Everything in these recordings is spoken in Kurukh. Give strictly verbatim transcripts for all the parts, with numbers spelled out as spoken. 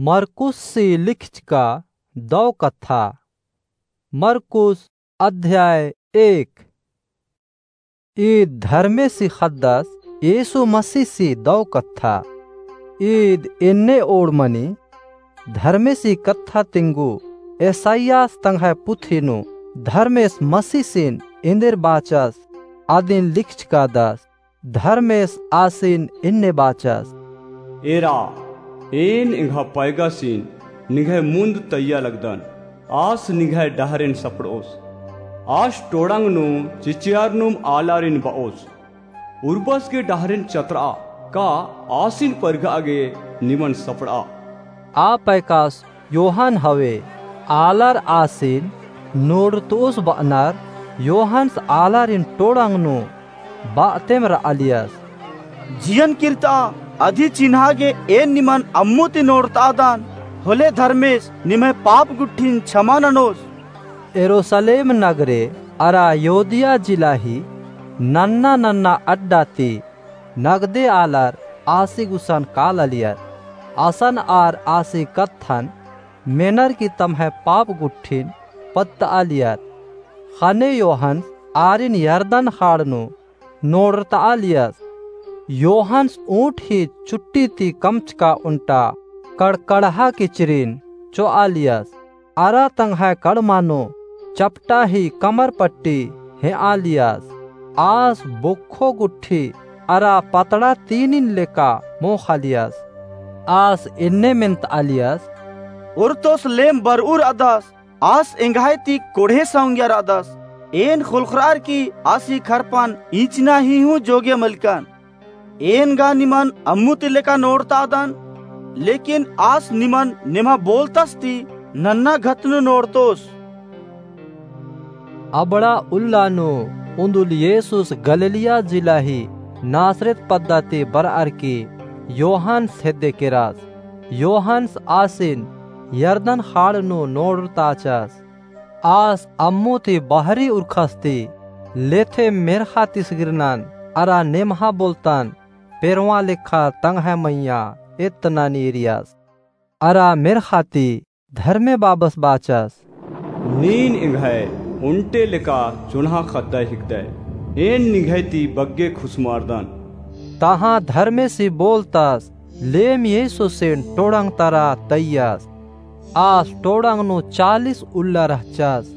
मरकुससी लिखचका दौ कत्था। मरकुस अध्याय एक। ईद धर्मेसी ख़द्दस येसु मसीसी दौ कत्था। ईद एन्ने ओड़मनी धर्मेसी कत्था तिंगु एसायास तंग्है पुथी नू धर्मेस मसीसिन एन्देर बाचस अदिन लिखचकादस। धर्मेस आसिन एन्ने बाचस। एरा, एन एंग्है पैगासिन निंग्है मुन्द तइय्या लगदन। आस निंग्है डहरेन सपड़ोस। आस टोड़ंग नू चिचियारनुम आलारिन बओस। उर्बस गे डहरेन चतरआ, का आसिन परघआ गे निमन सपड़आ। आ पैकास योहन हवे। आलर आसिन नोड़तोस बअनर योहन्स आलारिन टोड़ंग नू बअतेम रआलियस। जियन किर्तआ अदी चिन्हा गे एन निमन अम्मु ती नोड़तआदन, होले धर्मेस निम्है पाप गुट्ठिन छमा ननोस। यरूसलेम नगरे अरा यहूदिया जिला ही नन्ना नन्ना अड्डा ती नगदे आलर आसी गुसन कालालियर। असन आर आसी कत्थन मेनर की तम्है पाप गुट्ठिन पत्तआलियर। ख़ने योहन्स आरिन यरदन ख़ाड़ नू नोड़रतआलियस। योहन्स ऊँट ही चुट्टी ती कमचका ओन्टा कड़कड़हा किचरिन चोआलियस। अरा तंग्है कड़मा नू चपटा ही कमर पट्टी हेंआलियस। आस बोक्खो गुट्ठी अरा पतड़ा तीनिन लेका मोख़ालियस। आस एन्ने मेन्तआलियस। ओर्तोस लेम बरऊ रअदस, आस एंग्है ती कोड़हे सौंगिया रअदस। एन ख़ोलख़रअर की आसी खरपन इचना ही हूँ जोग्य मलकन। एन गा निमन अम्मु ती लेका नोड़तआदन, लेकिन आस निमन नेम्हा बोलतस ती नन्ना घत नू नोड़तोस। अबड़ा उल्ला नू उन्दुल येसुस गलिलिया जिला ही नासरेत पद्दा ती बरअर की योहन्स हेद्दे केरस। योहन्स आसिन यरदन ख़ाड़ नू नोड़रताचस। आस अम्मु ती बहरी उरखस ती लेथे मेर्ख़ा तिसगिरनन अरा नेम्हा बोलतन पेरवाँ लेखा तंग्है मइय्याँ एत्तनानी एरियस। अरा मेर्ख़ा ती धर्मे बाबस बाचस। नीन एंग्है ओन्टे लेका चोन्हा ख़द्दय हिकदय। एन निंग्है ती बग्गे खुसमारदन। तहाँ धर्मेसी बोलतस, लेम येसुसिन टोड़ंग तरा तइयस। आस टोड़ंग नू चालीस उल्ला रहचस।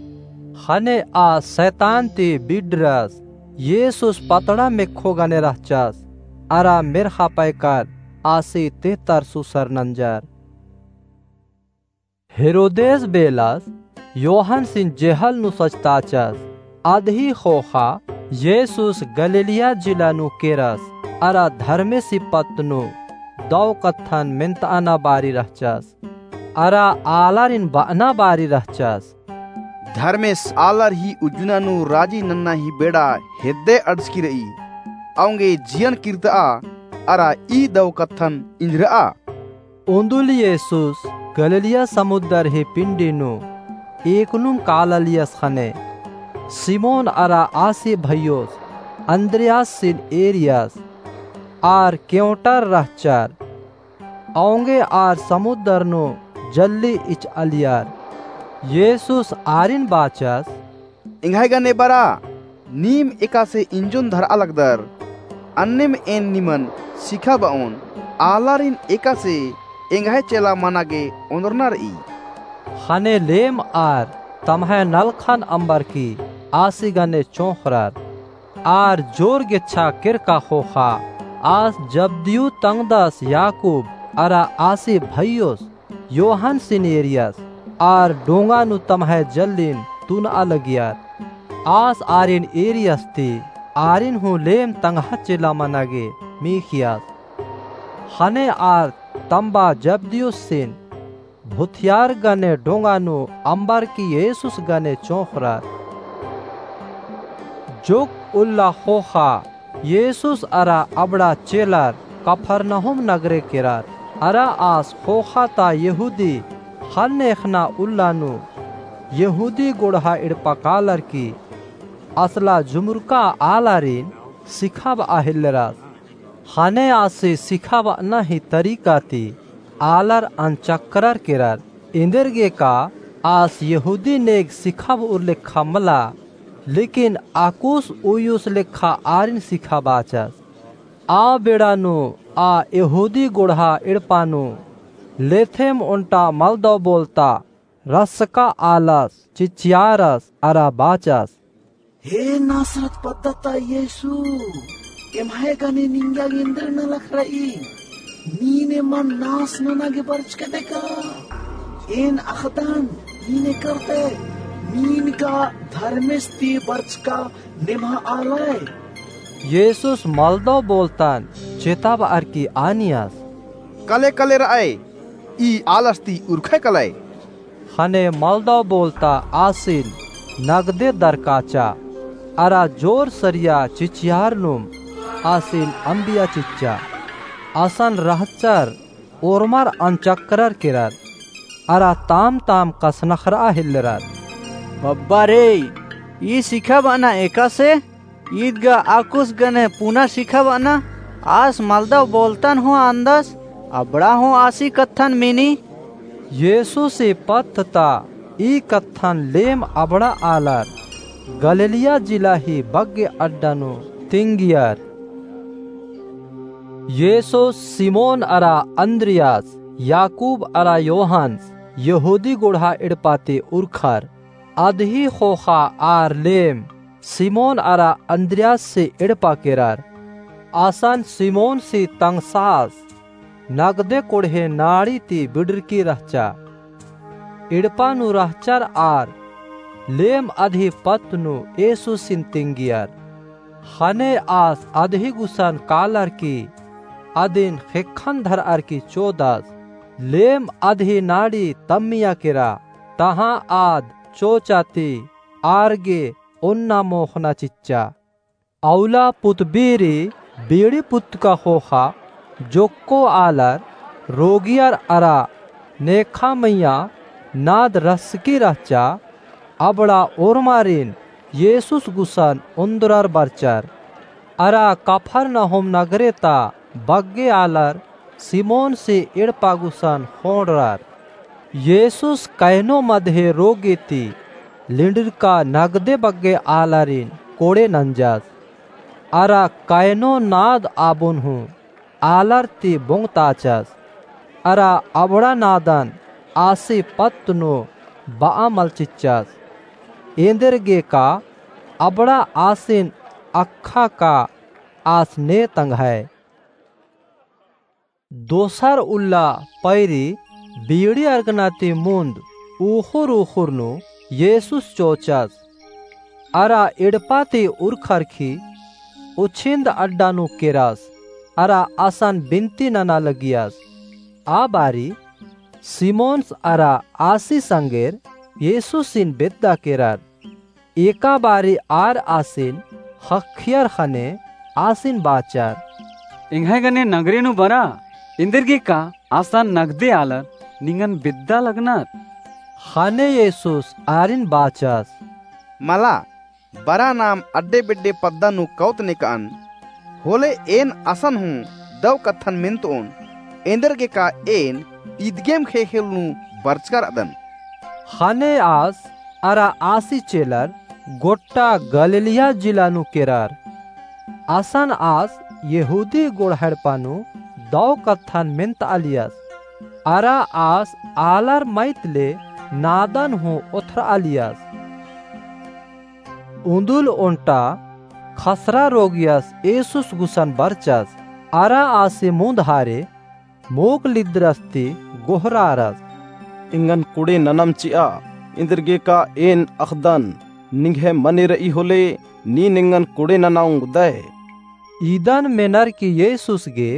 ख़ने आस सैतान ती बिडरस। येसुस पतड़ा मेक्खो गने रहचस। अरा मेर्ख़ा पैकर आसी तेहतर सुसर नंजर। हेरोदेस बेलस योहन्सिन जेहल नू सजताचस। अदही ख़ोख़ा येसुस गलिलिया जिला नू केरस। अरा धर्मेसी पत्त नू दौ कत्थन मेन्तअना बारी रहचस। अरा आलारिन बअना बारी रहचस। धर्मेस आलर ही उज्जना नू राजी नन्ना ही बेड़ा हेद्दे अंड़सकी रई। औंगे जियन किर्तआ अरा ई दौ कत्थन इंझरआ। उन्दुल येसुस गलिलिया समुद्दर ही पिंडी नू एकनुम कालालियस ख़ने सिमोन अरा आसी भइयोस अन्द्रियासिन एरियस आर केवंटर रहचर। औंगे आर समुद्दर नू जल्ली इचआलियर। येसुस आरिन बाचस। एंग्है गने बरआ, नीम एकासे इंजोन धरआ लगदर। अन्नेम एन निमन सिखाबओन, आलारिन एकासे एंग्है चेला मना गे ओन्दरना रई। ख़ने लेम आर तम्है नलखन अम्बरकी आसी गने चोंख़रर। आर जोर गेच्छा केरका ख़ोख़ा आस जब्दियु तंगदस याकूब अरा आसी भइयोस योहन्सिन एरियस। आर डोंगा नू तम्है जल्लिन तुनआ लगियर। आस आरिन एरियस ती आरिन हूँ लेम तंग्है चेला मना गे मीख़ियस। ख़ने आर तम्बा जब्दियुसिन भुथियार गने डोंगा नू अम्बरकी येसुस गने चोंख़रर। जोक उल्ला ख़ोख़ा येसुस अरा अबड़ा चेलर कफरनहूम नगरे केरर। अरा आस ख़ोख़ा ता यहूदी ख़न्न एख़ना उल्ला नू यहूदी गोड़हा एड़पा कालर की असला जुमुरका आलारिन सिखाबआ हेल्लरस। ख़ने आसी सिखाबअना ही तरीका ती आलर अनचकरर केरर। एन्देरगेका आस यहूदी नेग सिखाब'उर लेखा मला, लेकिन अक्कुस उयुस लेखा आरिन सिखाबाचस। आ बेड़ा नू आ यहूदी गोड़हा एड़पा नू लेथेम ओन्टा मलदव बोलता रसका आलस चिचियारस अरा बाचस। हे नासरत पद्दा ता यीशु, एम्है गने निंगा एन्देर नलख र'ई? नीन एमन नास नना गे बरचकदय का? एन अख़दन नीन एकरदय, नीन गा धर्मेस ती बरचका नेम्हा आलय। यीशुस मलदव बोलतन चेताब'अर की आनियस। कले कले र'अय, ई आलस ती उरखय कलय। ख़ने मलदव बोलता आसिन नगदे दरकाचा, अरा जोर सरिया चिचियारनुम आसिन अम्बिया चिच्चा। असन रहचर ओर्मर अनचकरर केरर, अरा ताम ताम कसनखर'आ हेल्लरर। बब्बा रे, ई सिखाब'अना एकासे? ईद गा अक्कुस गने पुना सिखाब'अना, आस मलदव बोलतन हूँ आन्दस, अबड़ा हूँ आसी कत्थन मेनी। यीशुसी पत्त ता ई कत्थन लेम अबड़ा आलर गलिलिया जिला ही बग्गे अड्डा नू तिंगियर। यीशुस सिमोन अरा अन्द्रियास, याकूब अरा योहान्स, यहूदी गोड़हा एड़पा ती उरखर। अदही ख़ोख़ा आर लेम सिमोन अरा अन्द्रियासी एड़पा केरर। असन सिमोनसी तंग्सास नगदे कोड़हे नाड़ी ती बिड़रकी रहचा। एड़पा नू रहचर आर लेम अदही पत्त नू यीशुसिन तिंगियर। ख़ने आस अदही गुसन कालर की अदिन ख़ेक्खन धर'अर की चोदस। लेम अदही नाड़ी तम्मिया केरा, तहाँ आद चोचा ती आर गे ओन्ना मोख़ना चिच्चा। अउला पुतबीरी बीड़ी पुत्तका ख़ोख़ा जोक्को आलर, रोगियर अरा नेखा मइय्याँ नाद रसकी रहचा। अबड़ा ओर्मारिन यीशुस गुसन ओन्द्रर बरचर। अरा कफरनहूम नगरे ता बग्गे आलर सिमोनसी एड़पा गुसन ख़ोंड़रर। यीशुस कैनो मदहे रोगी ती लिंड़रका नगदे बग्गे आलारिन कोड़े नंजस। अरा कैनो नाद आबोन हूँ आलर ती बोंगताचस। अरा अबड़ा नादन आसी पत्त नू ब'आ मल चिच्चस। एन्देरगेका अबड़ा आसिन अख़ा का आस ने तंग्है। दोसर उल्ला पैरी बीड़ी अरगना ती मुन्द उख़ुर उख़ुर नू यीशुस चोचस। अरा एड़पा ती उरखरखी उछिन्द अड्डा नू केरस, अरा असन बिनती नना लगियस। आ बारी सिमोनस अरा आसी संगेर यीशुसिन बेद्दा केरर। एका बारी आर आसिन ख़क्खियर ख़ने आसिन बाचर। एंग्है गने नगरे नू बरा, एन्देरगेका असन नगदे आलर निंगन बेद्दा लगनर। ख़ने यीशुस आरिन बाचस। मला, बरा नाम अड्डे बेड्डे पद्दा नू कौत नेकअन, होले एन असन हूँ दव कत्थन मेन्तओन, एन्देरगेका एन इदगेम ख़ेख़ेल नू बरचका र'अदन। ख़ने आस अरा आसी चेलर गोट्टा गलिलिया जिला नू केरर। असन आस यहूदी गोड़हा एड़पा नू दव कत्थन मेन्तआलियस। अरा आस आलर मइय्याँ ले नादन हूँ ओथरआलियस। उन्दुल ओन्टा ख़सरा रोगियस यीशुस गुसन बरचस। अरा आसी मुन्द हारे मोख़ लिद्दरस ती गोहरारस। एंगन कोड़े ननम चि'आ, एन्देरगेका एन अख़दन, निंग्है मने र'ई होले, नीन एंगन कोड़े नना ओंगदय। इदन मेनर की यीशुस गे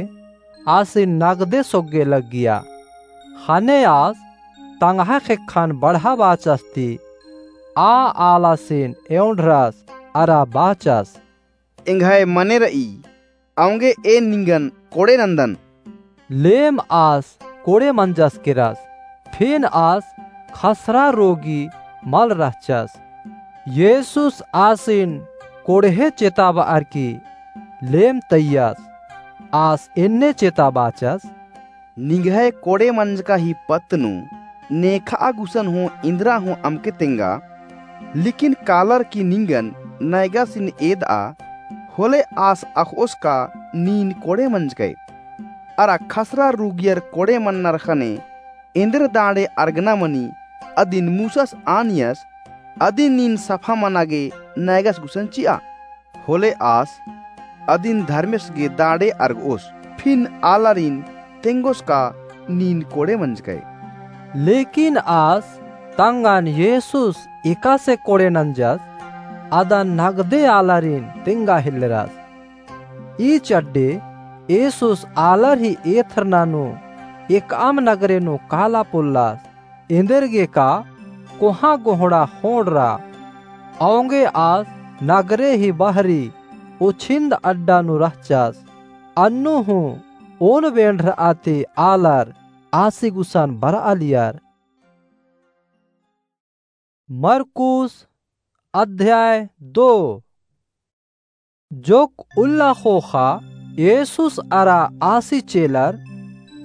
आसिन नगदे सोग्गे लग्गिया। ख़ने आस तंग्है ख़ेक्खन बढ़ाबाचस ती आ आलासिन एवंडरस अरा बाचस। एंग्है मने र'ई, औंगे एन निंगन कोड़े नन्दन। लेम आस कोड़े मंजस केरस, फिन आस ख़सरा रोगी मल रहचस। यीशुस आसिन कोड़हे चेताब'अर की लेम तइयस। आस एन्ने चेताबाचस। निंग्है कोड़े मंजका ही पत्त नू नेखआ गुसन हूँ इन्द्रा हूँ अमके तेंगा, लेकिन कालर की निंगन नैगासिन एदआ, होले आस अख़ओस का नीन कोड़े मंजकय। अरा खसरा रुगियर कोड़े मन्नर ख़ने एन्देर दांड़े अरगना मनी, अदिन मूसस आनियस, अदिन नीन सफा मना गे नैगस गुसन चिआ। होले आस अदिन धर्मेस गे दांड़े अरगओस, फिन आलारिन तेंगोस का नीन कोड़े मंजकय। लेकिन आस तंगन येसुस एकासे कोड़े नंजस, अदन नगदे आलारिन तेंगा हेल्लरस। ई चड्डे येसुस आलर ही एथरना नू एकअम नगरे नू काला पोल्लस। एन्देरगे का कोहाँ गोहड़ा ख़ोंड़रा। औंगे आस नगरे ही बहरी उछिन्द अड्डा नू रहचस। अन्नु हूँ ओन बेंड़रआ ती आलर आसी गुसन बरआलियर। मरकुस अध्याय दो। जोक्क उल्ला ख़ोख़ा येसुस अरा आसी चेलर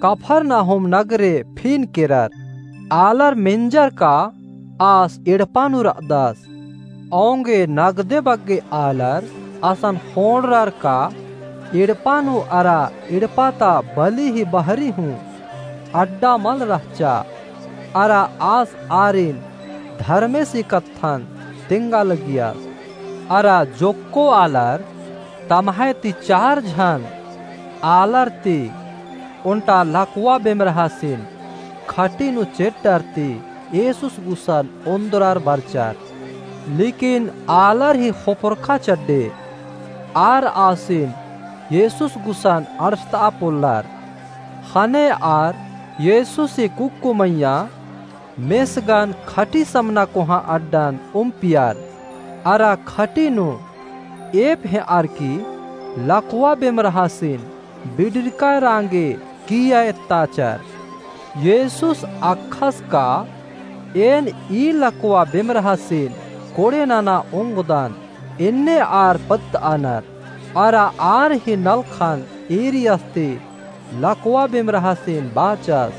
कफरनहूम नगरे फिन केरर। आलर मेंजर का आस एड़पा नू रअदस। औंगे नगदे बग्गे आलर असन ख़ोंड़रर का एड़पा नू अरा एड़पा ता बली ही बहरी हूँ अड्डा मल रहचा। अरा आस आरिन धर्मेसी कत्थन तेंगा लगियस। अरा जोक्को आलर तम्है ती चार झन आलर ती ओन्टा लकवा बेमरहासिन खटी नू चेड्डर ती येसुस गुसन ओन्दरर बरचर। लेकिन आलर ही ख़ोपरखा चड्डे आर आसिन येसुस गुसन अंड़सतआ पोल्लर। ख़ने आर येसुसी कुक्कु मइय्याँ मेसगन खटी समना कोहाँ अड्डन उम्पियर। अरा खटी नू एप हेंअर की लकवा बेमरहासिन बिड़िरका रांगे किइय्या एत्ताचर। येसुस अख़अस का, एन ई लकवा बेमरहासिन कोड़े नना ओंगदन। एन्ने आर पत्तअनर। अरा आर ही नलखन ईरियस ती लकवा बेमरहासिन बाचस,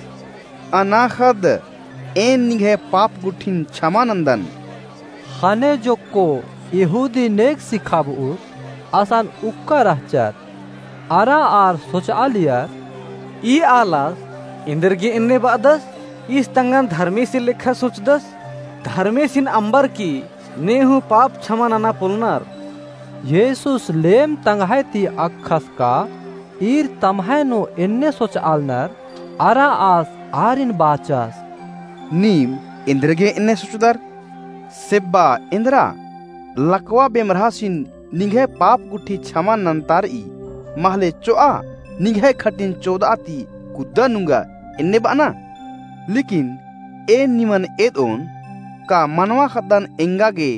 अनाख़द, एन निंग्है पाप गुट्ठिन छमा नन्दन। ख़ने जोक्को यहूदी नेग सिखाबउर असन उक्का रहचर। अरा आर सोचआलियर, ई आलस एन्देरगे एन्ने बअदस? ईस तंगन धर्मेसी लेखा सोचदस। धर्मेसिन अम्बर की ने हूँ पाप छमा नना पोलनर। येसुस लेम तंग्है ती अख़अस का ईर तम्है नू एन्ने सोचआलनर। अरा आस आरिन बाचस, नीम एन्देरगे एन्ने सोचदर? सेब्बा एन्दरा लकवा बेमरहासिन निंग्है पाप गुट्ठी छमा नन्तारई, महले चोआ निंग्है खटिन चोदआ ती कुद्दा नुंगा एन्ने बअना? लेकिन एन निमन एदओन, का मनवा ख़द्दन एंगा गे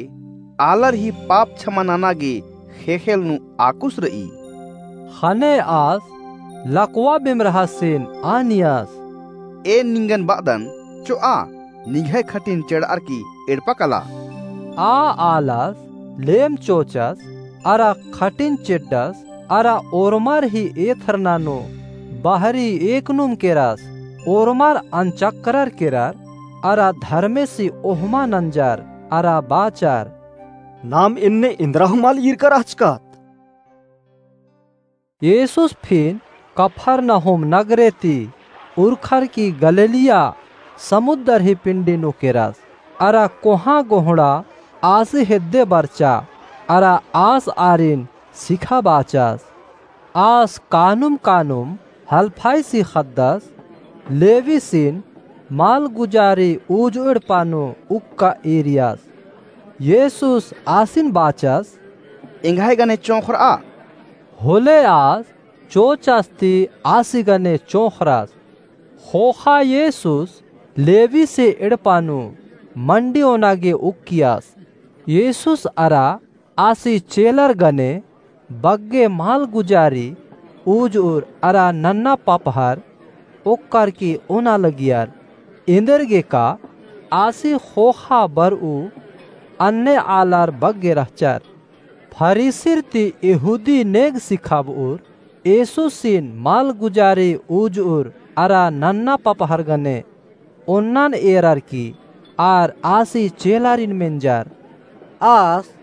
आलर ही पाप छमा नना गे ख़ेख़ेल नू आकुस रई? ख़ने आस लकवा बेमरहासिन आनियस, एन निंगन बअदन, चोआ निंग्है खटिन चेड़अर की एड़पा कला। आ आलस लेम चोचस अरा खटिन चेड्डस अरा ओर्मर ही एथरना नू बहरी एकनुम केरस। ओर्मर अनचकरर केरर अरा धर्मेसी ओहमा नंजर अरा बाचर, नाम एन्ने एन्दरा हूँ मल ईरका रहचकत। येसुस फिन कफरनहूम नगरे ती उरखर की गलीलिया समुद्दर ही पिंडी नू केरस। अरा कोहाँ गोहड़ा आसी हेद्दे बरचा, अरा आस आरिन सिखाबाचस। आस कानुम कानुम हल्फाईसी ख़द्दस, लेवीसिन मालगुजारी उजुर एड़पा नू उक्का ईरियस। येसुस आसिन बाचस, एंग्है गने चोंख़रआ। होले आस चोचस ती आसी गने चोंख़रस। ख़ोख़ा येसुस लेवीसी एड़पा नू मंडी ओना गे उक्कियस। येसुस अरा आसी चेलर गने बग्गे मालगुजारी उजुर अरा नन्ना पपहर ओक्कर की ओना लगियर। एन्देरगे का आसी ख़ोख़ा बरऊ अन्ने आलर बग्गे रहचर। फरीसिर ती यहूदी नेग सिखाबउर येसुसिन मालगुजारी उजुर अरा नन्ना पपहर गने ओन्नन एरर की आर आसी चेलारिन मेंजर, आस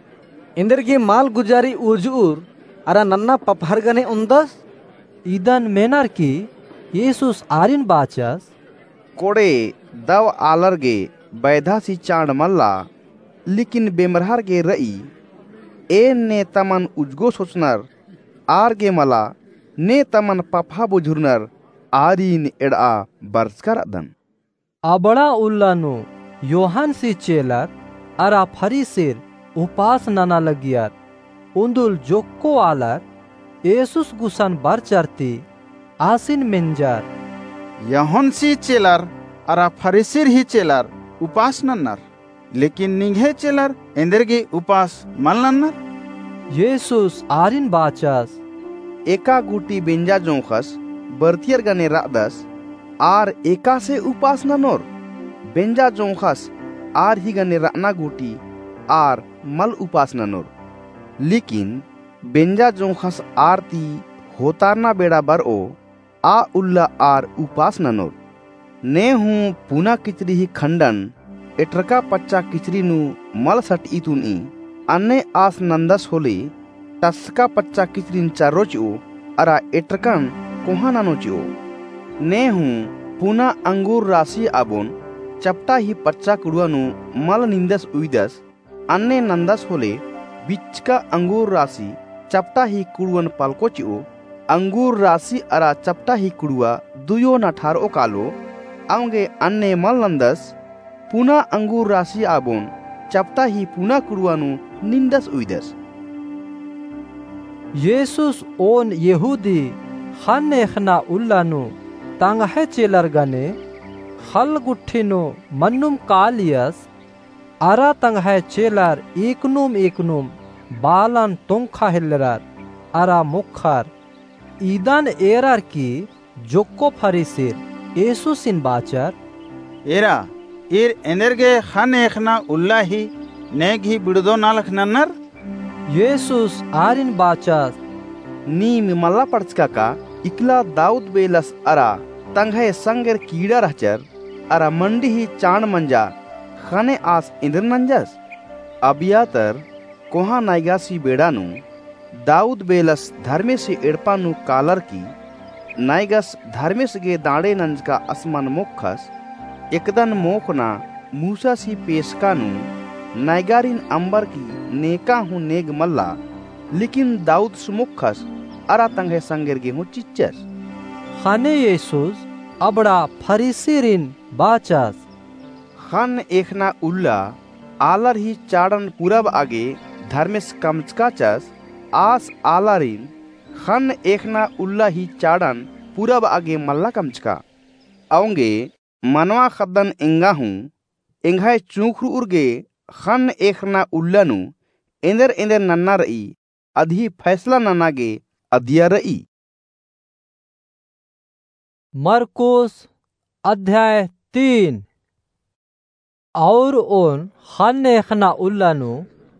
एन्देरगे माल गुजारी उर्जउर अरा नन्ना पपहर गने ओन्दस? इदन मेनर की येसुस आरिन बाचस, कोड़े दव आलर गे बैधासी चाड़ मल्ला, लेकिन बेमरहर गे रई। एन ने तमन उजगो सोचनर आर गे मला, ने तमन पपहा बुझुरनर आरिन एड़आ बरचका रअदन। अबड़ा उल्ला नू योहानसी चेलर अरा फरीसिर उपास नना लगियर। उन्दुल जोक्को आलर येसुस गुसन बरचर ती आसिन मेंजर, योहानसी चेलर अरा फरीसिर ही चेलर उपास नन्नर, लेकिन निंग्है चेलर एन्देरगे उपास मल नन्नर? येसुस आरिन बाचस, एका गूटी बेंजा जोंख़स बरतियर गने रअदस, आर एकासे उपास ननोर? बेंजा जोंख़स आर ही गने रअना गूटी आर मल उपास ननोर। लेकिन बेंजा जोंख़स आर ती होतारना बेड़ा बरओ, आ उल्ला आर उपास ननोर। ने हूँ पुना किचरी ही खंडन एटरका पच्चा किचरी नू मल सटई तुनई, अन्ने आस नन्दस होले टसका पच्चा किचरिन चर्रो चिओ, अरा एटरकन कोहाँ ननो चिओ। ने हूँ पुना अंगूर रासी आबोन चपटा ही पच्चा कुड़ुआ नू मल निन्दस उइदस, अन्ने नन्दस होले बिचका अंगूर रासी चपटा ही कुड़ुअन पलको चिओ, अंगूर रासी अरा चपटा ही कुड़ुआ दुयो नठारओ कालो। औंगे अन्ने मल नन्दस, पुना अंगूर रासी आबोन चपटा ही पुना कुड़ुआ नू निन्दस उइदस। येसुस ओन यहूदी ख़न्न एख़ना उल्ला नू तंग्है चेलर गने ख़ल्ल गुट्ठी नू मन्नुम कालियस, अरा तंग्है चेलर एकनुम एकनुम बालन तोंख़ा हेल्लरर अरा मोख़र। इदन एरर की जोक्को फरीसिर येसुसिन बाचर, एरा, ईर एन्देरगे ख़न्न एख़ना उल्ला ही नेग ही बिड़दो नलख नन्नर? येसुस आरिन बाचस, नीम मल्ला पढ़चका का, इकला दाऊद बेलस अरा तंग्है संगेर कीड़ा रहचर, अरा मंडी ही चाड़ मंजा ख़ने आस एन्देर नंजस? अबियातर कोहाँ नैगासी बेड़ा नू दाऊद बेलस धर्मेसी एड़पा नू कालर की, नैगस धर्मेस गे दाड़े नंजका असमन मोख़स, एकदन मोख़ना मूसासी पेसका नू नैगारिन अम्बर की नेका हूँ नेग मल्ला, लेकिन दाऊदस मोख़स अरा तंग्है संगेर गे हूँ चिच्चस। ख़ने येसुस अबड़ा फरीसिरिन बाचस, ख़न्न एख़ना उल्ला आलर ही चाड़न पुरबआ गे धर्मेस कमचकाचस, आस आलारिन ख़न्न एख़ना उल्ला ही चाड़न पुरबआ गे मल्ला कमचका। औंगे मनवा ख़द्दन एंगा हूँ एंग्है चूँख़रउर गे ख़न्न एख़ना उल्ला नू एन्देर एन्देर नन्ना रई, अदही फैसला नना गे अदिया रई। मरकुस अध्याय तीन। और ओन ख़न्न एख़ना उल्ला नू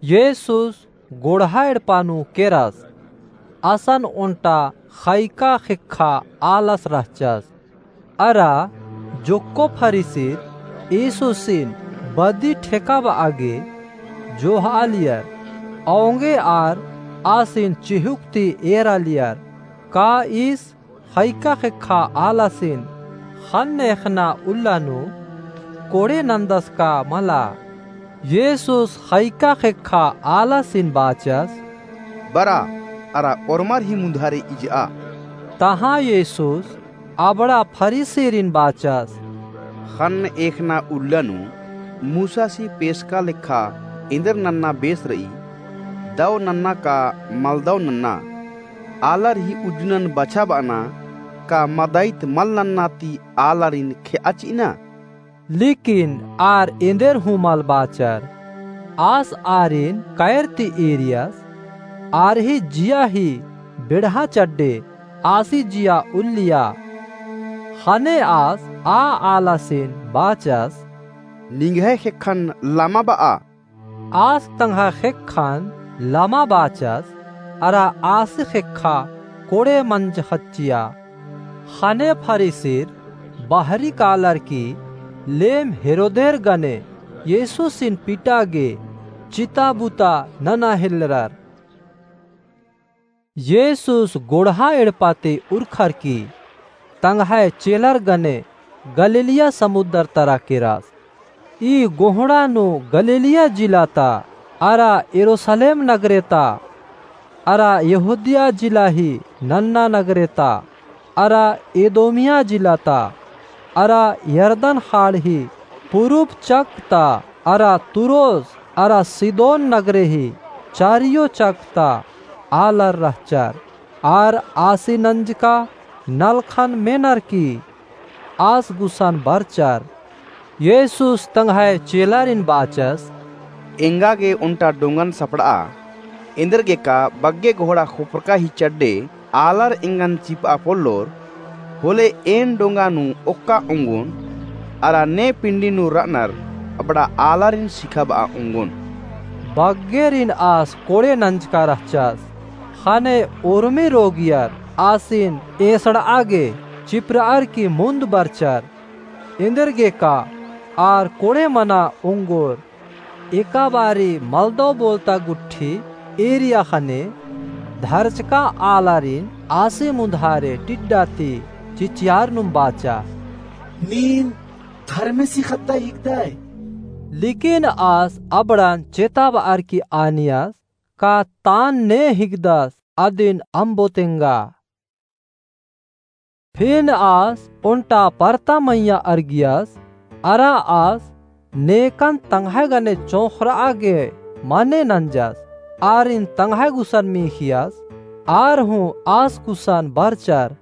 येसुस गोड़हा एड़पा नू केरस। असन ओन्टा ख़ैका ख़ेक्खा आलस रहचस। अरा जोक्को फरीसिर येसुसिन बदी ठेकाबआ गे जोहआलियर, औंगे आर आसिन चिहुक ती एरालियर, का ईस ख़ैका ख़ेक्खा आलासिन ख़न्न एख़ना उल्ला नू कोड़े नन्दस का मला? येसुस ख़ैका ख़ेक्खा आलासिन बाचस, बरा अरा ओर्मर ही मुन्धारे इजआ। तहाँ येसुस अबड़ा फरीसिरिन बाचस, ख़न्न एख़ना उल्ला नू मूसासी पेसका लेखा एन्देर नन्ना बेस रई, दव नन्ना का मलदव नन्ना? आलर ही उज्जुनन बछाबअना का मदइत मल नन्ना ती आलारिन खेआ चिअना? लेकिन आर एन्देर हूँ मल बाचर। आस आरिन कैर ती एरियस, आर ही जिया ही बेड़हा चड्डे, आसी जिया उल्लिया। ख़ने आस आ आलासिन बाचस, निंग्है ख़ेक्खन लमा बआ। आस तंग्है ख़ेक्खन लमा बाचस, अरा आसी ख़ेक्खा कोड़े मंजख़च्चिया। ख़ने फरीसिर बहरी कालर की लेम हेरोदेर गने येसुसिन पिटा गे चिता बुता नना हेलरर। येसुस गोड़हा एड़पा ती उरखर की तंग्है चेलर गने गलीलिया समुद्दर तरा केरस। ई गोहड़ा नू गलीलिया जिला ता अरा यरूसलेम नगरे ता अरा यहूदिया जिला ही नन्ना नगरे ता अरा एदोमिया जिला ता अरा यरदन खाड़ ही पुरुब चक ता अरा तुरोस अरा सिदोन नगरे ही चारियो चक ता आलर रहचर। आर आसी नंजका नलखन मेनर की आस गुसन बरचर। येसुस तंग्है चेलारिन बाचस, एंगा गे ओन्टा डोंगन सपड़आ, एन्देरगेका बग्गे गोहड़ा खोपरका ही चड्डे आलर एंगन चिपआ पोल्लोर, होले एन डोंगा नू ओक्का ओंगोन, अरा ने पिंडी नू रअनर अबड़ा आलारिन सिखाबआ ओंगोन। बग्गेरिन आस कोड़े नंजका रहचस, ख़ने उर्मी रोगियर आसिन एसड़आ गे चिपरअर की मुन्द बरचर। एन्देरगेका आर कोड़े मना ओंगोर। एका बारी मलदव बोलता गुट्ठी एरिया ख़ने धरचका आलारिन आसी मुन्धारे टिड्डा ती चिचियारनुम बाचा, नीन धर्मेसी ख़द्दा हिकदय। लेकिन आस अबड़न चेताबअर की आनियस, का तान ने हिकदस अदिन अम्बो तेंगा। फिन आस ओन्टा परता मइय्याँ अरगियस, अरा आस नेकन तंग्है गने चोंख़रआ गे मने नंजस, आरिन तंग्है गुसन मीख़ियस, आर हूँ आस गुसन बरचर।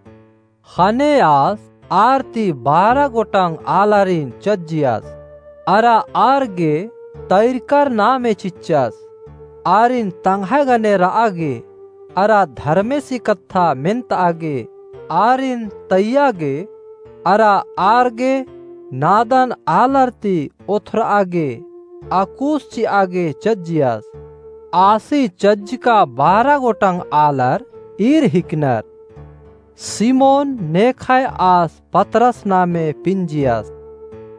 ख़ने आस आर ती बारह गोटंग आलारिन चज्जियस, अरा आर गे तैरकर नामे चिच्चस। आरिन तंग्है गने रआ गे, अरा धर्मेसी कत्था मेन्तआ गे, आरिन तैया गे, अरा आर गे नादन आलर ती ओथरआ गे, अक्कुस चिआ गे चज्जियस। आसी चज्जका बारह गोटंग आलर ईर हिकनर। सिमोन नेखय आस पतरस नामे पिंजियस,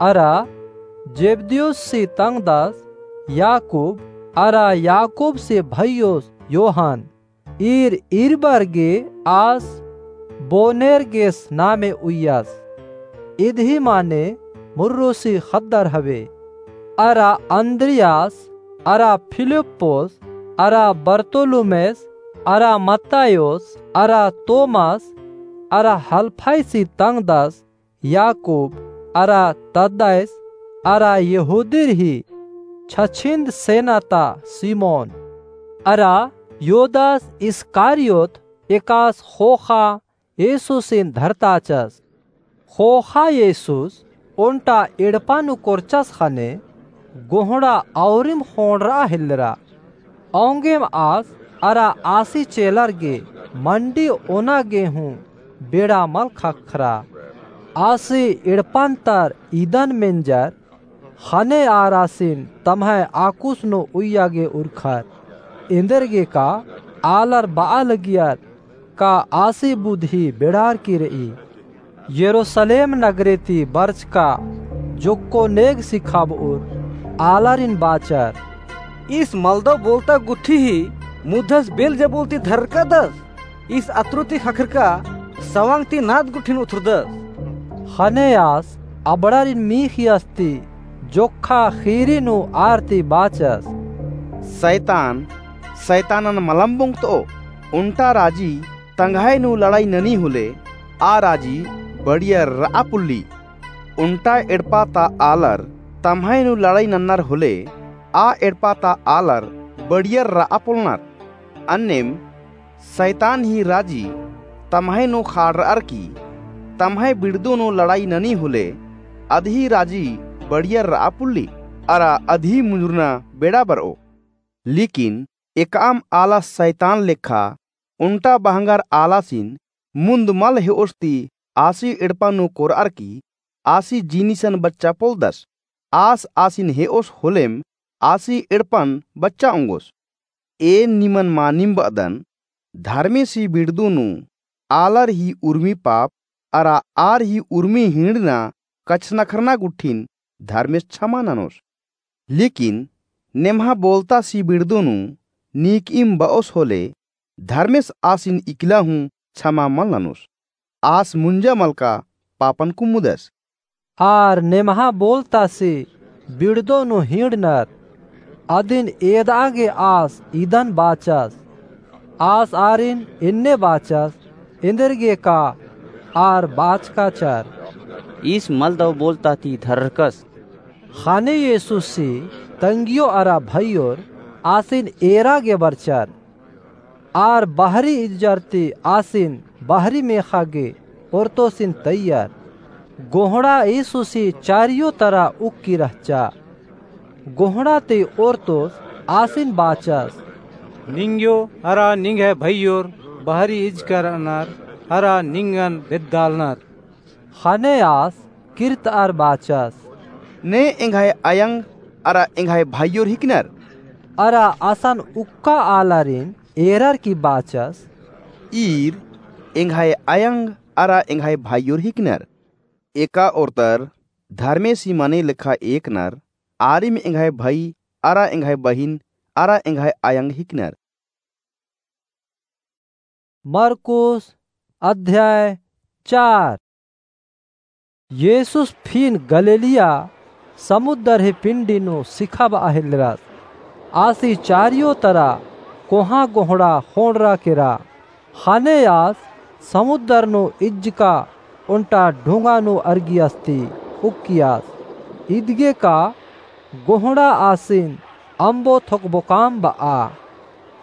अरा जेबदियुससी तंगदस याकूब, अरा याकूबसी भइयोस योहन, ईर ईरबर गे आस बोनेर्गेस नामे उइयस, इदही माने मुर्रोसी ख़द्दर हवे। अरा अन्द्रियास, अरा फिलिप्पोस, अरा बरतुलुमेस, अरा मत्तायोस, अरा तोमास, अरा हलफईसी तंगदस याकूब, अरा तद्दयस, अरा यहूदीर ही छछिन्द सेना ता सिमोन, अरा युदास इस्कारियोत एकास ख़ोख़ा येसुसिन धरताचस। ख़ोख़ा येसुस ओन्टा एड़पा नू कोरचस ख़ने गोहड़ा औरिम ख़ोंड़रआ हेलरा। औंगेम आस अरा आसी चेलर गे मंडी ओना गे हूँ बेड़ा मल ख़क्खरा। आसी एड़पन्तर इदन मेंजर ख़ने आर आसिन तम्है आकुस नू उइया गे उरखर। एन्देरगेका आलर बआ लगियर का आसी बुद्धि बेड़ारकी रई। यरूसलेम नगरे ती बरचका जोक्को नेग सिखाबउर आलारिन बाचर, ईस मलदव बोलता गुट्ठी ही मुद्धस बेलजेबुल ती धररकादस। ईस अतरु ती ख़क्खरका सवंग ती नाद गुट्ठिन उथुरदस। ख़ने आस अबड़ारिन मीख़ियस ती जोक्खा ख़ीरी नू आर ती बाचस, सैतान सैतानन मलम बोंगतओ। ओन्टा राजी तंग्है नू लड़ाई ननी होले, आ राजी बड़ियर रआ पुल्ली। ओन्टा एड़पा ता आलर तम्है नू लड़ाई नन्नर होले, आ एड़पा ता आलर बड़ियर रआ पोल्लनर। अन्नेम सैतान ही राजी तम्है नू ख़ाड़रअर की तम्है बिड़दू नू लड़ाई ननी होले, अदही राजी बड़ियर रआ पुल्ली, अरा अदही मुंजुरना बेड़ा बरओ। लेकिन एकअम आलस सैतान लेखा ओन्टा बहंगर आलासिन मुन्द मल हेओस ती आसी एड़पा नू कोरअर की आसी जिनिसन बच्चा पोल्लदस। आस आसिन हेओस होलेम आसी एड़पन बच्चा ओंगोस। एन निमन मानिम बअदन, धर्मेसी बिड़दू नू आलर ही उर्मी पाप अरा आर ही उर्मी हिंड़ना कछनखरना गुट्ठिन धर्मेस छमा ननोस। लेकिन नेम्हा बोलतासी बिड़दो नू नीकइम बओस होले धर्मेस आसिन इकला हूँ छमा मल ननोस। आस मुंजा मलका पापन कुमुदस। आर नेम्हा बोलतासी बिड़दो नू हिंड़नर, अदिन एदआ गे आस इदन बाचस। आस आरिन एन्ने बाचस, एन्देरगे का आर बाचकाचर। ईस मलदव बोलता ती धररकस। ख़ने येसुसी तंग्यो अरा भइयोर आसिन एरा गे बरचर। आर बहरी इज्जर ती आसिन बहरी मेख़ा गे ओर्तोसिन तइयर। गोहड़ा येसुसी चारियो तरा उक्की रहचा। गोहड़ा ती ओर्तोस आसिन बाचस। निंग्यो अरा निंग्है भइयोर बहरी इजकर रअनर अरा निंगन बेद्दालनर। ख़ने आस किर्तअर बाचस। ने एंग्है अयंग अरा एंग्है भइयोर हिकनर। अरा असन उक्का आलारिन एरर की बाचस। ईर एंग्है अयंग अरा एंग्है भइयोर हिकनर। एका ओर्तर धर्मेसी मने लेखा एकनर, आरिम एंग्है भई अरा एंग्है बहिन अरा एंग्है अयंग हिकनर। मरकुस अध्याय चार। येसुस फिन गलीलिया समुद्दर ही पिंडी नू सिखाबआ हेलरस। आसी चारियो तरा कोहाँ गोहड़ा ख़ोंड़रा केरा। ख़ने आस समुद्दर नू इज्जका ओन्टा ढुंगा नू अरगियस ती उक्कियस। इदगे का गोहड़ा आसिन अम्बो थोकबोकाम बआ।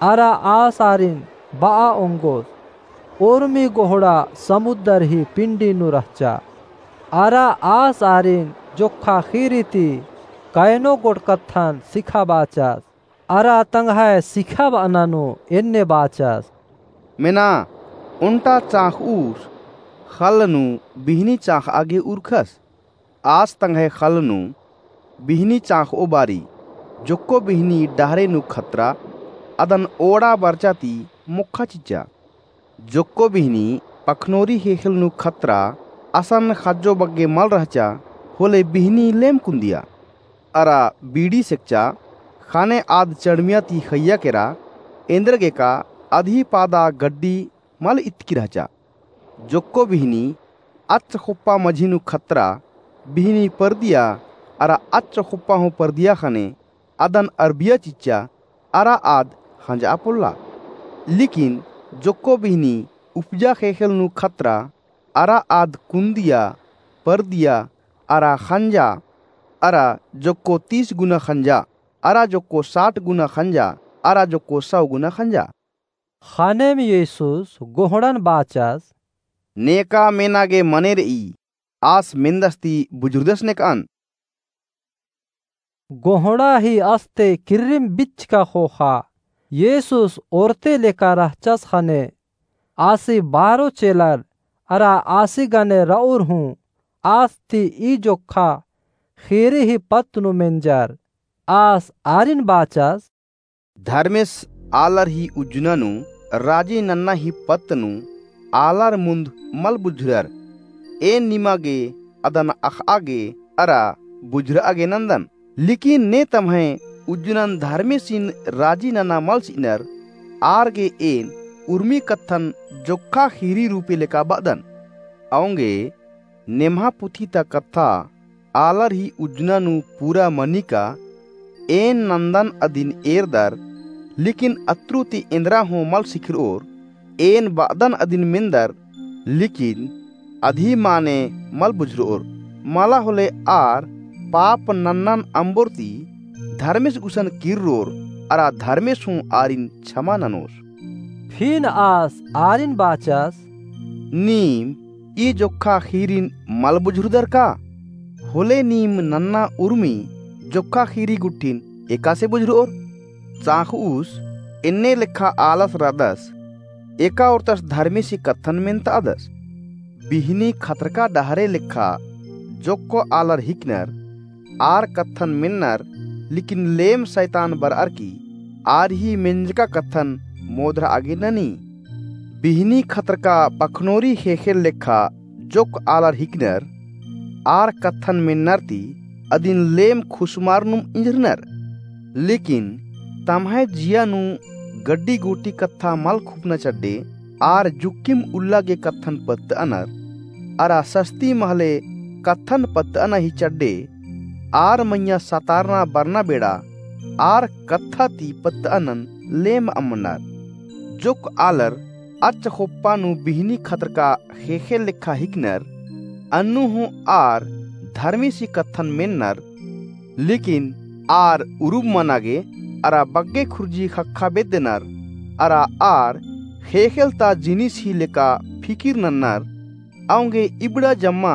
अरा आस आरिन बआ ओंगोस। उर्मी गोहड़ा समुद्दर ही पिंडी नू रहचा। अरा आस आरिन जोक्खा ख़ीरी ती कयनो गोट कत्थन सिखाबाचस। अरा तंग्है सिखाबअना नू एन्ने बाचस। मेना, ओन्टा चाँख़उस ख़ल्ल नू बिहनी चाँख़आ गे उरखस। आस तंग्है ख़ल्ल नू बिहनी चाँख़ओ बारी, जोक्को बिहनी डहरे नू खतरा, अदन ओड़ा बरचा ती मोक्खा चिच्चा। जोक्को बिहनी पखनोरी ख़ेख़ेल नू खतरा, असन ख़ज्जो बग्गे मल रहचा, होले बिहनी लेम कुन्दिया। अरा बीड़ी सेकचा, ख़ने आद चड़मिया ती ख़इय्या केरा, एन्देरगे का अदही पादा गड्डी मल इतकी रहचा। जोक्को बिहनी अच्च ख़ोप्पा मझी नू खतरा, बिहनी परदिया, अरा अच्च ख़ोप्पा हूँ परदिया ख़ने अदन अरबिया चिच्चा, अरा आद ख़ंजआ पोल्ला। लेकिन जोक्को बिहनी उपजा ख़ेख़ेल नू खतरा, अरा आद कुन्दिया, परदिया, अरा ख़ंजा, अरा जोक्को तीस गुना ख़ंजा, अरा जोक्को साठ गुना ख़ंजा, अरा जोक्को सौ गुना ख़ंजा। ख़नेम येसुस गोहड़न बाचस। नेका मेना गे मने रई, आस मेन्दस ती बुझुरदस नेकअन। गोहड़ा ही अस्ते किर्रिम बिच्चका ख़ोख़ा। येसुस ओर्ते लेका रहचस ख़ने आसी बारो चेलर अरा आसी गने रऊर हूँ आस ती ई जोक्खा ख़ीरी ही पत्त नू मेंजर। आस आरिन बाचस। धर्मेस आलर ही उज्जना नू राजी नन्ना ही पत्त नू आलर मुन्द मल बुझुरर। एन निमा गे अदन अख़आ गे अरा बुझुरआ गे नन्दन। लेकिन ने तम्है उज्जनन धर्मेसिन राजी नना मल चिअनर, आर गे एन उर्मी कत्थन जोक्खा ख़ीरी रूपे लेका बअदन। औंगे नेम्हा पुथी ता कत्था आलर ही उज्जना नू पूरा मनी का। एन नन्दन अदिन एरदर, लेकिन अत्रु ती एन्दरा हूँ मल सिखरओर। एन बअदन अदिन मेन्दर, लेकिन अदही माने मल बुझरओर। मला होले आर पाप नन्नन अम्बोर ती धर्मेस गुसन किर्रोर, अरा धर्मेस हूँ आरिन छमा ननोस। फिन आस आरिन बाचस। नीम ई जोक्खा ख़ीरिन मल बुझुरदर का? होले नीम नन्ना उर्मी जोक्खा ख़ीरी गुट्ठिन एकासे बुझुरओर? चाख़उस एन्ने लेखा आलस रअदस, एका ओर्तस धर्मेसी कत्थन मेन्तअदस। बिहनी खतरका डहरे लेखा जोक्को आलर हिकनर, आर कत्थन मेन्नर, लेकिन लेम सैतान बरअर की आर ही मेंजका कत्थन मोधरआ गे ननी। बिहनी खतरका पखनोरी ख़ेख़ेल लेखा जोक्क आलर हिकनर, आर कत्थन मेन्नर ती अदिन लेम खुसमारनुम इंजरनर। लेकिन तम्है जिया नू गड्डी गूटी कत्था मल खुपना चड्डे, आर जुक्किम उल्ला गे कत्थन पत्तअनर, अरा सस्ती महले कत्थन पत्तअना ही चड्डे, आर मइय्याँ सतारना बरना बेड़ा, आर कत्था ती पत्तअनन लेम अम्मनर। जोक्क आलर अच्च खोप्पा नू बिहनी खतरका ख़ेख़ेल लेखा हिकनर, अन्नु हूँ आर धर्मेसी कत्थन मेन्नर, लेकिन आर उरुम मना गे अरा बग्गे खुर्जी ख़क्खा बेद्दनर, अरा आर ख़ेख़ेल ता जिनिस ही लेका फिकिर नन्नर, औंगे इबड़ा जम्मा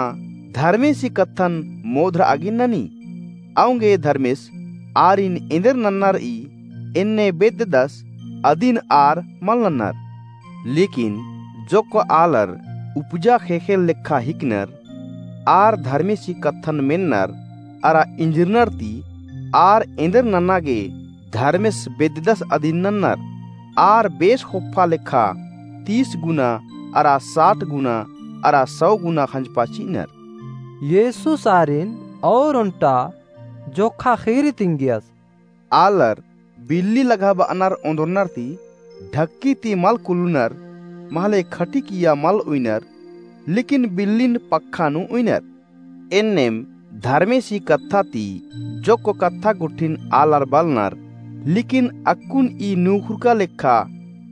धर्मेसी कत्थन मोधरआ गे ननी। औंगे धर्मेस आरिन एन्देर नन्ना रई, एन्ने बेद्ददस अदिन आर मल नन्नर। लेकिन जोक्क आलर उपजा ख़ेख़ेल लेखा हिकनर, आर धर्मेसी कत्थन मेन्नर अरा इंजरनर ती आर एन्देर नन्ना गे धर्मेस बेद्ददस अदिन नन्नर। आर बेस खोप्पा लेखा तीस गुना अरा साठ गुना अरा सौ गुना खंजपा चिअनर। येसुस आरिन और ओन्टा जोक्खा ख़ीरी तिंगियस। आलर बिल्ली लगाबअनर ओन्दरनर ती ढक्की ती मल कुलुनर, महले खटिकिया मल उइनर, लेकिन बिल्लिन पक्खा नू उइनर। एन्नेम धर्मेसी कत्था ती जोक्क कत्था गुट्ठिन आलर बलनर, लेकिन अक्कुन ई नूखुरका लेखा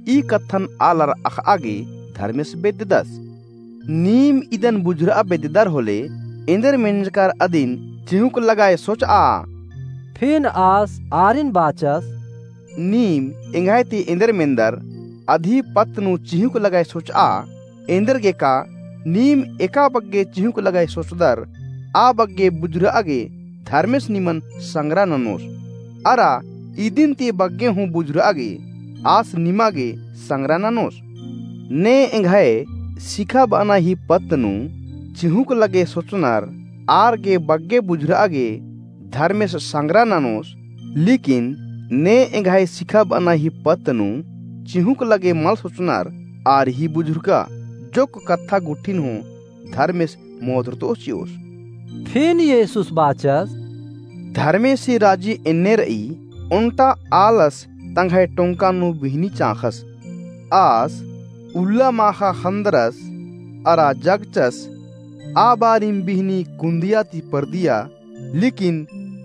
ई कत्थन आलर अख़आ गे धर्मेस बेद्ददस। नीम इदन बुझुरआ बेद्ददर होले, एन्देर मेंजकर अदिन चिहुँक लगाय सोचआ। फिन आस आरिन बाचस। नीम एंग्है ती एन्देर मेन्दर अदही पत्त नू चिहुँक लगाय सोचआ, एन्देर गे का नीम एका बग्गे चिहुँक लगाय सोचदर, आ बग्गे बुझुरआ गे धर्मेस निमन संगरा ननोस। अरा इदिन ती बग्गे हूँ बुझुरआ गे आस निमा गे संगरा ननोस। ने एंग्है सिखाबअना ही पत्त नू चिहुँक लगे सोचनर आर गे बग्गे बुझुरआ गे धर्मेस संगरा ननोस, लेकिन ने एंग्है सिखाबअना ही पत्त नू चिहुँक लगे मल सोचनर आर ही बुझुरका जोक्क कत्था गुट्ठिन हूँ धर्मेस मोधरतओस चिओस। फिन येसुस बाचस। धर्मेसी राजी एन्ने रई, ओन्टा आलस तंग्है टोंका नू बिहनी चाँख़स। आस उल्ला माख़ा ख़न्दरस अरा जगचस, आ बारिम बिहनी कुन्दिया ती परदिया, लेकिन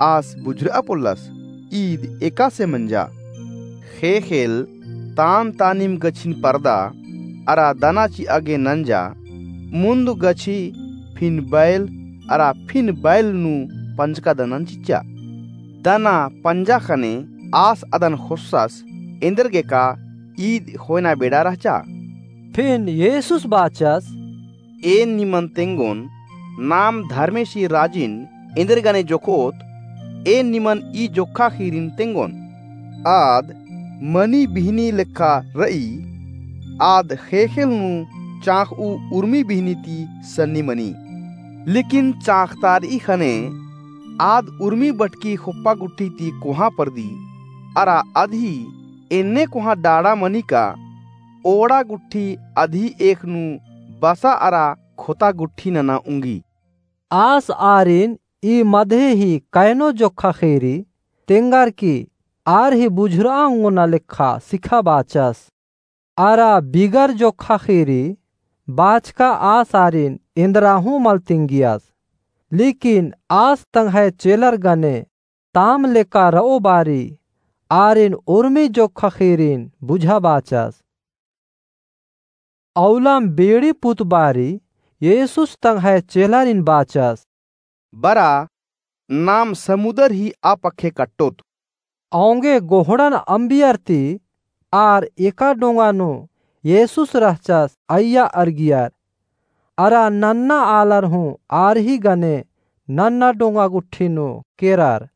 आस बुझुरआ पोल्लस, ईद एकासे मंजा। ख़ेख़ेल तान तानिम गछिन परदा अरा दना चिआ गे नंजा, मुन्द गछी, फिन बैल अरा फिन बैल नू पंजका दनन चिच्चा। दना पंजा ख़ने आस अदन ख़ोस्सस, एन्देर गे का ईद ख़ोयना बेड़ा रहचा। फिन येसुस बाचस। एन निमन तेंगोन, नाम धर्मेसी राजिन एन्देर गने जोखओत, एन निमन ई जोखा ख़ीरिन तेंगोन। आद मनी बिहनी लेखा रई, आद ख़ेख़ेल नू चाँख़ऊ उर्मी बिहनी ती सन्नी मनी। लेकिन चाँख़तारई ख़ने आद उर्मी बटकी ख़ोप्पा गुट्ठी ती कोहाँ परदी, अरा अदही एन्ने कोहाँ डाड़ा मनी का ओड़ा गुट्ठी अदही एख़ नू बसा अरा ख़ोता गुट्ठी नना उंगी। आस आरिन ई मदहे ही कैनो जोखा ख़ीरी तेंगर की आर ही बुझुरआ ओंगोना लेखा सिखा बाचस। अरा बिगर जोखा ख़ीरी बाचका आस आरिन एन्दरा हूँ मल तिंगियस। लेकिन आस तंग्है चेलर गने ताम लेका रओ बारी आरिन उर्मी जोखा ख़ीरिन बुझा बाचस। अउलाम बेड़ी पुत बारी येसुस तंग्है चेलारिन बाचस। बरा, नाम समुदर ही आ पक्खे कट्टोत। औंगे गोहड़न अम्बियर ती आर एका डोंगा नू येसुस रहचस अइय्या अरगियर। अरा नन्ना आलर हूँ आर ही गने नन्ना डोंगा गुट्ठी नू केरर।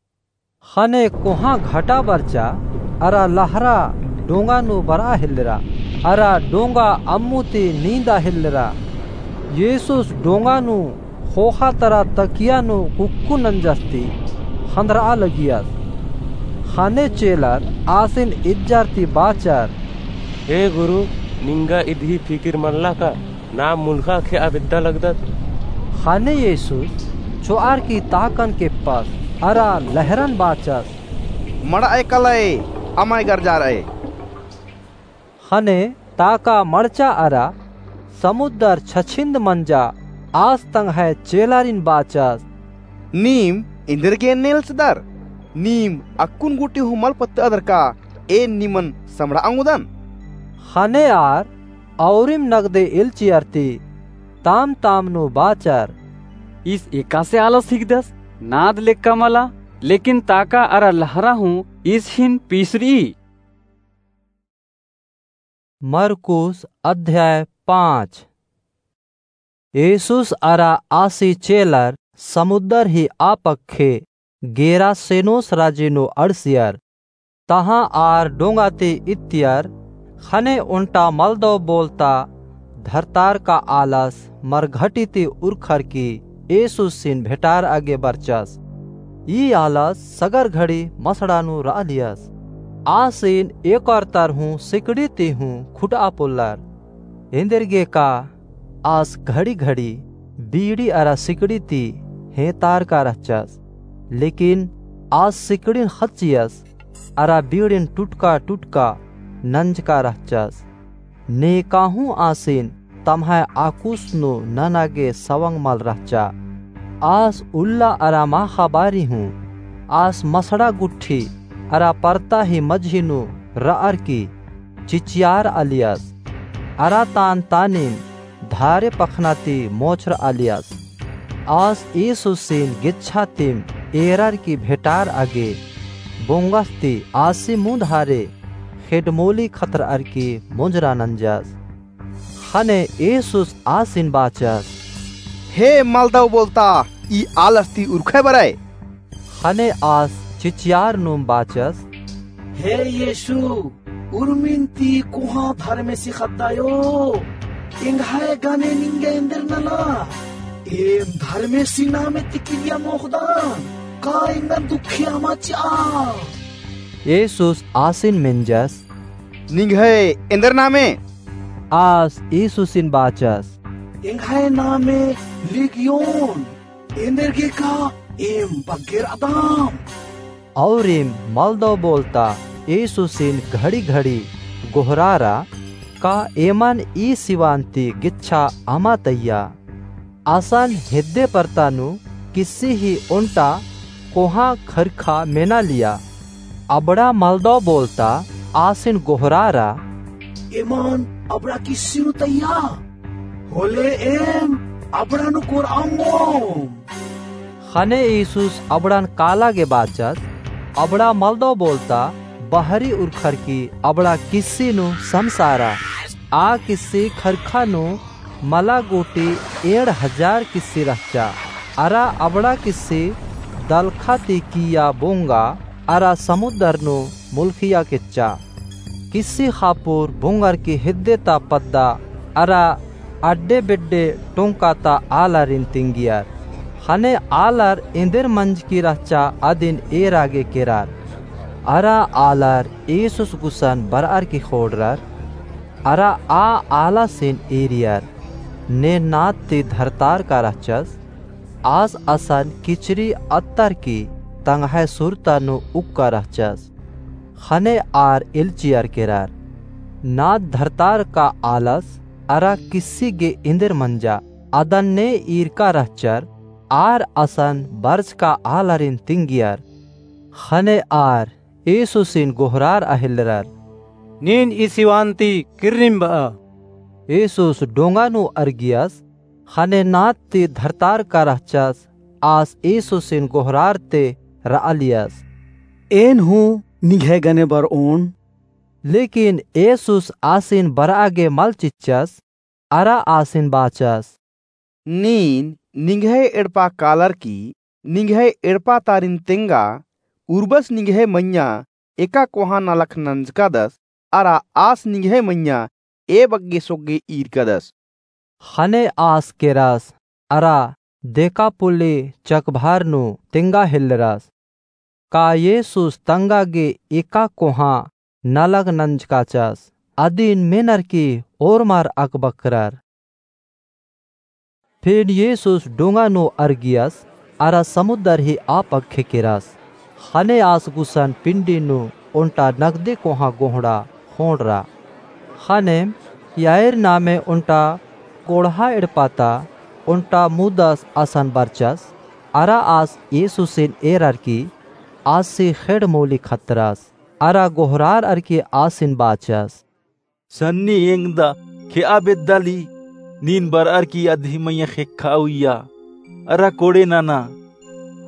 ख़ने कोहाँ घटा बरचा, अरा लहरा डोंगा नू बरआ हेल्लरा, अरा डोंगा अम्मु ती नींदा हेल्लरा। येसुस डोंगा नू ख़ोख़ा तरा तकिया नू कुक्कु नंजस ती ख़न्दरआ लगियस। ख़ने चेलर आसिन इज्जर ती बाचर। हे गुरु, निंगा इदही फिकिर मल्ला का? नाम मुलखा खेआ बेद्दा लगदत। ख़ने येसुस चोअर की ताकन केप्पस, अरा लहरन बाचस, मड़अय कलय, अमय गरजारअय। ख़ने ताका मड़चा अरा समुद्दर छछिंद मंजा। आस तंग्है चेलारिन बाचस, नीम एन्देरगे नेलचदर? नीम अक्कुन गूटी हूँ मल पत्तअदर का एन निमन समड़ा ओंगदन? ख़ने आर औरिम नगदे एल्चियर ती ताम ताम नू बाचर, ईस एकासे आलस हिकदस? नाद लेक्का मला, लेकिन ताका अरा लहरा हूँ ईस हिन पीसरई। मरकुस अध्याय पाँच। येसुस अरा आसी चेलर समुद्दर ही आ पक्खे गेरासेनोस राजी नू अंड़सियर। तहाँ आर डोंगा ती इत्तियर। ख़ने ओन्टा मलदव बोलता धरतार का आलस मरघटी ती उरखर की येसुसिन भेटारआ गे बरचस। ई आलस सगर घड़ी मसड़ा नू रआलियस। आसिन एकर तर हूँ सिकड़ी ती हूँ खुटआ पोल्लर। एन्देरगे का आस घड़ी घड़ी बीड़ी अरा सिकड़ी ती हेंतार का रहचस, लेकिन आस सिकड़िन ख़च्चियस अरा बीड़िन टुटका टुटका नंजका रहचस। नेकाहूँ आसिन तम्है आकुस नू नना गे सवंग मल रहचा। आस उल्ला अरा माख़ा बारी हूँ आस मसड़ा गुट्ठी अरा परता ही मझी नू रअर की चिचियारआलियस। अरा तान तानिम धारे पखना ती मोछरआलियस। आस येसुसिन गेच्छा तिम एरर की भेटारआ गे बोंगस ती आसी मुन्द हारे खेडमोली खतरअर की मोंजरा नंजस। ख़ने येसुस आसिन बाचस, हे मलदव बोलता, ई आलस ती उरखय बरय। ख़ने आस चिचियार नुम बाचस, हे येसु, उर्मिन ती कोहाँ धर्मेसी ख़द्दायो, एंग्है गने निंगे एन्देर नला, एम धर्मेसी नामे ती किरिया मोख़दन, का एंगन दुखी अमा चिआ? येसुस आसिन मेंजस, निंग्है एन्देर नामे? आस येसुसिन बाचस, एंग्है नामे लिगियोन, एन्देरगे का एम बग्गे रअदम। औरिम मलदव बोलता येसुसिन घड़ी घड़ी गोहरारा, का एमन ई सिवान ती गेच्छा अमा तइया? असन हेद्दे परता नू किस्सी ही ओन्टा कोहाँ खरखा मेनालिया। अबड़ा मलदव बोलता आसिन गोहरारा, एमन अबड़ा किस्सी नू तइया, होले एम अबड़ा नू कोरअम। ख़ने येसुस अबड़न काला गे बाचस, अबड़ा मलदव बोलता बहरी उरखर की अबड़ा किस्सी नू समसारा। आ किस्सी खरखा नू मला गूटी एंड़ हजार किस्सी रहचा। अरा अबड़ा किस्सी दलखा ती किइय्या बोंगा अरा समुद्दर नू मुलखिया केच्चा। किस्सी ख़ापुर बोंगर की हेद्दे ता पद्दा अरा अड्डे बेड्डे टोंका ता आलारिन तिंगियर। ख़ने आलर एन्देर मंजकी रहचा अदिन एरा गे केरर। अरा आलर येसुस गुसन बरअर की ख़ोंड़रर। अरा आ आलासिन एरियर, ने नाद ती धरतार का रहचस, आस असन किचरी अत्तर की तंग्है सुरता नू उक्का रहचस। ख़ने आर एल्चियर केरर, नाद धरतार का आलस अरा किस्सी गे एन्देर मंजा, अदन ने ईरका रहचर, आर असन बरचका आलारिन तिंगियर। ख़ने आर येसुसिन गोहरारआ हेल्लरर, नीन ई सिवान ती किर्रिम बआ। येसुस डोंगा नू अरगियस, ख़ने नाद ती धरतार का रहचस, आस येसुसिन गोहरारते रआलियस, एन हूँ निंग्है गने बरओन। लेकिन येसुस आसिन बरआ गे मल चिच्चस, अरा आसिन बाचस, नीन निंग्है एड़पा कालर की निंग्है एड़पा तारिन तेंगा, उर्बस निंग्है मइय्याँ एका कोहाँ नलख नंजकादस, अरा आस निंग्है मइय्याँ ए बग्गे सोग्गे ईरकादस। ख़ने आस केरस, अरा देकापुली चकभार नू तेंगा हेल्लरस। का येसुस तंगा गे एका कोहाँ नलख नंजकाचस, अदिन मेनर की ओर्मर अकबकरर। फिन येसुस डोंगा नू अरगियस, अरा समुन्दर ही आ पक्खे केरस। ख़ने आस गुसन पिंडी नू ओन्टा नगदे कोहाँ गोहड़ा ख़ोंड़रा। ख़नेम याईर नामे ओन्टा कोड़हा एड़पा ता ओन्टा मुदस असन बरचस। अरा आस येसुसिन एरर की आसी ख़ेड़ मोली खतरस। अरा गोहरारर की आसिन बाचस। सन्नी एंगदा खेआ बेद्दाली, नीन बरअर की अदही मइय्याँ ख़ेक्खा उइया, अरा कोड़े नना,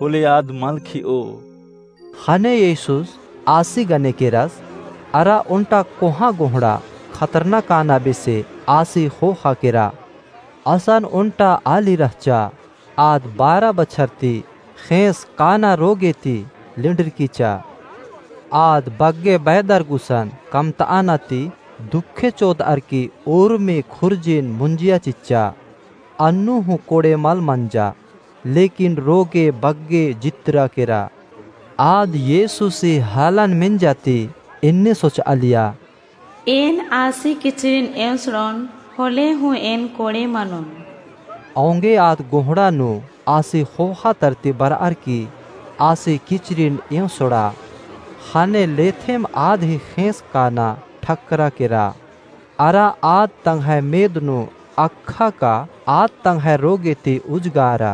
होले आद मल खेओ। ख़ने येसुस आसी गने केरस, अरा ओन्टा कोहाँ गोहड़ा खतरना काना बेसे आसी ख़ोख़ा केरा। असन ओन्टा आली रहचा, आद बारा बछर ती ख़ेंस काना रोगे ती लिंडरकीचा। आद बग्गे बैदर गुसन कमतअना ती दुखे चोदअर की ओर्मी खुर्जिन मुंजिया चिच्चा। अन्नु हूँ कोड़े मल मंजा, लेकिन रोगे बग्गे जित्तरा केरा। आद येसुसी हालन मेंजा ती एन्ने सोचआलिया। एन आसी किचरिन एंसड़ोन, होले हूँ एन कोड़े मनोन। औंगे आद गोहड़ा नू आसी ख़ोख़ा तरती बरअर की आसी किचरिन एंसड़ा। ख़ने लेथेम आद ही ख़ेंस काना ठक्करा केरा। अरा आद तंग्है मेद नू अक्खा का आद तंग्है रोगे ती उजगारा।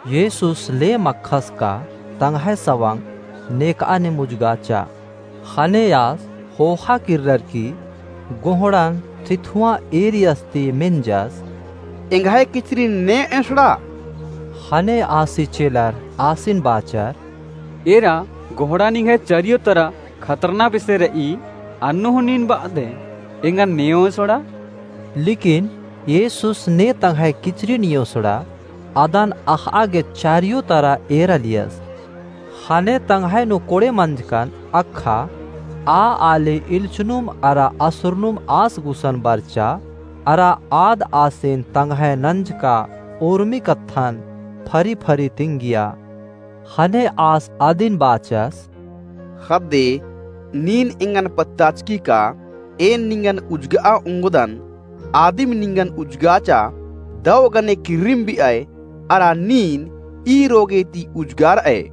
येसुस लेम अक्खस का तंग्है सवंग नेकआ निम उजगाचा। ख़ने आस ख़ोख़ा किर्रर की गोहड़न थिथुआँ एरियस ती मेंजस। एंग्है किचरिन ने एंसड़ा। ख़ने आसी चेलर आसिन बाचर। एरा गोहड़ा निंग्है चरियो तरा खतरना बेसे रई, अन्नु हूँ नीन बअदय, एंगन ने एंसड़ा। लेकिन येसुस ने तंग्है किचरिन एंसड़ा, अदन अख़आ गे चरियो तरा एरालियस। ख़ने तंग्है नू कोड़े मंजकन अक्खा आ आली इल्चनुम अरा असुरनुम आस गुसन बरचा, अरा आद आसिन तंग्है नंजका ओर्मी कत्थन फरी फरी तिंगिया। ख़ने आस अदिन बाचस। ख़द्दे, नीन एंगन पत्ताचकी का एन निंगन उजगआ ओंगदन, आदिम निंगन उजगाचा, दव गने किर्रिम बिअय, अरा नीन ई रोगे ती उजगारअय।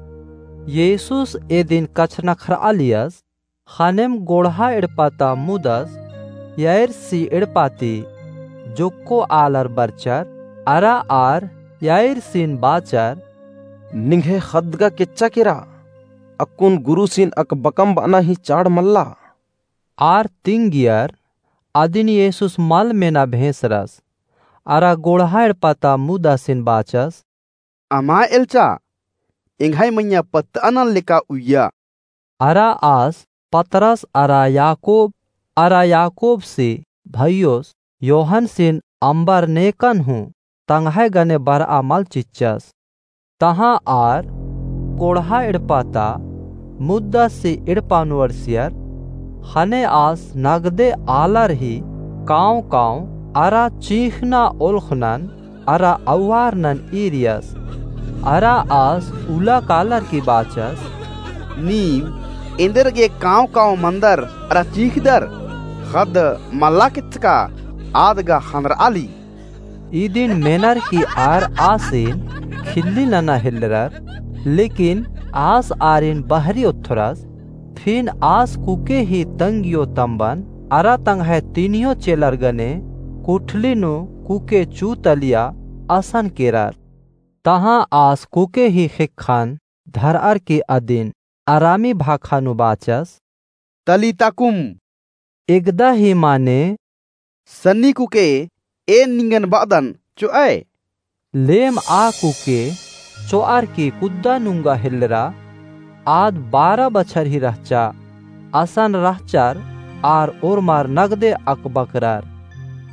येसुस एदिन कछनखरआलियस। ख़नेम गोड़हा एड़पा ता मुदस याइरसी एड़पा ती जोक्को आलर बरचर, अरा आर याइरसिन बाचर। निंग्है ख़द्द गा केच्चा केरा, अक्कुन गुरुसिन अकबकम बअना ही चाड़ मल्ला। आर तिंगियर, अदिन येसुस मल मेना भेंसरस, अरा गोड़हा एड़पा ता मुदासिन बाचस। अमा एल्चा, एंग्है मइय्याँ पत्तअनन लेका उइया। अरा आस पतरस अरा याकूब अरा याकूबसी भइयोस योहनसिन अम्बर नेकन हूँ तंग्है गने बरआ मल चिच्चस। तहाँ आर गोड़हा एड़पा ता मुदासी एड़पा नू अंड़सियर। ख़ने आस नगदे आलर ही काँव काँव अरा चींख़ना ओल्ख़नन अरा अउवारनन ईरियस। अरा आस उल्ला कालर की बाचस। नीम एन्देरगे काँव काँव मनदर अरा चींख़दर? ख़द्द मल्ला केचका, आद गा ख़न्नरआली। इदिन मेनर की आर आसिन खिल्ली नना हेलरर, लेकिन आस आरिन बहरी ओथ्थरस। फिन आस कुके ही तंगियो तम्बन अरा तंग्है तीनियो चेलर गने कुठली नू कुके चूतलिया असन केरर। तहाँ आस कुके ही ख़ेक्खन धरअर की अदिन अरामी भाखा नू बाचस। तलीता कुम। एगदा ही माने। सन्नी कुके, एन निंगन बअदन, चोअय। लेम आ कुके चोअर की कुद्दा नुंगा हेलरा। आद बारा बछर ही रहचा। असन रहचर आर ओर्मर नगदे अकबकरर।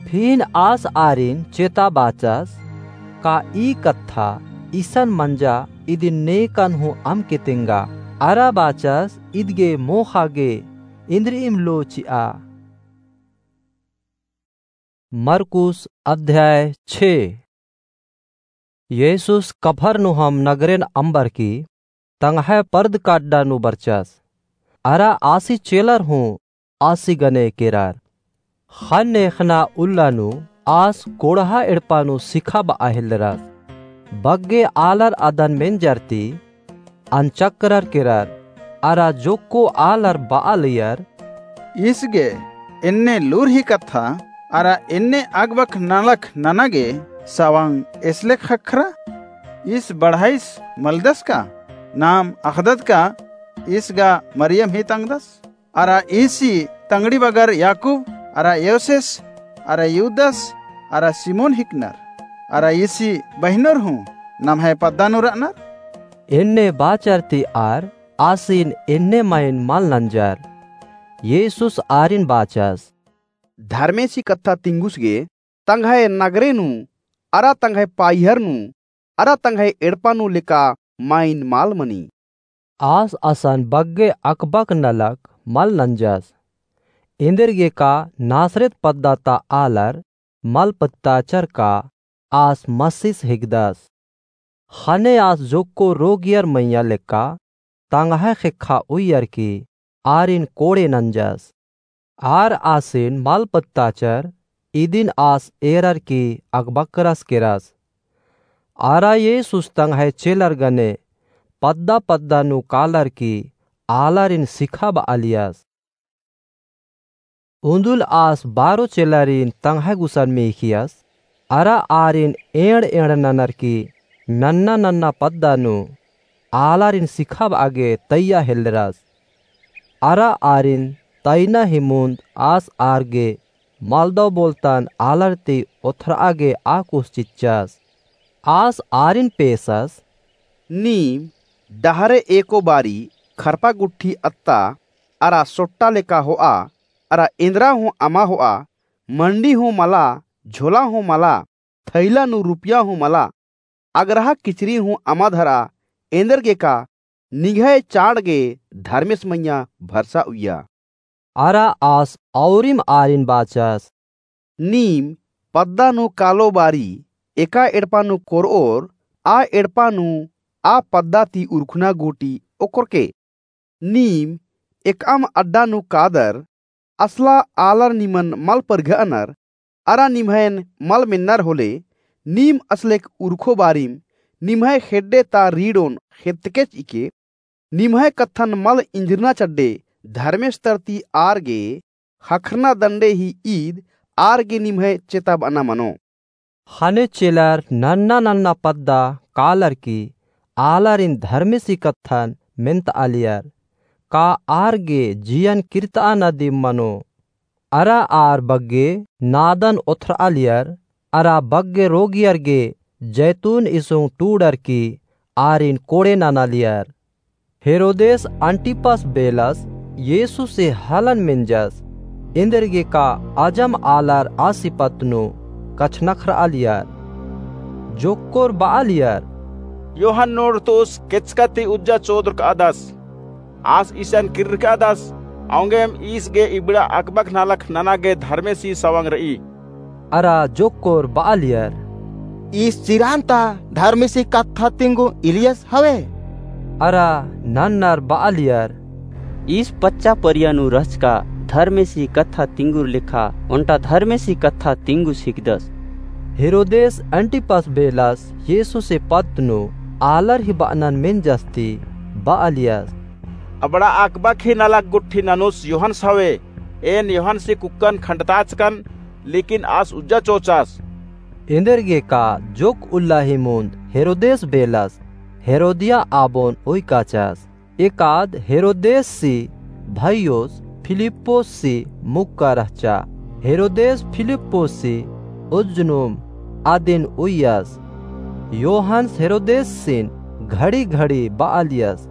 फिन आस आरिन चेता बाचस। का ई कत्था इसन मंजा इदिन नेकन हूँ अमके तेंगा। अरा बाचस इदगे मोख़ा गे इन्द्रिइम लो चिआ। मरकुस अध्याय छे। येसुस कफरनहूम नगरेन अम्बर की तंग्है परदका अड्डा नू बरचस। अरा आसी चेलर हूँ आसी गने केरर। ख़न्ने ख़ेक्खना उल्ला नू आस कोड़हा एड़पा नू सिखाबआ हेलरस। बग्गे आलर अदन मेंजर ती अनचकरर केरर, अरा जोक्को आलर बआलियर, ईस गे एन्ने लूरही कत्था, अरा एन्ने अगबख नलख नना गे सवंग एसलेख ख़क्खरा? ईस बढ़ाईस मलदस का? नाम अख़दत का ईस गा मरियम ही तंगदस? अरा ईसी तंगड़ी बगर याकूब, अरा योसेस, अरा यूदस, अरा सिमोन हिकनर, अरा ईसी बहिनोर हूँ नम्है पद्दा नू रअनर? एन्ने बाचर ती आर आसिन एन्ने माइन मल नंजर। येसुस आरिन बाचस, धर्मेसी कत्था तिंगुस गे तंग्है नगरे नू, अरा तंग्है पाइहर नू, अरा तंग्है एड़पा नू लेका माइन मल मनी। आस असन बग्गे अकबक नलख मल नंजस। एन्देरगेका नासरेत पद्दा ता आलर मल पत्ताचर का आस मसीस हिकदस। ख़ने आस जोक्को रोगियर मइय्याँ लेक्का तंग्है ख़ेक्खा उइयर की आरिन कोड़े नंजस। आर आसिन मल पत्ताचर, इदिन आस एरर की अकबकरस केरस। अरा येसुस तंग्है चेलर गने पद्दा पद्दा नू कालर की आलारिन सिखाबआलियस। उन्दुल आस बारो चेलारिन तंग्है गुसन मेख़ियस, अरा आरिन एंड़ एंड़ ननर की नन्ना नन्ना पद्दा नू आलारिन सिखाबआ गे तइया हेलरस। अरा आरिन तइना ही मुन्द आस आर गे मलदव बोलतन आलर ती ओथरआ गे आकुस चिच्चस। आस आरिन पेसस, नीम डहरे एको बारी खरपा गुट्ठी अत्ता, अरा सोट्टा लेका होआ, अरा एन्दरा हूँ अमा होआ, मंडी हूँ मला, झोला हूँ मला, थैला नू रुपया हूँ मला, अगरहा किचरी हूँ अमा धरा, एन्देरगेका निंग्है चाड़ गे धर्मेस मइय्याँ भरसा उइया। अरा आस औरिम आरिन बाचस, नीम पद्दा नू कालो बारी एका एड़पा नू कोरओर, आ एड़पा नू आ पद्दा ती उरखना गूटी ओकरके। नीम एकअम अड्डा नू कादर, असला आलर निमन मल परघअनर, अरा निम्हैन मल मेन्नर होले, नीम असलेक उरखो बारिम निम्है खेड्डे ता रीड़ोन खेत्तकेच इके। निम्है कत्थन मल इंजरना चड्डे धर्मेस तरती आर गे ख़क्खरना दंडे ही ईद आर गे निम्है चेताबअना मनो। ख़ने चेलर नन्ना नन्ना पद्दा कालर की आलारिन धर्मेसी कत्थन मेन्तआलियर, का आर गे जियन किर्तआना दिम मनो? अरा आर बग्गे नादन ओथरआलियर, अरा बग्गे रोगियर गे जैतून इसुंग टूड़र की आरिन कोड़े ननालियर। हेरोदेस अंटिपस बेलस येसुसे हलन मेंजस, एन्देरगेका अजम आलर आसी पत्त नू कछनखरआलियर। जोक्कोर बआलियर, यूहन्नोर तुस केचका ती उज्जा चोदरकआदस, आस ईसन किर्रकआदस, औंगेम ईस गे इबड़ा अकबक नलख नना गे धर्मेसी सवंग रई। अरा जोक्कोर बआलियर, ईस चिरान ता धर्मेसी कत्था तिंगु इलियस हवे। अरा नन्नर बआलियर, ईस पच्चा परिया नू रहचका धर्मेसी कत्था तिंगुर लेखा ओन्टा धर्मेसी कत्था तिंगुस हिकदस। हेरोदेस अंटिपस बेलस येसुसे पत्त नू आलर ही बअनन मेंजस ती बआलियस, अबड़ा अकबक ही नलख गुट्ठी ननुस यूहन्नस हवे। एन यूहन्नसी कुक्कन खंडताचकन, लेकिन आस उज्जा चोचास। एन्देरगेका जोक उल्ला ही मुन्द हेरोदेस बेलस हेरोदिया आबोन उइकाचस। एकाद हेरोदेससी भइयोस फिलिप्पोससी मुक्का रहचा। हेरोदेस फिलिप्पोससी उज्जनुम अदिन उइयस। यूहन्नस हेरोदेसिन घड़ी घड़ी बआलियस,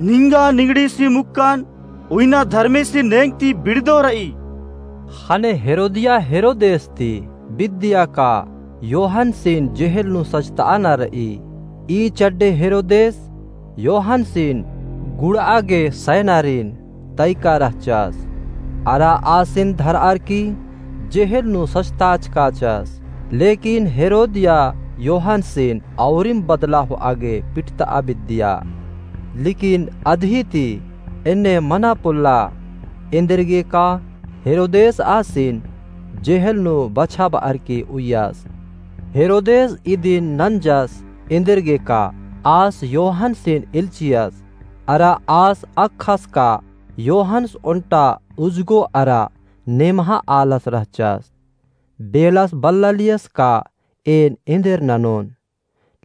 निंगा निंगड़ीसी मुक्कन उइना धर्मेसी नेंग ती बिड़दो रई। ख़ने हेरोदिया हेरोदेस ती बिद्दिया का यूहन्नसिन जेहेल नू सजतआना रई। ई चड्डे हेरोदेस यूहन्नसिन गुड़आ गे सैनारिन तइका रहचस। अरा आसिन धरअर की जेहेल नू सजताचकाचस। लेकिन हेरोदिया यूहन्नसिन औरिम बदला होआ गे पिटतआ बिद्दिया। लेकिन अदही ती एन्ने मना पोल्ला। एन्देरगेका हेरोदेस आसिन जेहल नू बछाबअर की उइय्यस। हेरोदेस इदिन नंजस, एन्देरगे का आस योहनसिन एल्चियस, अरा आस अख़स का योहन्स ओन्टा उजगो अरा नेम्हा आलस रहचस। बेलस बल्लालियस का एन एन्देर ननोन।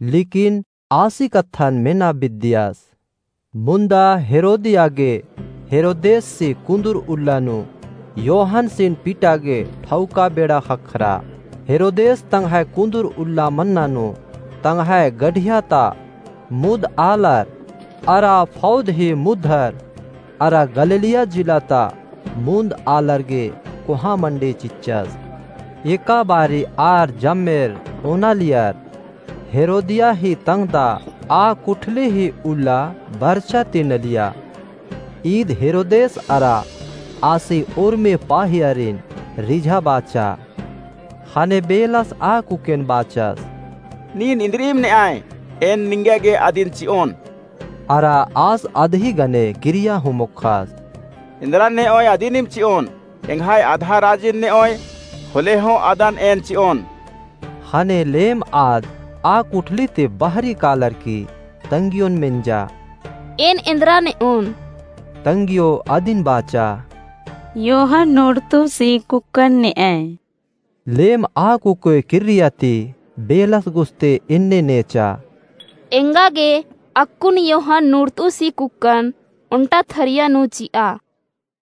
लेकिन आसी कत्थन मेना बिद्दियस। मुन्दा हेरोदिया गे हेरोदेसी कुन्दुर उल्ला नू योहनसिन पिटा गे ठौका बेड़ा ख़क्खरा। हेरोदेस तंग्है कुन्दुर उल्ला मन्ना नू तंग्है गढ़िया ता मुद आलर अरा फौद ही मुद्धर अरा गलीलिया जिला ता मुन्द आलर गे कोहाँ मंडी चिच्चस। एका बारी आर जम्मेर ओनालियर। हेरोदिया ही तंग्दा आ कुठली ही उल्ला बरचा ती नलिया। ईद हेरोदेस अरा आसी उर्मी पाहियारिन रिझा बाचा। ख़ने बेलस आ कुकेन बाचस, नीन इन्द्रिम नेआय, एन निंगा गे अदिन चिओन। अरा आस अदही गने किरिया हूँ मोख़स, इन्द्रा नेओय अदिनिम चिओन, एंग्है अदहा राजिन नेओय, होले हूँ अदन एन चिओन। ख़ने लेम आद आ कुठली ती बहरी कालर की तंग्योन मेंजा, एन इन्द्रा नेओन। तंग्यो अदिन बाचा, योहन नूड़तुसी कुक्कन नेआय। लेम आ कुकोय किर्रिया ती बेलस गुस्ते इन्ने नेचा, एंगा गे अक्कुन योहन नूड़तुसी कुक्कन ओन्टा थरिया नू चिआ।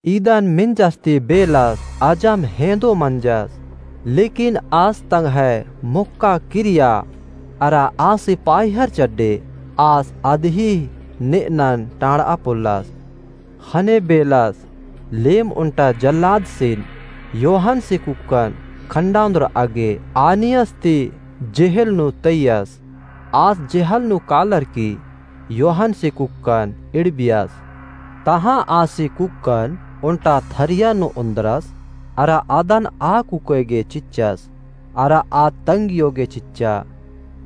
इदन मेंजस ती बेलस अजम हेंदो मंजस। लेकिन आस तंग्है मोक्का किरिया अरा आसी पाहियर चड्डे आस अदही नेअनन टाँड़आ पोल्लस। ख़ने बेलस लेम ओन्टा जल्लादसिन योहनसी कुक्कन खंडाउन्द्रआ गे आनियस ती जेहल नू तइयस। आस जेहल नू कालर की योहनसी कुक्कन इड़बियस। तहाँ आसी कुक्कन ओन्टा थरिया नू ओन्द्रस अरा अदन आ कुकोय गे चिच्चस अरा आ तंग्यो गे चिच्चा।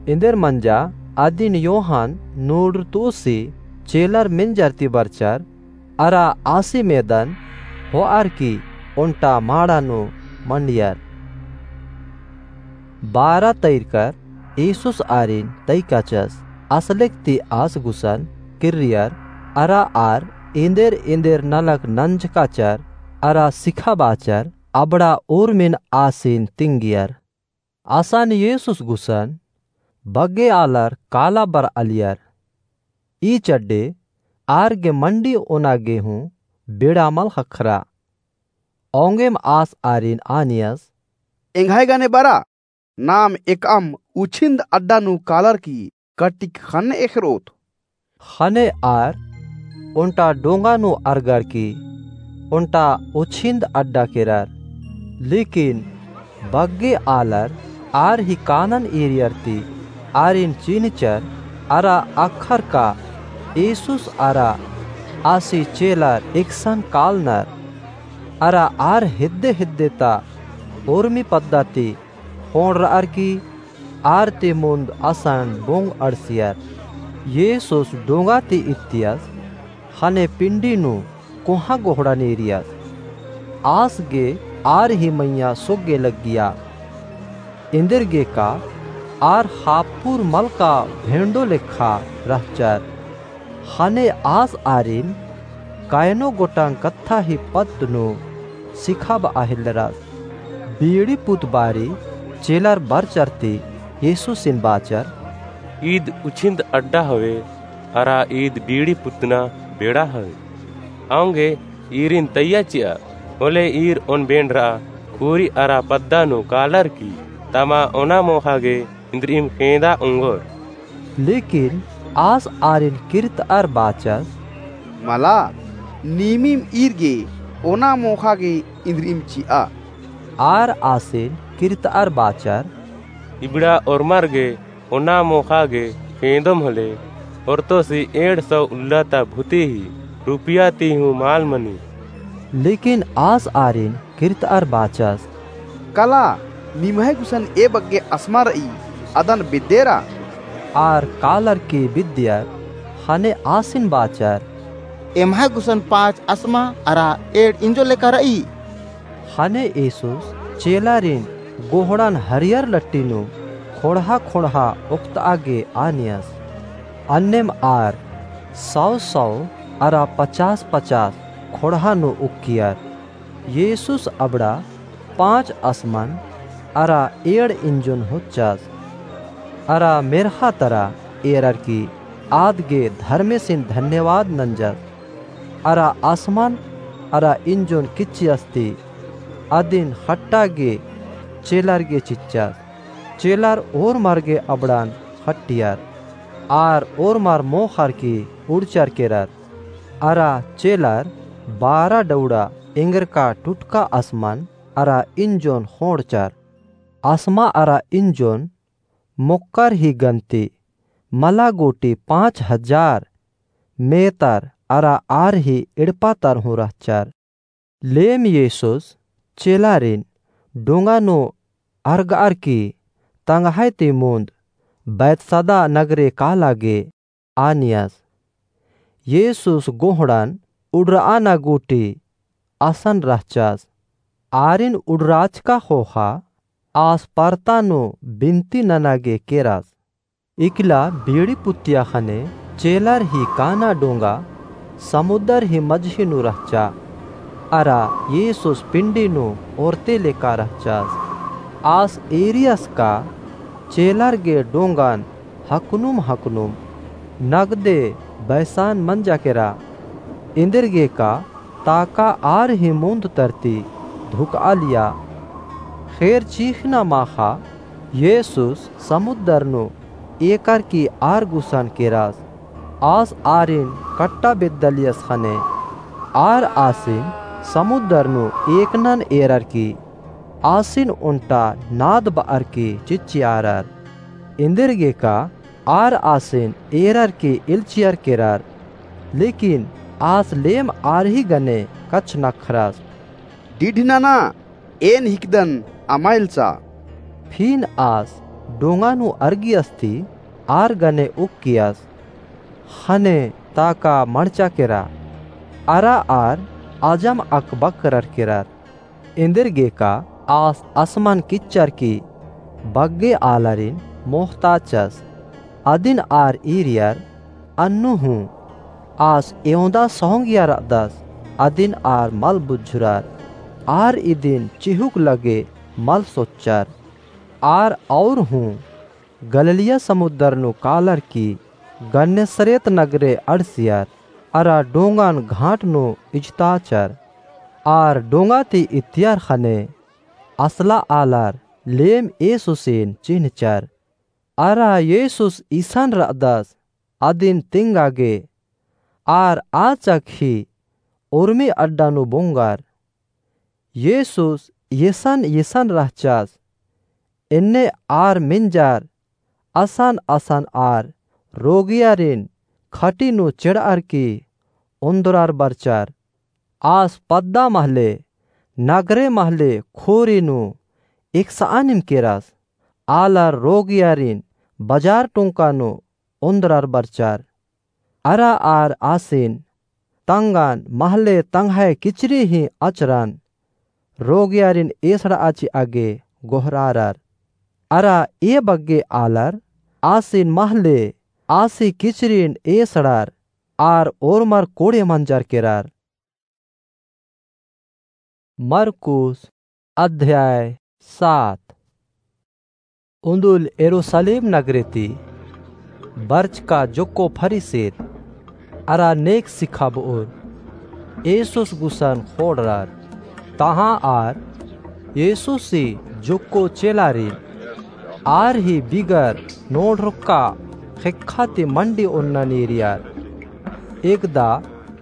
एन्देर मंजा अदिन योहन नूड़तुसी चेलर मेंजर ती बरचर अरा आसी मेदन होअर की ओन्टा माड़ा नू मंडियर। बारा तइरकर येसुस आरिन तइकाचस। असलेक ती आस गुसन किर्रियर अरा आर एन्देर एन्देर नलख नंजकाचर अरा सिखाबाचर अबड़ा उर्मिन आसिन तिंगियर। असन येसुस गुसन बग्गे आलर काला बरआलियर। ई चड्डे आर गे मंडी ओना गे हूँ बेड़ा मल ख़क्खरा। औंगेम आस आरिन आनियस, एंग्है गने बरा, नाम एकअम उछिन्द अड्डा नू कालर की कटिक ख़न्न एख़रोत। ख़ने आर ओन्टा डोंगा नू अरगर की ओन्टा उछिन्द अड्डा केरर। लेकिन बग्गे आलर आर ही कानन ईरियर ती आरिन चिन्हचर अरा अख़र का येसुस अरा आसी चेलर एकसन कालनर। अरा आर हेद्दे हेद्दे ता उर्मी पद्दा ती ख़ोंड़रअर की आर ती मुन्द असन बोंग अंड़सियर। येसुस डोंगा ती इत्तियस ख़ने पिंडी नू कोहाँ गोहड़ा नेरियस। आस गे आर ही मइय्याँ सोग्गे लग्गिया। एन्देरगे का आर ख़ाप्पुर मलका भेंड़ो लेखा रहचर। ख़ने आस आरिन कयनो गोटंग कत्था ही पद्द नू सिखाबआ हेलरस। बीड़ी पुत बारी चेलर बरचर ती येसुसिन बाचर, ईद उछिन्द अड्डा हवे, अरा ईद बीड़ी पुतना बेड़ा हवे। औंगे ईरिन तइया चिआ, होले ईर ओन बेंड़रआ, उरी अरा पद्दा नू कालर की, तमा ओना मोख़ा गे इन्द्रिइम ख़ेंदा ओंगोर। लेकिन आस आरिन किर्तअर बाचस, मला, नीमिम ईर गे ओना मोख़ा गे इन्द्रिइम चिआ। आर आसिन किर्तअर बाचर, इबड़ा ओर्मर गे ओना मोख़ा गे ख़ेंदोम होले, ओर्तोसी एंड़ सौ उल्ला ता भूती ही रुपिया ती हूँ माल मनी। लेकिन आस आरिन किर्तअर बाचस, कला, निम्है गुसन ए बग्गे असमा रई, अदन बेद्देरा। आर कालर की बेद्दियर, ख़ने आसिन बाचर, एम्है गुसन पाँच असमा अरा एंड़ इंजो लेका रई। ख़ने येसुस चेलारिन गोहड़न हरियर लट्टी नू खोंड़हा खोंड़हा ओक्तआ गे आनियस। अन्नेम आर सौ सौ अरा पचास पचास खोंड़हा नू उक्कियर। येसुस अबड़ा पाँच असमन अरा एंड़ इंजोन होच्चस। अरा मेर्हा तरा एरर की आद गे धर्मेसिन धन्यवाद नंजस। अरा असमन अरा इंजोन किच्चियस ती अदिन ख़ट्टा गे चेलर गे चिच्चस। चेलर ओर्मर गे अबड़न ख़ट्टियर। आर ओर्मर मोख़र की उड़चर केरर। अरा चेलर बारा डौड़ा एंगरका टुटका असमन अरा इंजोन ख़ोंड़चर। असमा अरा इंजोन मोक्कर ही गन्ती मला गूटी पाँच हजार मेतर अरा आर ही एड़पा तर हूँ रहचर। लेम येसुस चेलारिन डोंगा नू अरगअर की तंग्है ती मुन्द बैतसदा नगरे काला गे आनियस। येसुस गोहड़न उड़रआना गूटी असन रहचस। आरिन उड़राचका ख़ोख़ा आस परता नू बिनती नना गे केरस। इकला बीड़ी पुत्तिया ख़ने चेलर ही काना डोंगा समुद्दर ही मझी नू रहचा। अरा येसुस पिंडी नू ओरते लेका रहचस। आस एरियस का चेलर गे डोंगन हकनुम हकनुम नगदे बैसान मंजा केरा। एन्देरगेका ताका आर ही मुन्द तरती धुकआलिया। ख़ेर चीख़ना माख़ा येसुस समुद्दर नू एकरकी आर गुसन केरस। आस आरिन कट्टा बेद्दालियस ख़ने आर आसिन समुद्दर नू एकनन एररकी आसिन ओन्टा नाद बअरकी चिच्चियारर। एन्देरगेका आर आसिन एररकी इल्चियर केरर। लेकिन आस लेम आर ही गने कछनख्रस। डिढनना, एन हिकदन, अमा इल्चा। फिन आस डोंगा नू अरगियस ती आर गने उक्कियस। ख़ने ताका मड़चा केरा। अरा आर अजम अकबकरर केरर। एन्देरगेका आस असमन किच्चरकी बग्गे आलारिन मोख़ताचस। अदिन आर ईरियर अन्नु हूँ आस एवंदा सोहंगिया रअदस अदिन आर मल बुझुरर। आर इदिन चिहुक लगे मल सोच्चर। आर और हूँ गलिलिया समुद्दर नू कालरकी गन्नेसरेत नगरे अंड़सियर। अरा डोंगन घाट नू इजताचर। आर डोंगा ती इत्तियर ख़ने असला आलर लेम येसुसिन चिन्हचर। अरा येसुस इसन रअदस अदिन तिंगा गे। आर आचक ही उर्मी अड्डा नू बोंगर। येसुस येसन येसन रहचस। एन्ने आर मेंजर असन असन आर रोगियारिन खटी नू चेड़अरकी ओन्दरर बरचर। आस पद्दा महले नगरे महले खोरी नू एकसआनिम केरस। आलर रोगियारिन बजार टोंका नू ओन्दरर बरचर। अरा आर आसिन तंगन महले तंग्है किचरी ही अचरन रोगियारिन एसड़आ चिआ गे गोहरारर। अरा ए बग्गे आलर आसिन महले आसी किचरिन एसड़र आर ओर्मर कोड़े मंजर केरर। मरकुस अध्याय सात। उन्दुल यरूसलेम नगरे ती बरचका जोक्को फरीसिर अरा नेग सिखाबओर येसुस गुसन खोंड़रर। तहाँ आर येसुसी जोक्को चेलारिन आर ही बिगर नोड़रका ख़ेक्खा ती मंडी ओन्ना नीरियर। एकदा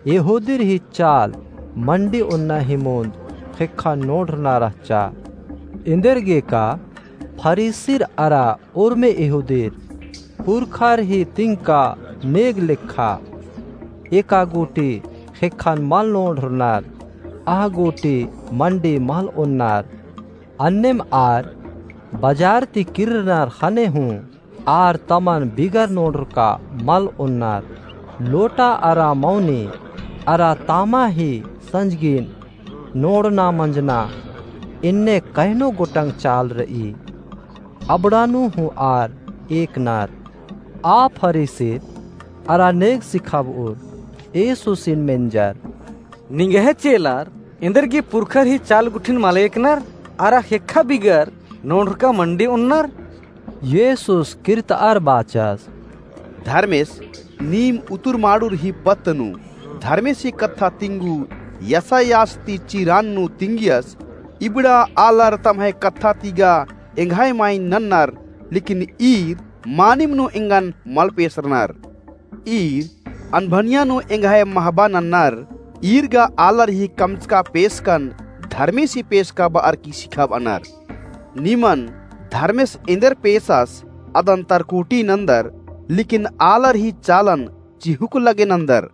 यहूदीर ही चाल मंडी ओन्ना ही मुन्द ख़ेक्खन नोड़रना रहचा। एन्देरगेका फरीसिर अरा उर्मी यहूदीर पुरखर ही तिंका नेग लेखा एका गूटी ख़ेक्खन मल नोड़रनर, अह गूटी मंडी मल ओन्नर। अन्नेम आर बजार ती किर्रनर ख़ने हूँ आर तमन बिगर नोड़रका मल ओन्नर। लोटा अरा मौनी अरा तामा ही संजगिन नोड़ना मंजना एन्ने कैनो गोटंग चाल र'ई। अबड़ा नू हूँ आर एकनर। आ फरीसिर अरा नेग सिखाब'ओर येसुसिन मेंजर, निंग्है चेलर एन्देरगे पुरखर ही चाल गुट्ठिन मल एकनर, अरा ख़ेक्खा बिगर नोड़रका मंडी ओन्नर? येसुस किर्त'अर बाचस, धर्मेस नीम उतुर माड़ुर ही पत्त नू धर्मेसी कत्था तिंगु यसायास ती चिरान नू तिंगियस, इबड़ा आलर तम्है कत्था ती गा एंग्है माइन नन्नर, लेकिन ईर मानिम नू एंगन मल पेसरनर। ईर अनभनिया नू एंग्है महबा नन्नर, ईर गा आलर ही कमचका पेसकन धर्मेसी पेसका ब'अर की सिखाब'अनर। निमन धर्मेस एन्देर पेसस अदन तरकुटी नन्दर, लेकिन आलर ही चालन चिहुक लगे नन्दर।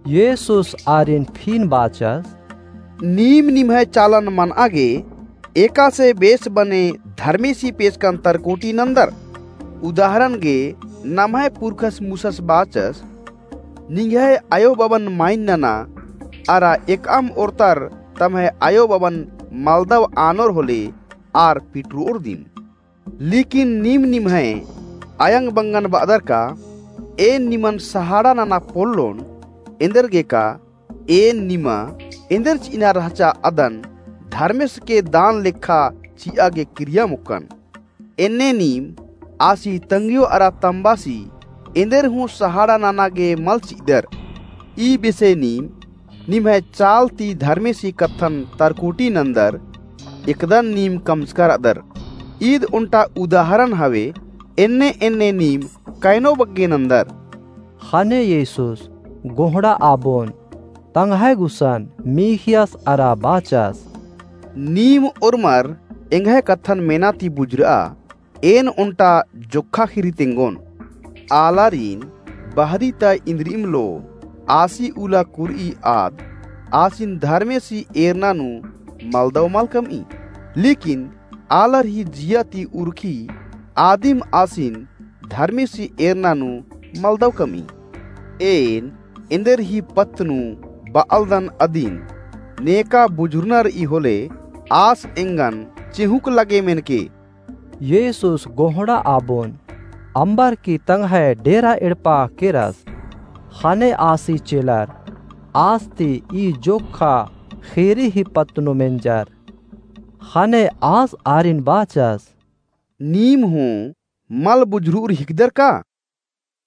येसुस आरिन फिन बाचस, नीम निम्है चालन मन'आ गे एकासे बेस बने धर्मेसी पेसकन तरकुटी नन्दर। उदाहरण गे नम्है पुरखस मूसस बाचस, निंग्है अयो-बबन माइन नना, अरा एकअम ओर्तर तम्है अयो-बबन मलदव आनोर होले आर पिटर'ओर दिम। लेकिन नीम निम्है अयंग बंगन ब'अदर का, एन निमन सहाड़ा नना पोल्लोन, एन्देरगे का एन निमा एन्देर चि'अना रहचा अदन धर्मेसके दान लेखा चि'आ गे किरिया मोक्कन। एन्ने नीम आसी तंग्यो अरा तम्बासी एन्देर हूँ सहाड़ा नना गे मल चि'अदर। ई बेसे नीम निम्है चाल ती धर्मेसी कत्थन तरकुटी नन्दर, एकदन नीम कमचका र'अदर। ईद ओन्टा उदाहरण हवे, एन्ने एन्ने नीम कैनो बग्गे नन्दर। ख़ने येसुस गोहड़ा आबोन तंग्है गुसन मीख़ियस अरा बाचस, नीम ओर्मर एंग्है कत्थन मेना ती बुझुर'आ, एन ओन्टा जोक्खा ख़ीरी तेंगोन। आलारिन बहरी ता इन्द्रिइम लो आसी उला कुर'ई आद आसिन धर्मेसी एरना नू मलदव मल कम'ई। लेकिन आलर ही जिया ती उरखी आदिम आसिन धर्मेसी एरना नू मलदव कम'ई। एन एन्देर ही पत्त नू ब'अलदन अदिन नेका बुझुरना र'ई होले आस एंगन चिहुंक लगे मेनके। येसुस गोहड़ा आबोन अम्बर की तंग्है डेरा एड़पा केरस। ख़ने आसी चेलर आस ती ई जोक्खा ख़ीरी ही पत्त नू मेंजर। ख़ने आस आरिन बाचस, नीम हूँ मल बुझुर'उर हिकदर का?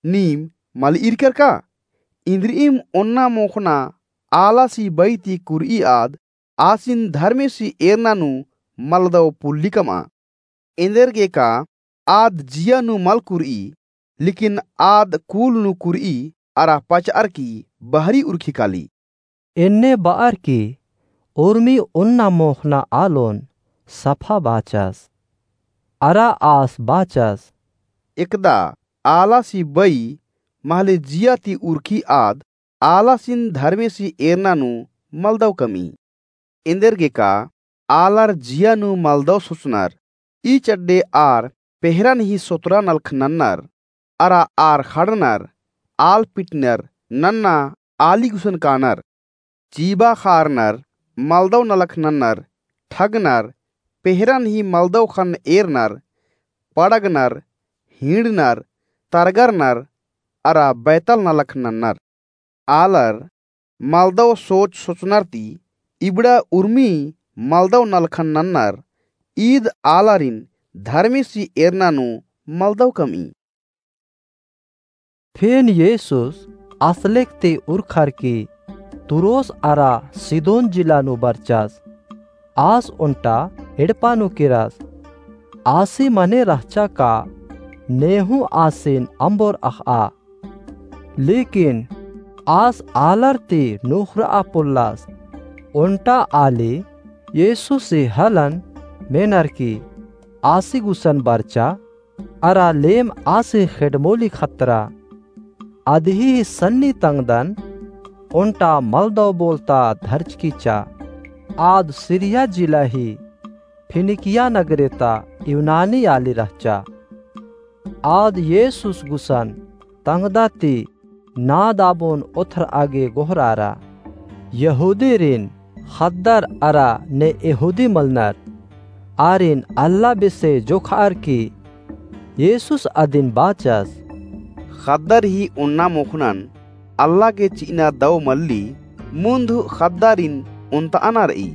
नीम मल ईरकर का? इन्द्रिइम ओन्ना मोख़ना आलासी बई ती कुर'ई आद आसिन धर्मेसी एरना नू मलदव पुल्ली कम'आ। एन्देरगे का आद जिया नू मल कुर'ई, लेकिन आद कूल नू कुर'ई अरा पच'अर की बहरी उरखी काली। एन्ने ब'अर की उर्मी ओन्ना मोख़ना आलोन सफा बाचस। अरा आस बाचस, एकदा आलासी बई महले जिया ती उरखी आद आलासिन धर्मेसी एरना नू मलदव कम'ई। एन्देरगे का आलर जिया नू मलदव सोचनर, ई चड्डे आर पेहरन ही सोतरा नलख नन्नर, अरा आर ख़ड़नर, आल पिटनर, नन्ना आली गुसन कानर, चीबा ख़ारनर, मलदव नलख नन्नर, ठगनर, पेहरन ही मलदव ख़न्न एरनर, पड़गनर, हींड़नर, तरगरनर, अरा बैतल नलख नन्नर। आलर मलदव सोच सोचनर ती इबड़ा उर्मी मलदव नलखन नन्नर, ईद आलारिन धर्मेसी एरना नू मलदव कम'ई। फेन येसुस असलेक ती उरखर की तुरोस अरा सिदोन जिला नू बरचस। आस ओन्टा एड़पा नू केरस। आसी मने रहचा का नेहूँ आसिन अम्बोर अख़'आ। लेकिन आस आलर ती नुख़र'आ पोल्लस। ओन्टा आली येसुसी हलन मेनर की आसी गुसन बरचा अरा लेम आसी ख़ेड़मोली खतरा। अदही सन्नी तंगदन ओन्टा मलदव बोलता धरचकी चा। आद सिरिया जिला ही फिनिकिया नगरे ता यूनानी आली रहचा। आद येसुस गुसन तंगदा ती नाद आबोन ओथर'आ गे गोहरारा। यहूदीरिन ख़द्दर अरा ने यहूदी मलनर आरिन अल्ला बेसे जोखअर की येसुस अदिन बाचस, ख़द्दर ही ओन्ना मोख़नन अल्ला गे चिअना दौ मल्ली, मुन्ध ख़द्दारिन ओन्तअना रई।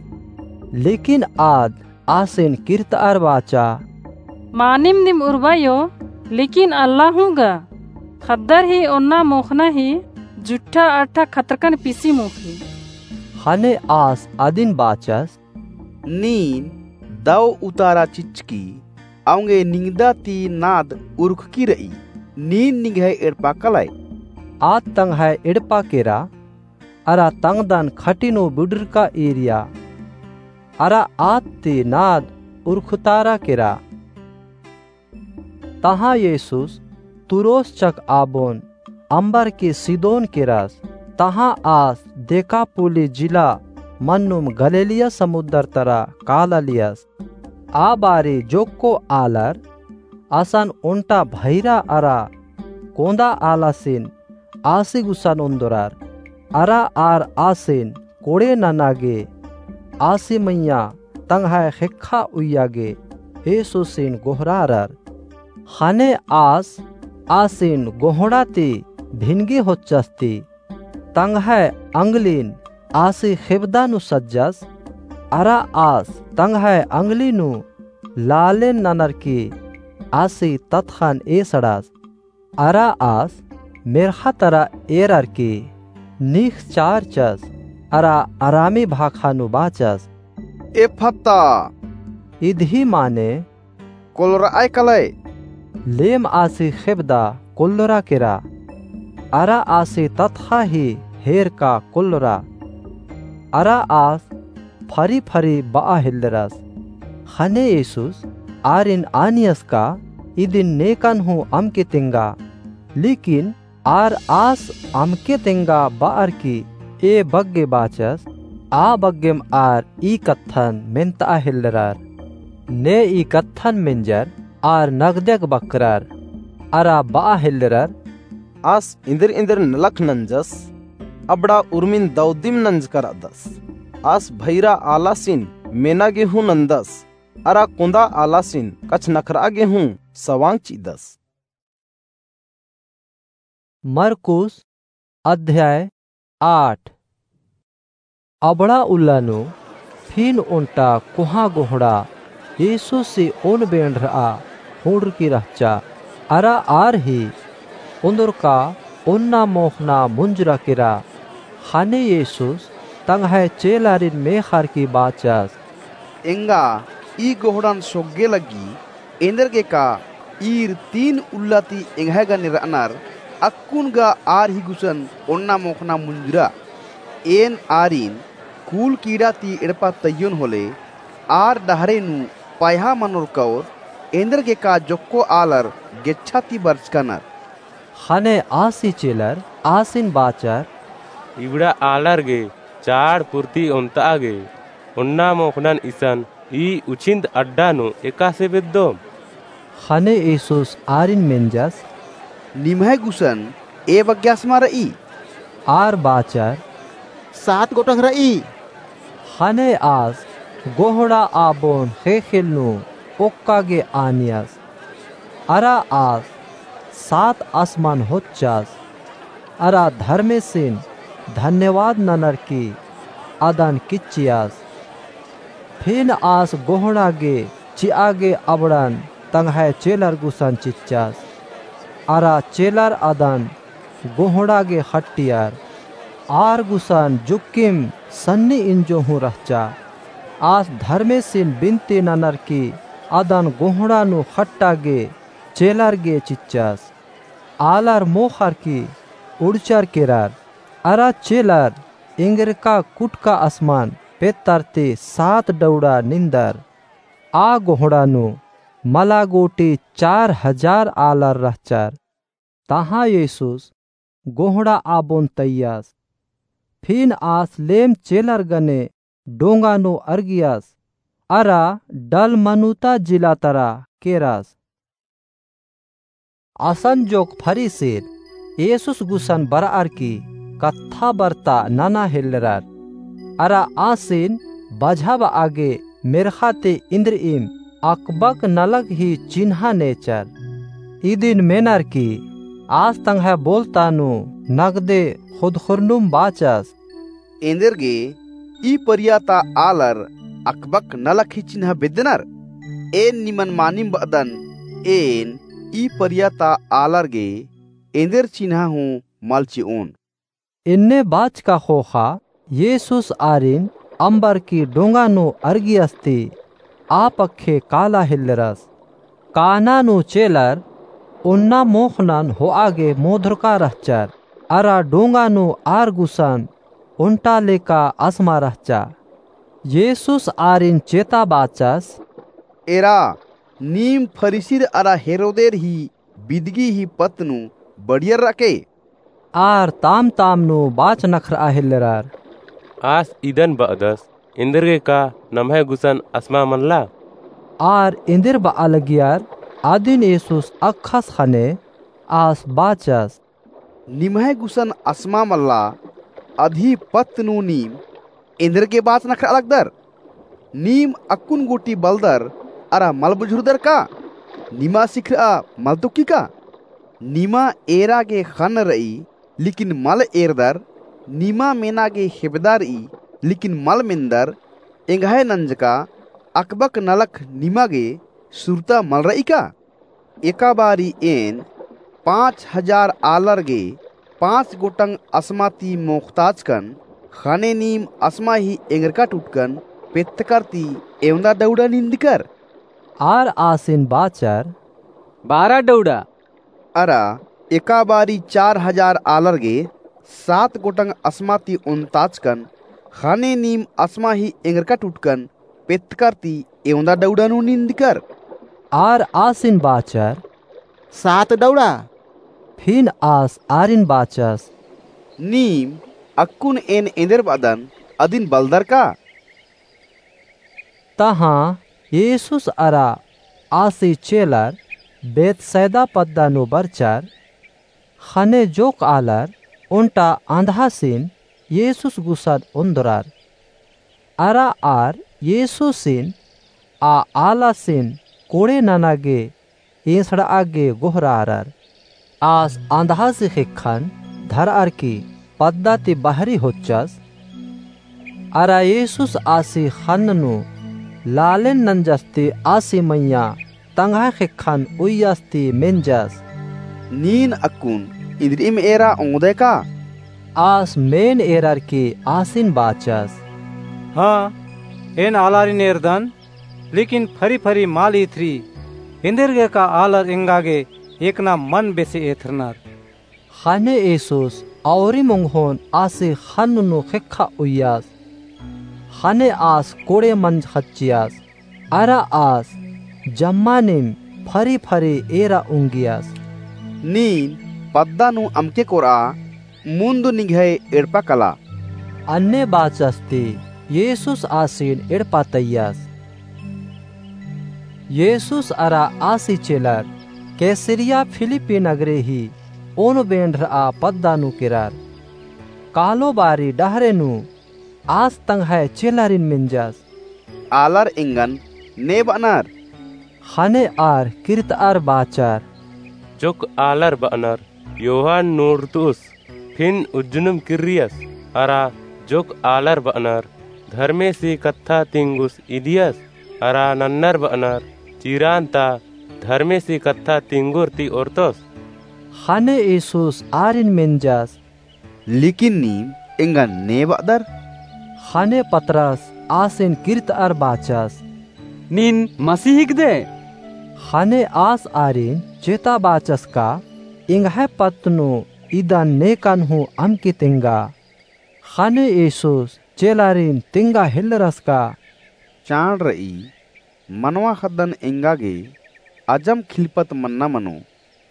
लेकिन आद आसिन किर्तअर बाचा, मानिम नीम उर्बायो, लेकिन अल्ला हूँ गा। ख़द्दर ही ओन्ना मोख़ना ही जुट्ठा अट्ठा खतरकन पिसी मोख़ी। ख़ने आस अदिन बाचस, नीन दौ उतारा चिच्चकी, औंगे निंगदा ती नाद उरखकी रई, नीन निंग्है एड़पा कलय। आद तंग्है एड़पा केरा, अरा तंगदन खटिनो बिडरका एरिया, अरा आद ती नाद उरखतारा केरा। तहाँ येसुस तुरोस चक आबोन अम्बरकी सिदोन केरस। तहाँ आस देकापुली जिला मन्नुम गलीलिया समुद्दर तरा कालालियस। आ बारी जोक्को आलर असन ओन्टा भैरा अरा कोंदा आलासिन आसी गुसन ओन्दोरर। अरा आर आसिन कोड़े नना गे आसी मइय्याँ तंग्है ख़ेक्खा उइया गे येसुसिन गोहरारर। ख़ने आस आसिन गोहड़ा ती भिनगे होच्चस ती तंग्है अंगलिन आसी ख़ेबदा नू सज्जस। अरा आस तंग्है अंगली नू लालेन ननर की आसी ततख़न एसड़स। अरा आस मेर्ख़ा तरा एरर की नीख चारचस, अरा अरामी भाखा नू बाचस, एफता। इदही माने कोल्लोरअय कलय। लेम आसी ख़ेबदा कोल्लोरा केरा, अरा आसी ततख़ा ही हेरका कोल्लोरा। अरा आस फरी फरी बआ हेल्लरस। ख़ने येसुस आरिन आनियस का इदिन नेकन हूँ अमके तेंगा। लेकिन आर आस अमके तेंगा बअर की ए बग्गे बाचस, आ बग्गेम आर ई कत्थन मेन्तआ हेल्लरर। ने ई कत्थन मेंजर आर नगदयक बकरर, अरा बआ हेल्लरर, आस इन्दिर इन्दिर नलख नंजस, अबड़ा उर्मिन दौदिम नंजकर अदस। आस भैरा आलासिन मेना गे हूँ नंदस, अरा कोंदा आलासिन कछनखरआ गे हूँ सवांग चिदस। मरकुस अध्याय आठ। अबड़ा उल्ला नू फिन ओन्टा कोहाँ गोहड़ा येसुसी ओन बेंड़रआ हुड़रकी रहचा। अरा आर ही ओन्दरका ओन्ना मोख़ना मुंजुरा केरा। ख़ने येसुस तंग्है चेलारिन मेख़ारकी बाचस, एंगा ई गोहड़न सोग्गे लग्गी, एन्देरगेका ईर तीन उल्ला ती एंग्है गने रअनर, अक्कुन गा आर ही गुसन ओन्ना मोख़ना मुंजुरा। एन आरिन कूल कीड़ा ती एड़पा तइयोन होले, आर डहरे नू पयहा मनोर कओर, एन्देरगेका जोक्को आलर गेच्छा ती बरचकनर। ख़ने आसी चेलर आसिन बाचर, इबड़ा आलर गे चाड़ पुर्ती ओन्तआ गे, ओन्ना मोख़नन इसन ई उछिन्द अड्डा नू एकासे बेद्दोम? ख़ने येसुस आरिन मेंजस, निम्है गुसन ए बग्गे असमा रई? आर बाचर, सात गोटंग रई। ख़ने आस गोहड़ा आबोन ख़ेख़ेल नू ओक्का गे आनियस। अरा आस सात असमन होच्चस, अरा धर्मेसिन धन्यवाद ननर की अदन किच्चियस। फिन आस गोहड़ा गे चिआ गे अबड़न तंग्है चेलर गुसन चिच्चस। अरा चेलर अदन गोहड़ा गे ख़ट्टियर। आर गुसन जुक्किम सन्नी इंजो हूँ रहचा। आस धर्मेसिन बिनती ननर की अदन गोहड़ा नू ख़ट्टा गे चेलर गे चिच्चस। आलर मोख़र की उड़चर केरर। अरा चेलर एन्देरका कुटका असमन पेत्तर ती सात डौड़ा निंदर। आ गोहड़ा नू मला गूटी चार हजार आलर रहचर। तहाँ येसुस गोहड़ा आबोन तइयस। फिन आस लेम चेलर गने डोंगा नू अरगियस, अरा डलमनुता जिला तरा केरस। असन जोक फरीसिर येसुस गुसन बरअर की कत्था बरता नना हेल्लरर। अरा आसिन बझाबआ गे मेर्ख़ा ती इन्द्रिइम अकबक नलख ही चिन्हा नेचर। इदिन मेनर की आस तंग्है बोलता नू नगदे खुदखुरनुम बाचस। एन्देर गे ई परिया ता आलर अकबक नलख ही चिन्हा बेद्दनर? एन निमन मानिम बअदन, एन ई परिया ता आलर गे एन्देर चिन्हा हूँ मल चिओन। इन्ने बाचका ख़ोख़ा येसुस आरिन अम्बर की डोंगा नू अरगियस ती आ पक्खे काला हेल्लरस। काना नू चेलर ओन्ना मोख़नन होआ गे मोधरका रहचर, अरा डोंगा नू आर गुसन ओन्टा लेका असमा रहचा। येसुस आरिन चेता बाचस। एरा, नीम फरीसिर अरा हेरोदेर ही बिदगी ही पत्त नू बढ़ियर रअके। आर ताम ताम नू बाच नखरआ हेल्लरर। आस इदन बअदस, एन्देर गे का नम्है गुसन असमा मनला? आर एन्देर बआ लगियर, अदिन येसुस अख़स ख़ने आस बाचस। निम्है गुसन असमा मल्ला, अदही पत्त नू नीम एन्देर गे बाच नखरआ लगदर? नीम अक्कुन गूटी बलदर अरा मल बुझुरदर का? निमा सिखरआ मल तुक्की का? निमा एरा गे ख़न्न रई, लेकिन मल एरदर, निमा मेना गे हेबदा रई, लेकिन मल मेन्दर, एंग्है नंजका अकबक नलख निमा गे सुरता मल रई का? एका बारी एन पाँच हजार आलर गे पाँच गोटंग असमा ती मोख़ताचकन, ख़ने नीम असमा ही एंगरका टुटकन पेत्तकर ती एवंदा डौड़ा निंदकर? आर आसिन बाचर, बारा डौड़ा। अरा एका बारी चार हजार आलर गे सात गोटंग असमा ती ओन्ताचकन, ख़ने नीम असमा ही एंगरका टुटकन पेत्तकर ती एवंदा डौड़ा नू निंदकर? आर आसिन बाचर, सात डौड़ा। फिन आस आरिन बाचस, नीम अक्कुन एन एन्देर बअदन अदिन बलदर का? तहाँ येसुस अरा आसी चेलर बेतसैदा पद्दा नू बरचर। ख़ने जोक आलर ओन्टा अँधआसिन येसुस गुसन ओन्दरर। अरा आर येसुसिन आ आलासिन कोड़े नना गे एसड़आ गे गोहरारर। आस अँधआसी ख़ेक्खन धरअर की पद्दा ती बहरी होच्चस। अरा येसुस आसी ख़न्न नू लालेन नंजस ती आसी मइय्याँ तंग्है ख़ेक्खन उइय्यस ती मेंजस, नीन अक्कुन इन्द्रिइम एरा ओंगदय का? आस मेन एरर की आसिन बाचस, हाँ, एन आलारिन एरदन, लेकिन फरी फरी मल एथरी, एन्देरगे का आलर एंगा गे एकना मन बेसे एथरनर। ख़ने येसुस औरिम ओंगोन आसी ख़न्न नू ख़ेक्खा उइय्यस। ख़ने आस कोड़े मंज ख़च्चियस। अरा आस जम्मानिम फरी फरी एरा ओंगियस, नीन पद्दा नू अमके कोरआ, मुन्द निंग्है एड़पा कला। अन्ने बाचस ती येसुस आसिन एड़पा तइयस। येसुस अरा आसी चेलर कैसरिया फिलिप्पी नगरे ही ओन बेंड्रआ पद्दा नू केरर। कालो बारी डहरे नू आस तंग्है चेलारिन मेंजस, आलर एंगन ने बअनर? ख़ने आर किर्तअर बाचर, जोक आलर बअनर यूहन्ना नूड़तुस, फिन उज्जनुम किर्रियस, अरा जोक आलर बअनर धर्मेसी कत्था तिंगुस इदियस, अरा नन्नर बअनर चिरान ता धर्मेसी कत्था तिंगुर ती ओर्तोस। ख़ने येसुस आरिन मेंजस, लेकिन नीम एंगन ने बअदर? ख़ने पतरस आसिन किर्तअर बाचस, नीन मसीह हिकदय? ख़ने आस आरिन चेता बाचस का एंग्है पत्त नू इदन नेकन हूँ अमके तेंगा। ख़ने येसुस चेलारिन तेंगा हेल्लरस का, चाड़ रई, मनवा ख़द्दन एंगा गे अजम खिलपत मन्ना मनो।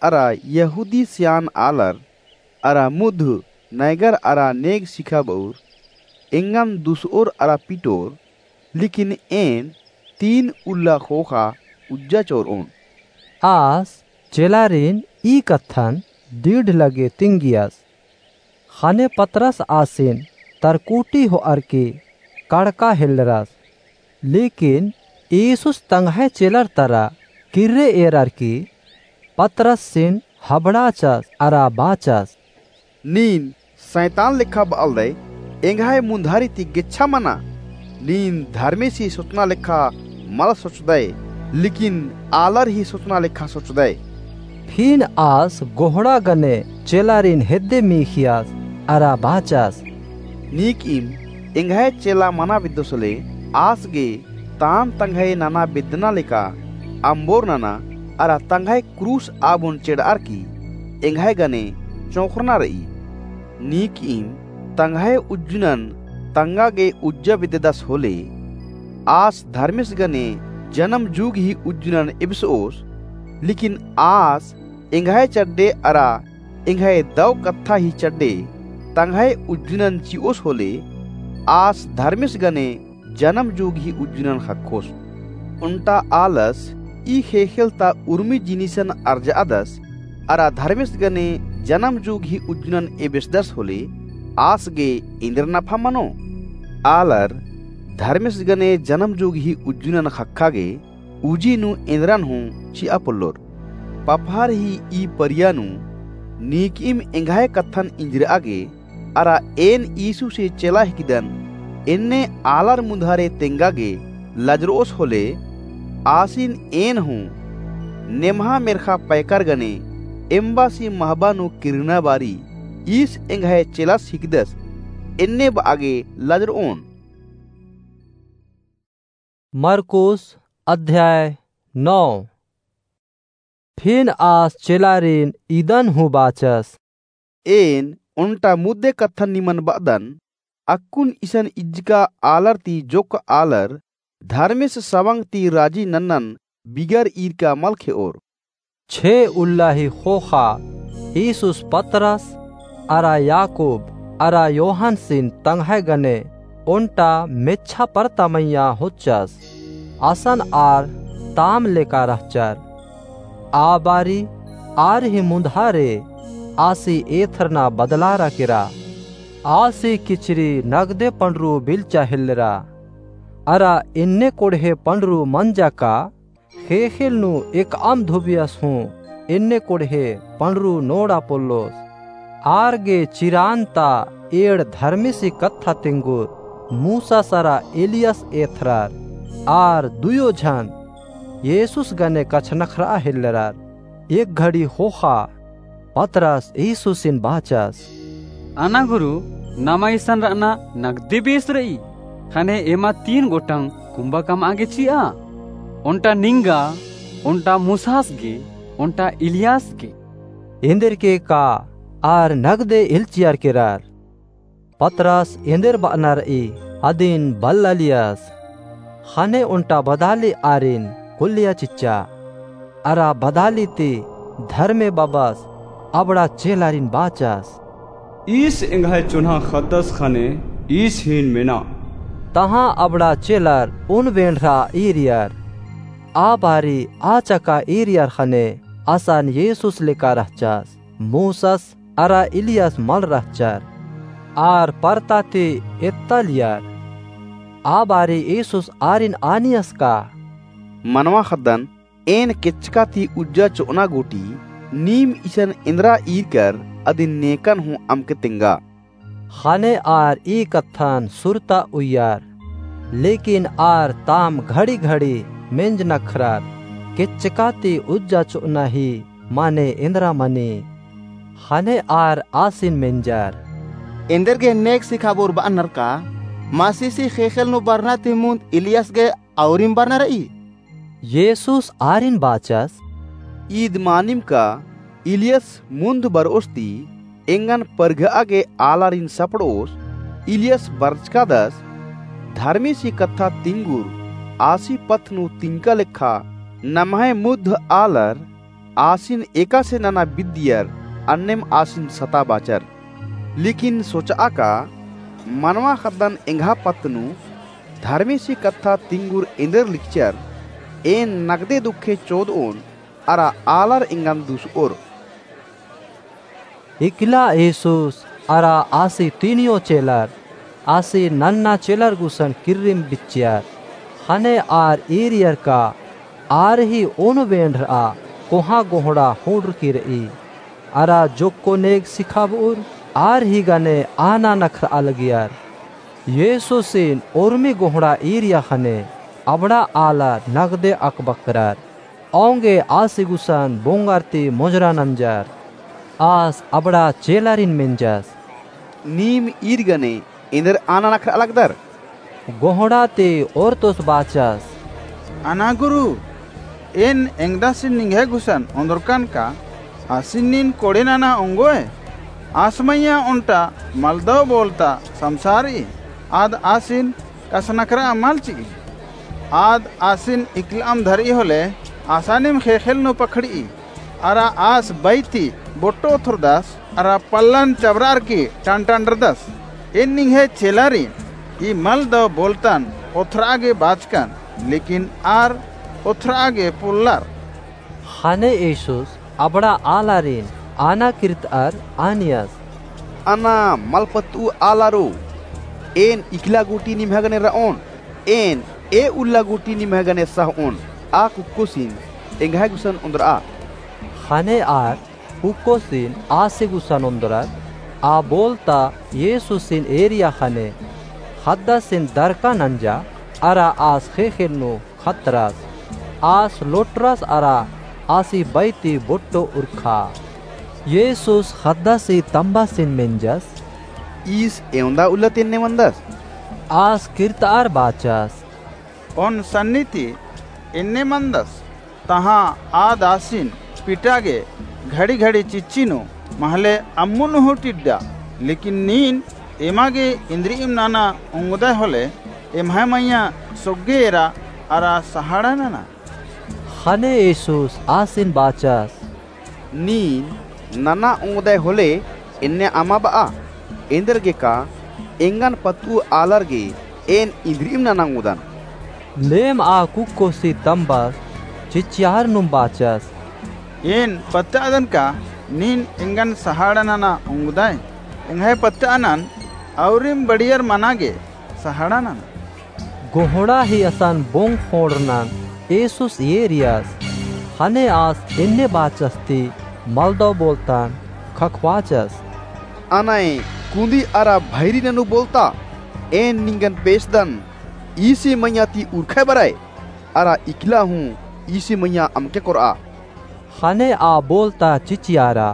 अरा यहूदी सियान आलर अरा मुद्ध नैगर अरा नेग सिखाबउर एंगन दुसओर अरा पिटोर, लेकिन एन तीन उल्ला ख़ोख़ा उज्जा चोरओन। आस चेलारिन ई कत्थन डीड़ लगे तिंगियस। ख़ने पतरस आसिन तरकुटी होअर की कड़का हेल्लरस। लेकिन ईसुस तंग्है चेलर तरा किर्रे एरर की पतरसिन हबड़ाचस अरा बाचस, नीन सैतान लेखा बअलदय, एंग्है मुन्धारी ती गेच्छा मना। नीन धर्मेसी सोचना लेखा मल सोचदय, लेकिन आलर ही सोचना लेखा सोचदय। फिन आस गोहड़ा गने चेलारिन हेद्दे मीखियस अरा बाचस, नीकइम एंग्है चेला मना बेद्दोस होले, आस गे ताम तंग्है नना बेद्दना लेका अम्बोर नना अरा तंग्है क्रूस आबोन चेड़अर की एंग्है गने चोंख़रना रई। नीकइम तंग्है उज्जुनन तंगा गे उज्जा बेद्ददस होले, आस धर्मेस गने जनम जुग ही उज्जुनन एबसओस, लेकिन आस एंग्है चड्डे अरा एंग्है दव कत्था ही चड्डे तंग्है उज्जुनन चिओस होले, आस धर्मेस गने जनम जुग ही उज्जुनन ख़क्खोस। ओन्टा आलस ई ख़ेख़ेल ता उर्मी जिनिसन अर्जअदस, अरा धर्मेस गने जनम जुग ही उज्जुनन एबेसदस होले, आस गे एन्देर नफा मनो? आलर धर्मेस गने जनम जुग ही उज्जुनन ख़क्खा गे उजी नू एन्देरन हूँ चिआ पोल्लोर। पपहर ही ई परिया नू नीकइम एंग्है कत्थन इंजरआ गे, अरा एन यीशुसे चेला हिकदन एन्ने आलर मुन्धारे तेंगा गे लजरओस होले, आसिन एन हूँ नेम्हा मेर्ख़ा पैकर गने एम्बासी महबा नू किर्रना बारी ईस एंग्है चेलस हिकदस एन्ने बआ गे लजरओन। मरकुस अध्याय नौ। फिन आस चेलारिन इदन हूँ बाचस, एन ओन्टा मुद्दे कत्थन निमन बअदन, अक्कुन इसन इज्जका आलर ती जोक्क आलर धर्मेस सवंग ती राजी नन्नन बिगर ईरका मल खेओर। छे उल्ला ही ख़ोख़ा ईसुस पतरस अरा याकूब अरा योहनसिन तंग्है गने ओन्टा मेच्छा परता मइय्याँ होच्चस। असन आर ताम लेका रहचर। आ बारी आर ही मुन्धारे आसी एथरना बदलारा केरा। आसी किचरी नगदे पंडरू बिल्चा हेल्लरा। अरा एन्ने कोड़हे पंडरू मंजा का ख़ेख़ेल नू एकअम धुबियस हूँ एन्ने कोड़हे पंडरू नोड़ा पोल्लोस। आर गे चिरान ता एंड़ धर्मेसी कत्था तिंगुर मूसस अरा एलियस एथरर। आर दुयो झन येसुस गने कछनखरआ हेल्लरर। एक घड़ी ख़ोख़ा पतरस येसुसिन बाचस, अना गुरु, नमा इसन रअना नगदे बेस रई। ख़ने एमा तीन गोटंग कुम्बा कमआ गे चिआ, ओन्टा निंगा, ओन्टा मूसस गे, ओन्टा इलियास गे। एन्देरके का आर नगदे एल्चियर केरर। पतरस एन्देर बअना रई अदिन बल्लालियस। ख़ने ओन्टा बदाली आरिन कुल्लिया चिच्चा। अरा बदाली ती धर्मे बबस अबड़ा चेलारिन बाचस, ईस एंग्है चोन्हा ख़द्दस ख़ने ईस हीन मेना। तहाँ अबड़ा चेलर उन बेंड़रा ईरियर। आ बारी आ चका ईरियर ख़ने असन येसुस लेका रहचस। मूसस अरा इलियास मल रहचर। आर परता ती एत्तालियर। आ बारी येसुस आरिन आनियस का, मनवा ख़द्दन एन केच्चका ती उज्जा चोअना गूटी नीम इसन एन्दरा ईरकर अदिन नेकन हूँ अमके तेंगा। ख़ने आर ई कत्थन सुरता उइयर। लेकिन आर ताम घड़ी-घड़ी मेंजनखरर, केच्चका ती उज्जा चोअना ही माने एन्दरा मनी। ख़ने आर आसिन मेंजर, एन्देरगे नेग सिखाबओर बअनर का? मसीसी ख़ेख़ेल नू बरना ती मुन्द इलियास गे औरिम बरना रई? येसुस आरिन बाचस, ईद मानिम का इलियास मुन्द बरओस ती एंगन परघआ गे आलारिन सपड़ओस। इलियास बरचकादस धर्मेसी कत्था तिंगुर आसी पथ नू तिंका लेखा नम्है मुद्ध आलर आसिन एकासे नना बिद्दियर अन्नेम आसिन सता बाचर। लेकिन सोचआ का मनवा ख़द्दन एंग्हा पत्त नू धर्मेसी कत्था तिंगुर एन्देर लिक्चर, एन नगदे दुखे चोदओन अरा आलर एंगन दुसओर। इकला येसुस अरा आसी तीनियो चेलर आसी नन्ना चेलर गुसन किर्रिम बिच्चियर। ख़ने आर ईरियर का आर ही ओन बेंड़रआ कोहाँ गोहड़ा होंड़रकी रई। अरा जोक्को नेग सिखाबउर आर ही गने आना नखरआ लगियर। येसुसिन ओर्मी गोहड़ा ईरिया ख़ने अबड़ा आलर नगदे अकबकरर। औंगे आसी गुसन बोंगर ती मोजरा नंजर। आस अबड़ा चेलारिन मेंजस, नीम ईर गने एन्देर आना नखरआ लगदर? गोहड़ा ती ओर्तोस बाचस, अना गुरु, एन एंगदासिन निंग्है गुसन ओन्दरकन का आसिन नीन कोड़े नना ओंगोय? आस मइय्याँ ओन्टा मलदव बोलता समसारई, आद आसिन कछनखरआ मल चिई। आद आसिन इकलअम धरई होले आसानिम ख़ेख़ेल नू पखड़ई। अरा आस बई ती बोट्टो ओथरदस, अरा पल्लन चबरारकी टनटनरदस। एन निंग्है चेलारिन ई मलदव बोलतन ओथरआ गे बाचकन, लेकिन आर ओथरआ गे पोल्लर। ख़ने येसुस अबड़ा आलारिन आना किर्तअर आनियस, अना मल पत्तऊ आलारो, एन इकला गूटी निम्है गने रओन, एन ए उल्ला गूटी निम्है गने सहओन, आ कुक्कोसिन एंग्है गुसन ओन्दरआ। ख़ने आर कुक्कोसिन आसी गुसन ओन्दरर। आ बोलता येसुसिन एरिया ख़ने ख़द्दासिन दरका नंजा, अरा आस ख़ेख़ेल नू खतरस। आस लोटरस अरा आसी बई ती बोट्टो उरखा। येसुस ख़द्दासी तम्बासिन मेंजस, ईस एवंदा उल्ला ती एन्ने मनदस? आस किर्तअर बाचस, ओन सन्नी ती एन्ने मनदस। तहाँ आद आसिन पिटा गे घड़ी घड़ी चिच्ची नू महले अम्मुन हूँ टिड्डा। लेकिन नीन एमा गे इन्द्रिइम नना ओंगदय होले एम्है मइय्याँ सोग्गे एरा अरा सहाड़ा नना। ख़ने येसुस आसिन बाचस, नीन नना ओंगदय होले एन्ने अमा बआ, एन्देरगे का एंगन पत्तऊ आलर गे एन इन्द्रिइम नना ओंगदन। लेम आ कुक्कोसी तम्बस चिच्चियार नुम बाचस, एन पत्तअदन का नीन एंगन सहाड़ा नना ओंगदय? एंग्है पत्तअनन अउरिम बढ़ियर मना गे सहाड़ा नना। गोहड़ा ही असन बोंग ख़ोंड़रनन येसुस एरियस। ख़ने आस एन्ने बाचस ती मलदव बोलतन ख़क्खबाचस, अनय कुन्दी अरा भैरी ननू बोलता, एन निंगन पेसदन, ईसी मइय्याँ ती उरखय बरय, अरा इकला हूँ ईसी मइय्याँ अमके कोरआ। ख़ने आ बोलता चिचियारा,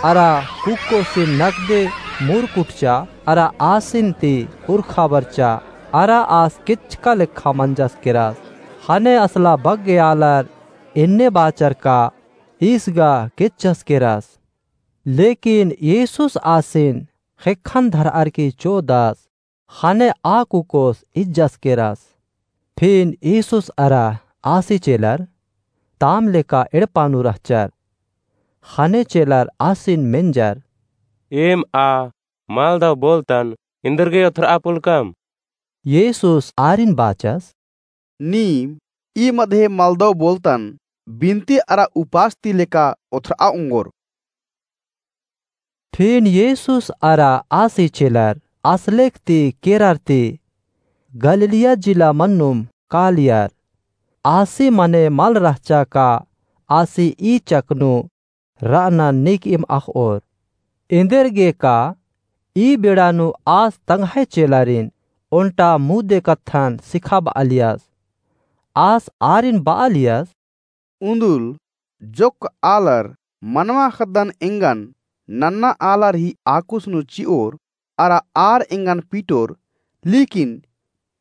अरा कुक्कोसिन नगदे मुरकुटचा, अरा आसिन ती उरखा बरचा, अरा आस केचका लेखा मंजस केरस। ख़ने असला बग्गे आलर एन्ने बाचर का ईस गा केचस केरस। लेकिन येसुस आसिन ख़ेक्खन धरअर की चोदस। ख़ने आ कुक्कोस इज्जस केरस। फिन येसुस अरा आसी चेलर ताम लेका एड़पा नू रहचर। ख़ने चेलर आसिन मेंजर, एम आ मलदव बोलतन इन्दरगे ओथरआ पोलकम? येसुस आरिन बाचस, नीम ई मधे मलदव बोलतन बिनती अरा उपास ती लेका ओथरआ ओंगोर। फिन येसुस अरा आसी चेलर असलेख ती केरर ती गलीलिया जिला मन्नुम कालियर। आसी मने मल रहचा का आसी ई चक नू रअनन नीकइम अख़ओर। एन्देरगे का ई बेड़ा नू आस तंग्है चेलारिन ओन्टा मुद्दे कत्थन सिखाबआलियस। आस आरिन बआलियस, उन्दुल जोक्क आलर मनवा ख़द्दन एंगन नन्ना आलर ही आकुस नू चिओर, अरा आर एंगन पीटोर, लेकिन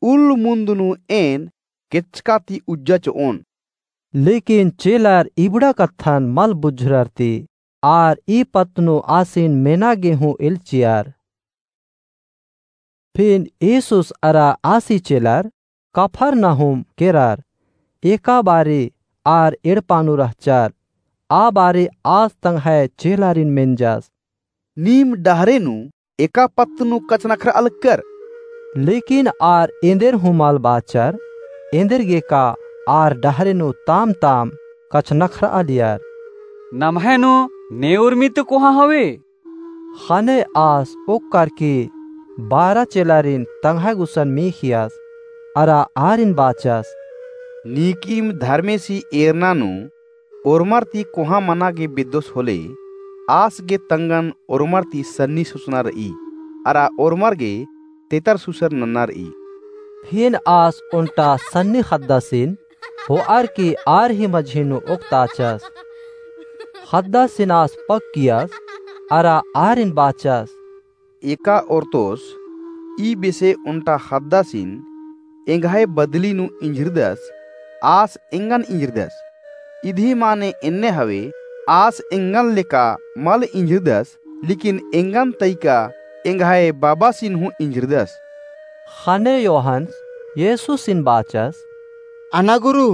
उल्ल मुन्द नू एन केचका ती उज्जा चिओन। लेकिन चेलर इबड़ा कत्थन मल बुझुरर ती आर ई पत्त नू आसिन मेना गे हूँ एल्चियर। फिन येसुस अरा आसी चेलर कफरनहूम केरर। एका बारी आर एड़पा नू रहचर। आ बारी आस तंग्है चेलारिन मेंजस, नीम डहरे नू एका पत्त नू कछनखरआ लक्कर? लेकिन आर एन्देर हूँ मल बाचर, एन्देरगे का आर डहरे नू ताम-ताम कछनखरआलियर। नम्है नू ने उर्मी ती कोहाँ हवे? ख़ने आस ओक्कर की बारह चेलारिन तंग्है गुसन मीख़ियस, अरा आरिन बाचस, नीकिम धर्मेसी एरना नू ओर्मर ती कोहाँ मना गे बेद्दोस होले, आस गे तंगन ओर्मर ती सन्नी सोचना र'ई, अरा ओर्मर गे तेतर सुसर नन्ना र'ई। फिन आस ओन्टा सन्नी ख़द्दासिन हो'अर की आर ही मझी नू ओक्ताचस। ख़द्दासिन आस पक्कियस, अरा आरिन बाचस, एका ओर्तोस ई बेसे ओन्टा ख़द्दासिन एंग्है बदली नू इंझिरदस, आस एंगन इंझिरदस। इदी माने एन्ने हवे, आस एंगन लेका मल इंझिरदस, लेकिन एंगन तइका एंग्है बाबासिन हूँ इंझिरदस। ख़ने योहन्स येसुसिन बाचस, अना गुरु,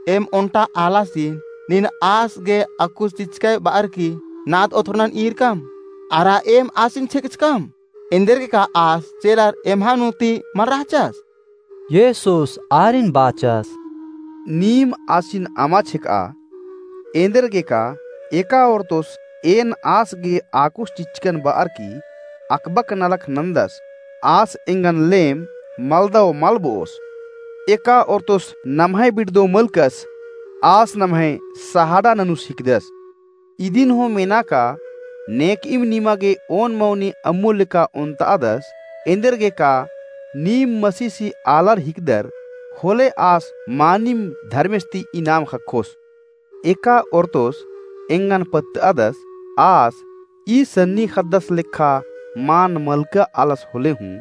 एम ओन्टा आलासिन नीन आस गे अक्कुस चिच्चकय ब'अर की नाद ओथरनन ईरकम, अरा एम आसिन छेकचकम? एन्देरगेका आस चेलर एम्है नू ती मल रहचस? येसुस आरिन बाचस, नीम आसिन अमा छेकआ। एन्देरगेका एका ओर्तोस एन आस गे अक्कुस चिच्चकन ब'अर की अकबक नलख नन्दस, आस एंगन लेम मलदव मल ब'ओस। एका ओर्तोस नम्है बिड़दव मलकस, आस नम्है सहाड़ा ननुस हिकदस। इदिन हूँ मेना का नेकइम निमा गे ओन मौनी अम्मु लेका ओन्त'अदस, एन्देरगेका नीम मसीसी आलर हिकदर, होले आस मानिम धर्मेस ती इनाम ख़क्खोस। एका ओर्तोस एंगन पत्त'अदस, आस ई सन्नी ख़द्दस लेखा मान मलका आलस होले हूँ,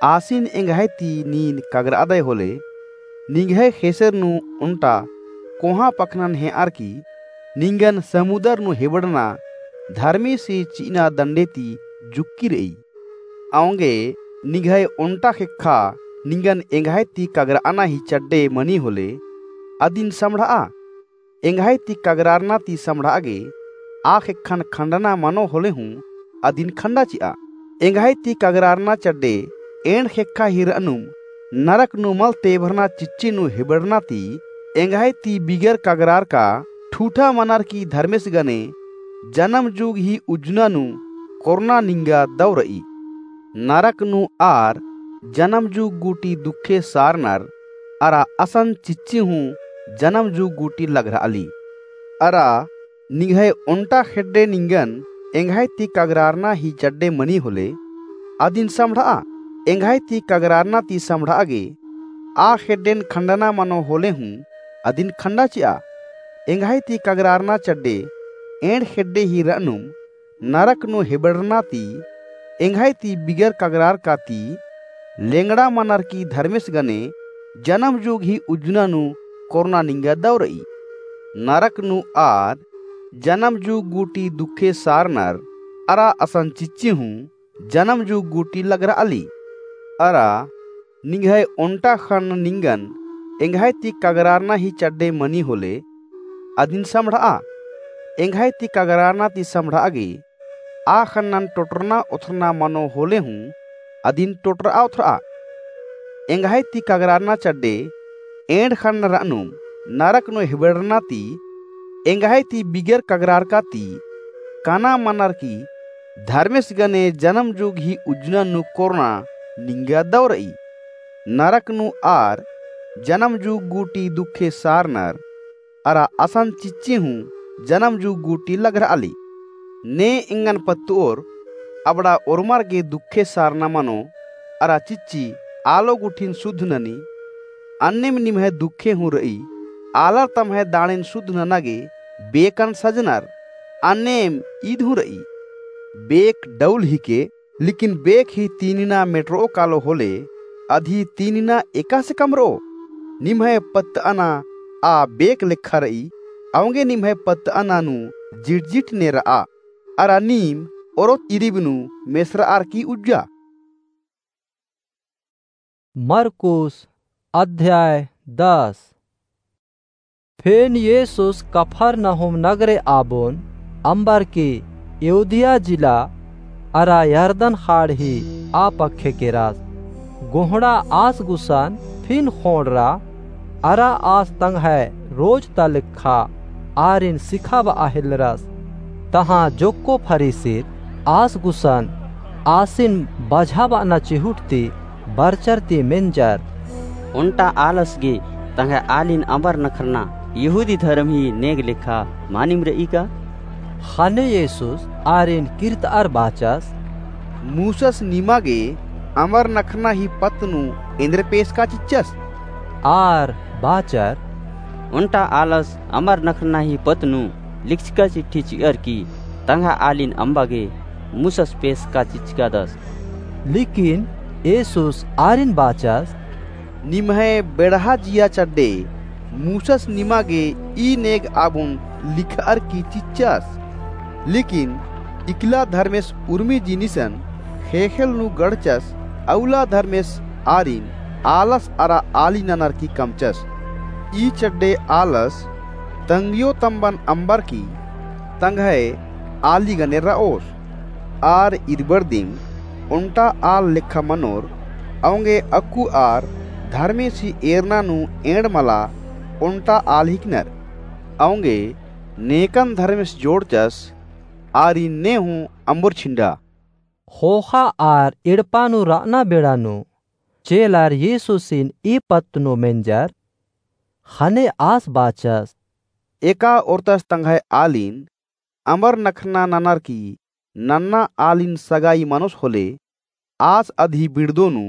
आसिन एंग्है ती नीन कगरादय होले, निंग्है ख़ेसेर नू ओन्टा कोहाँ पखनन हे'अर की निंगन समुदर नू हेबड़ना धर्मेसी चि'अना दंडे ती जुक्की र'ई। औंगे निंग्है ओन्टा ख़ेक्खा निंगन एंग्है ती कगरा'अना ही चड्डे मनी होले, अदिन सम्हड़'आ। एंग्है ती कगरारना ती सम्हड़'आ गे आ ख़ेक्खन खंडना मनो होले हूँ अदिन खंडा चि'आ। एंग्है ती कगरारना चड्डे एंड़ ख़ेक्खा ही र'अनुम नरक नू मल तेभरना चिच्ची नू हेबड़ना ती एंग्है ती बिगर कगरारका ठूठा मनर की धर्मेस गने जनम जुग ही उज्जना नू कोरना निंगा दौ र'ई। नरक नू आर जनम जुग गूटी दुखे सारनर अरा असन चिच्ची हूँ जनम जुग गूटी लग्र'अली। अरा निंग्है ओन्टा ख़ेड्डे निंगन एंग्है ती कगरारना ही चड्डे मनी होले, अदिन सम्हड़'आ। एंग्है ती कगरारना ती सम्हड़'आ गे आ ख़ेड्डेन खंडना मनो होले हूँ अदिन खंडा चि'आ। एंग्है ती कगरारना चड्डे एंड़ ख़ेड्डे ही र'अनुम नरक नू हेबड़ना ती एंग्है ती बिगर कगरारका ती लेंगड़ा मनर की धर्मेस गने जनम जुग ही उज्जना नू कोरना निंगा दौ र'ई। नरक नू आर जनम जुग गूटी दुखे सारनर अरा असन चिच्ची हूँ जनम जुग गूटी लग्र'अली। अरा निंग्है ओन्टा ख़न्न निंगन एंग्है ती कगरारना ही चड्डे मनी होले, अदिन सम्हड़'आ। एंग्है ती कगरारना ती सम्हड़'आ गे आ ख़न्नन टोटरना ओथरना मनो होले हूँ अदिन टोटर'आ ओथर'आ। एंग्है ती कगरारना चड्डे एंड़ ख़न्न र'अनुम नरक नू हेबड़ना ती एंग्है ती बिगर कगरारका ती कना मनर की धर्मेस गने जनम जुग ही उज्जना नू कोरना निंगा दौ र'ई। नरक नू आर जनम जुग गूटी दुखे सारनर अरा असन चिच्ची हूँ जनम जुग गूटी लग्र'अली। ने एंगन पत्त'ओर अबड़ा ओर्मर गे दुखे सारना मनो अरा चिच्ची आलो गुट्ठिन सुद्ध ननी। अन्नेम निम्है दुखे हूँ र'ई। आलर तम्है दाड़ेन सुद्ध नना गे बेकन सजनर। अन्नेम ईद हूँ र'ई। बेक डौल हिके, लेकिन बेक ही तीनिना मेटर'ओ कालो होले, अदी तीनिना एकासे कमर'ओ? निम्है पत्त'अना आ बेक लेखा र'ई। औंगे निम्है पत्त'अना नू जिटजिट ने र'आ। अरा नीम ओरोत इरिब नू मेसर'अर की उज्जा। मरकुस अध्याय दस। फेन येसुस कफरनहूम नगरे आबोन अम्बर की यहूदिया जिला अरा यरदन खाड़ ही आ पक्खे केरस। गोहड़ा आस गुसन फिन खोंड़रा अरा आस तंग्है रोज ता लेखा आरिन सिखाब'आ हेलरस। तहाँ जोक्को फरीसिर आस गुसन आसिन बझाब'अना चिहुट ती बरचर ती मेंजर। ओन्टा आलस गे तंग्है आलिन अम्बर नखरना यहूदी धरम ही नेग लेखा मानिम र'ई का? ख़ने येसुस आरिन किर्त'अर बाचस, मूसस निमा गे अम्बर नखरना ही पत्त नू एन्देर पेसका चिच्चस? आर बाचर, ओन्टा आलस अम्बर नखरना ही पत्त नू लिखचका चिट्ठी चि'अर की तंग्है आलिन अम्बा गे मूसस पेसका चिच्चकादस। लेकिन येसुस आरिन बाचस, निम्है बेड़हा जिया चड्डे मूसस निमा गे ई नेग आबुन लिख'अर की चिच्चस। लेकिन इकला धर्मेस उर्मी जिनिसन ख़ेख़ेल नू गड़चस, अउला धर्मेस आरिन आलस अरा आली ननर की कमचस। ई चड्डे आलस तंग्यो तम्बन अम्बर की तंग्है आली गने र'ओस। आर इरबर दिम ओन्टा आल लेखा मनोर, औंगे अक्कु आर धर्मेसी एरना नू एंड़ मला ओन्टा आल हिकनर। औंगे नेकन धर्मेस जोड़चस, आरिन ने हूँ अम्बर छिंडा। ख़ोख़ा आर एड़पा नू र'अना बेड़ा नू चेलर येसुसिन ई पत्त नू मेंजर। ख़ने आस बाचस, एका ओर्तस तंग्है आलिन अम्बर नखरना ननर की नन्ना आलिन सगाई मनोस होले, आस अदही बिड़दो नू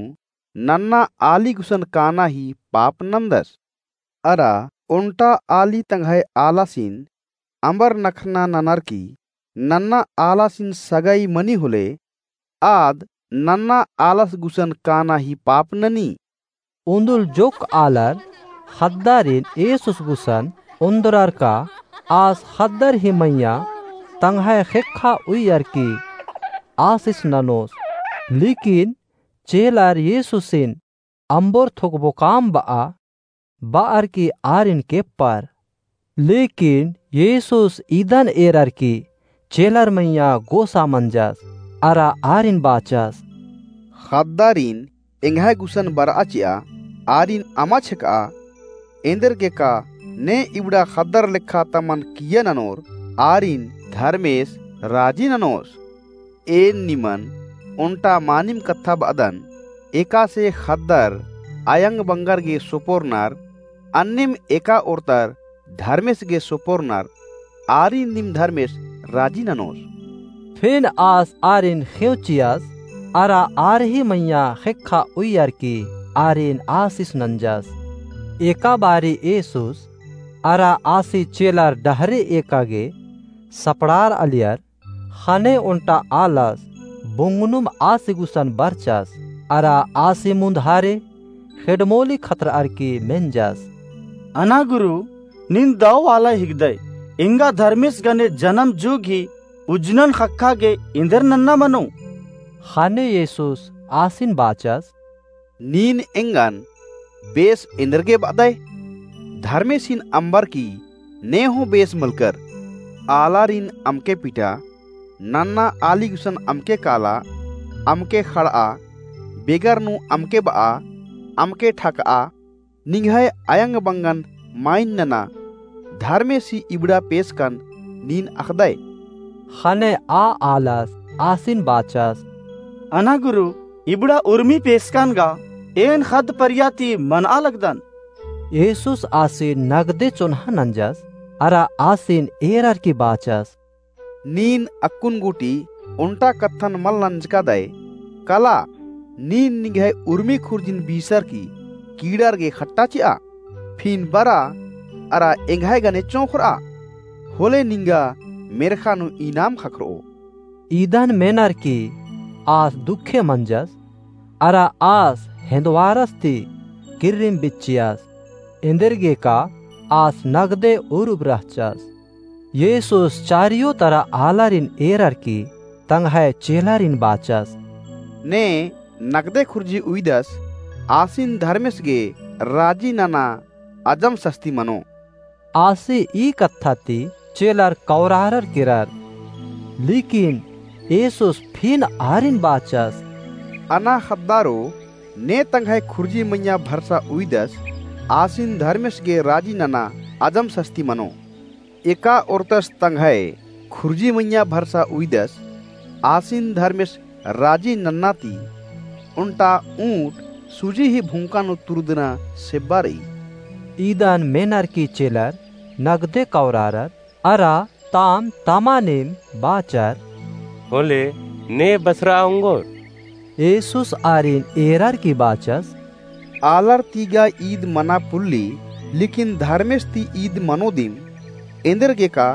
नन्ना आली गुसन काना ही पाप नन्दस। अरा ओन्टा आली तंग्है आलासिन अम्बर नखरना ननर की नन्ना आलासिन सगाई मनी होले, आद नन्ना आलस गुसन काना ही पाप ननी। उन्दुल जोक्क आलर ख़द्दारिन येसुस गुसन ओन्दरर का आस ख़द्दर ही मइय्याँ तंग्है ख़ेक्खा उइयर की आसिस ननोस। लेकिन चेलर येसुसिन अम्बर थोकबो काम ब'आ ब'अर की आरिन केप्पर। लेकिन येसुस इदन एरर की चेलर मइय्याँ गोसा मंजस अरा आरिन बाचस, ख़द्दारिन एंग्है गुसन बर'आ चि'आ, आरिन अमा छेक'आ। एन्देरगेका ने इबड़ा ख़द्दर लेखा तमन किइय्या ननोर, आरिन धर्मेस राजी ननोस। एन निमन ओन्टा मानिम कत्था ब'अदन, एकासे ख़द्दर अयंग बंगर गे सोपोरनर, अन्नेम एका ओर्तर धर्मेस गे सोपोरनर, आरिन नीम धर्मेस राजी ननोस। फिन आस आरिन ख़ेंव चिअस, अरा आर ही मइय्याँ ख़ेक्खा उइयर की आरिन आसिस नंजस। एका बारी येसुस अरा आसी चेलर डहरे एका गे सपड़ार'अलियर, ख़ने ओन्टा आलस बुंगनुम आसी गुसन बरचस, अरा आसी मुन्धारे ख़ेड्डमोली खतर'अर की मेंजस। अना गुरु, नीन दव आला हिकदय, एंगा धर्मेस गने जनम जुग ही उज्जनन ख़क्खा गे एन्देर नन्ना मनो? ख़ने येसुस आसिन बाचस, नीन एंगन बेस एन्देरगे ब'अदय? धर्मेसिन अम्बर की ने हूँ बेस मलकर। आलारिन अमके पिटा, नन्ना आली गुसन अमके काला, अमके ख़ड़'आ, बेगर नू अमके ब'आ, अमके ठक'आ, निंग्है अयंग बंगन माइन नना, धर्मेसी इबड़ा पेसकन नीन अख़दय। ख़ने आ आलस आसिन बाचस, अना गुरु, इबड़ा उर्मी पेसकन गा एन ख़द्द परिया ती मन'आ लगदन। येसुस आसिन नगदे चोन्हा नंजस, अरा आसिन एरर की बाचस, नीन अक्कुन गूटी ओन्टा कत्थन मल नंजकादय, कला, नीन निंग्है उर्मी खुर्जिन बीसर की कीड़ार गे ख़ट्टा चि'आ, फिन बरा अरा एंग्है गने चोंख़र'आ, होले निंगा मेर्ख़ा नू इनाम ख़क्खर'ओ। इदन मेनर की आस दुखे मंजस, अरा आस हेन्दवारस ती किर्रिम बिच्चियस, एन्देरगेका आस नगदे उरुब रहचस। येसुस चारियो तरा आलारिन एरर की तंग्है चेलारिन बाचस, ने नगदे खुर्जी उइदस, आसिन धर्मेस गे राजी नना अजम सस्ती मनो। आसी ई कत्था ती चेलर कौरारर केरर। लेकिन येसुस फिन आरिन बाचस, अना ख़द्दारो, ने तंग्है खुर्जी मइय्याँ भरसा उइदस, आसिन धर्मेस गे राजी नना अजम सस्ती मनो। एका ओर्तस तंग्है खुर्जी मइय्याँ भरसा उइदस, आसिन धर्मेस राजी नन्ना ती ओन्टा ऊँट सूजी ही भुंका नू तुरुदना सेब्बा रई। इदन मेनर की चेलर नगदे कौरारर, अरा ताम तमानिम बाचर, होले ने बसरा ओंगोर। येसुस आरिन एरर की बाचस, आलर ती गा ईद मना पुल्ली, लेकिन धर्मेस ती ईद मनो दिम। एन्देरगेका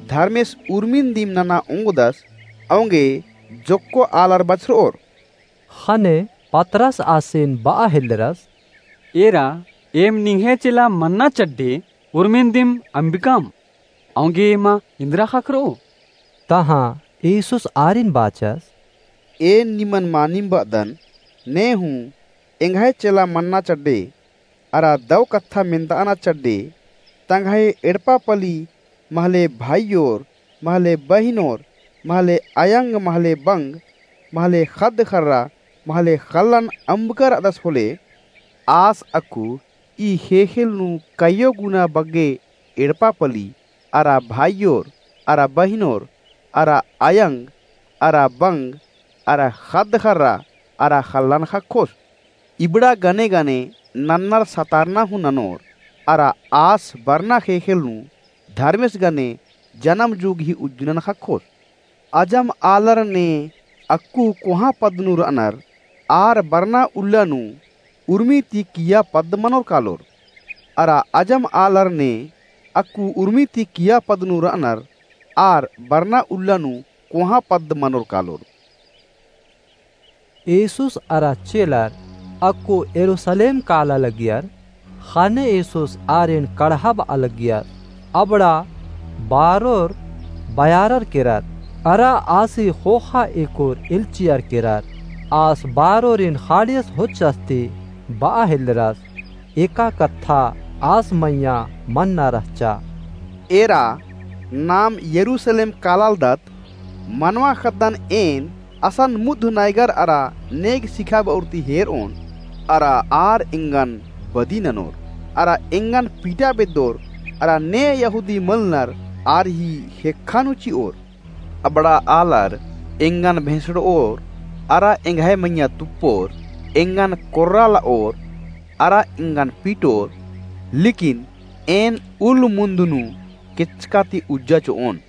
धर्मेस उर्मिन दिम नना ओंगदस, औंगे जोक्को आलर बछरओर। ख़ने पतरस आसिन बआ हेल्लरस, एरा, एम निंग्है चेला मन्ना चड्डे उर्मिन दिम अम्बिकम, औंगे एमा इन्द्रा ख़क्खरओ। तहाँ येसुस आरिन बाचस, एन निमन मानिम बअदन, ने हूँ एंग्है चेला मन्ना चड्डे, अरा दौ कत्था मेन्ताअना चड्डे, तंग्है एड़पा पली महले भाईयोर, महले बहिनोर, महले अयंग, महले बंग, महले ख़द्द ख़र्रा, महले ख़ल्लन अम्बकर अदस होले, आस अक्कु ई ख़ेख़ेल नू कइयो गुना बग्गे एड़पा पली, अरा भाईयोर, अरा बहिनोर, अरा अयंग, अरा बंग, अरा ख़द्द ख़र्रा, अरा ख़ल्लन ख़क्खोस। इबड़ा गने गने नन्नर सतारना हूँ ननोर, अरा आस बरना ख़ेख़ेल नू धर्मेस गने जनम जुग ही उज्जनन ख़क्खोस। अजम आलर ने अक्कु कोहाँ पद्द नू रअनर, आर बरना उल्ला नू उर्मी ती किय्या पद्द मनोर कालोर। अरा अजम आलर ने अक्कु उर्मी ती किय्या पद्द नू रअनर, आर बरना उल्ला नू कोहाँ पद्द मनोर कालोर। येसुस अरा चेलर अक्कु यरूसलेम काला लगियर। ख़ने येसुस आरिन कड़हा बआ लगियर। अबड़ा बारोर बयारर केरर, अरा आसी ख़ोख़ा एकोर एल्चियर केरर। आस बारोरिन ख़ाड़ियस होच्चस ती बआ हेल्लरस, एका कत्था आस मइय्याँ मन्ना रहचा। एरा, नाम यरूसलेम कालालदत, मनवा ख़द्दन एन असन मुद्ध नैगर अरा नेग सिखाब'ओर ती हेर'ओन, अरा आर एंगन बदी ननोर, अरा एंगन पीटा बेद्दोर, अरा ने यहूदी मलनर आर ही ख़ेक्खा नू चि'ओर। अबड़ा आलर एंगन भेंसड़'ओर, अरा एंग्है मइय्याँ तुप्पोर, एंगन कोर्राल'ओर, अरा एंगन पीटोर, लेकिन एन उल्ल मुन्द नू केचका ती उज्जा चि'ओन।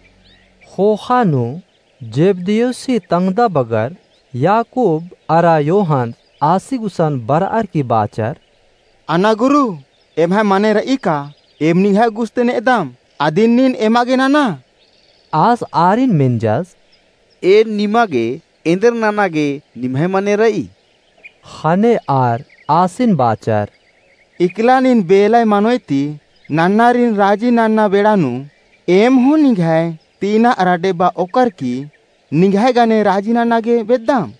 ख़ोख़ा नू जेबदेयुसी तंग्दा बगर याकूब अरा योहन आसी गुसन बरअर की बाचर, अना गुरु, एम्है मने र'ई का? एम निंग्है गुस ती ने'दम, अदिन नीन एमा गे नना। आस आरिन मेंजस, एन निमा गे एन्देर नना गे निम्है मने र'ई? ख़ने आर आसिन बाचर, इकला नीन बेलय मनोय ती नन्नारिन राजी नन्ना बेड़ा नू, एम हूँ निंग्है तीना अरा डेब्बा ओक्कर की निंग्है गने राजी नना गे बेद्दम।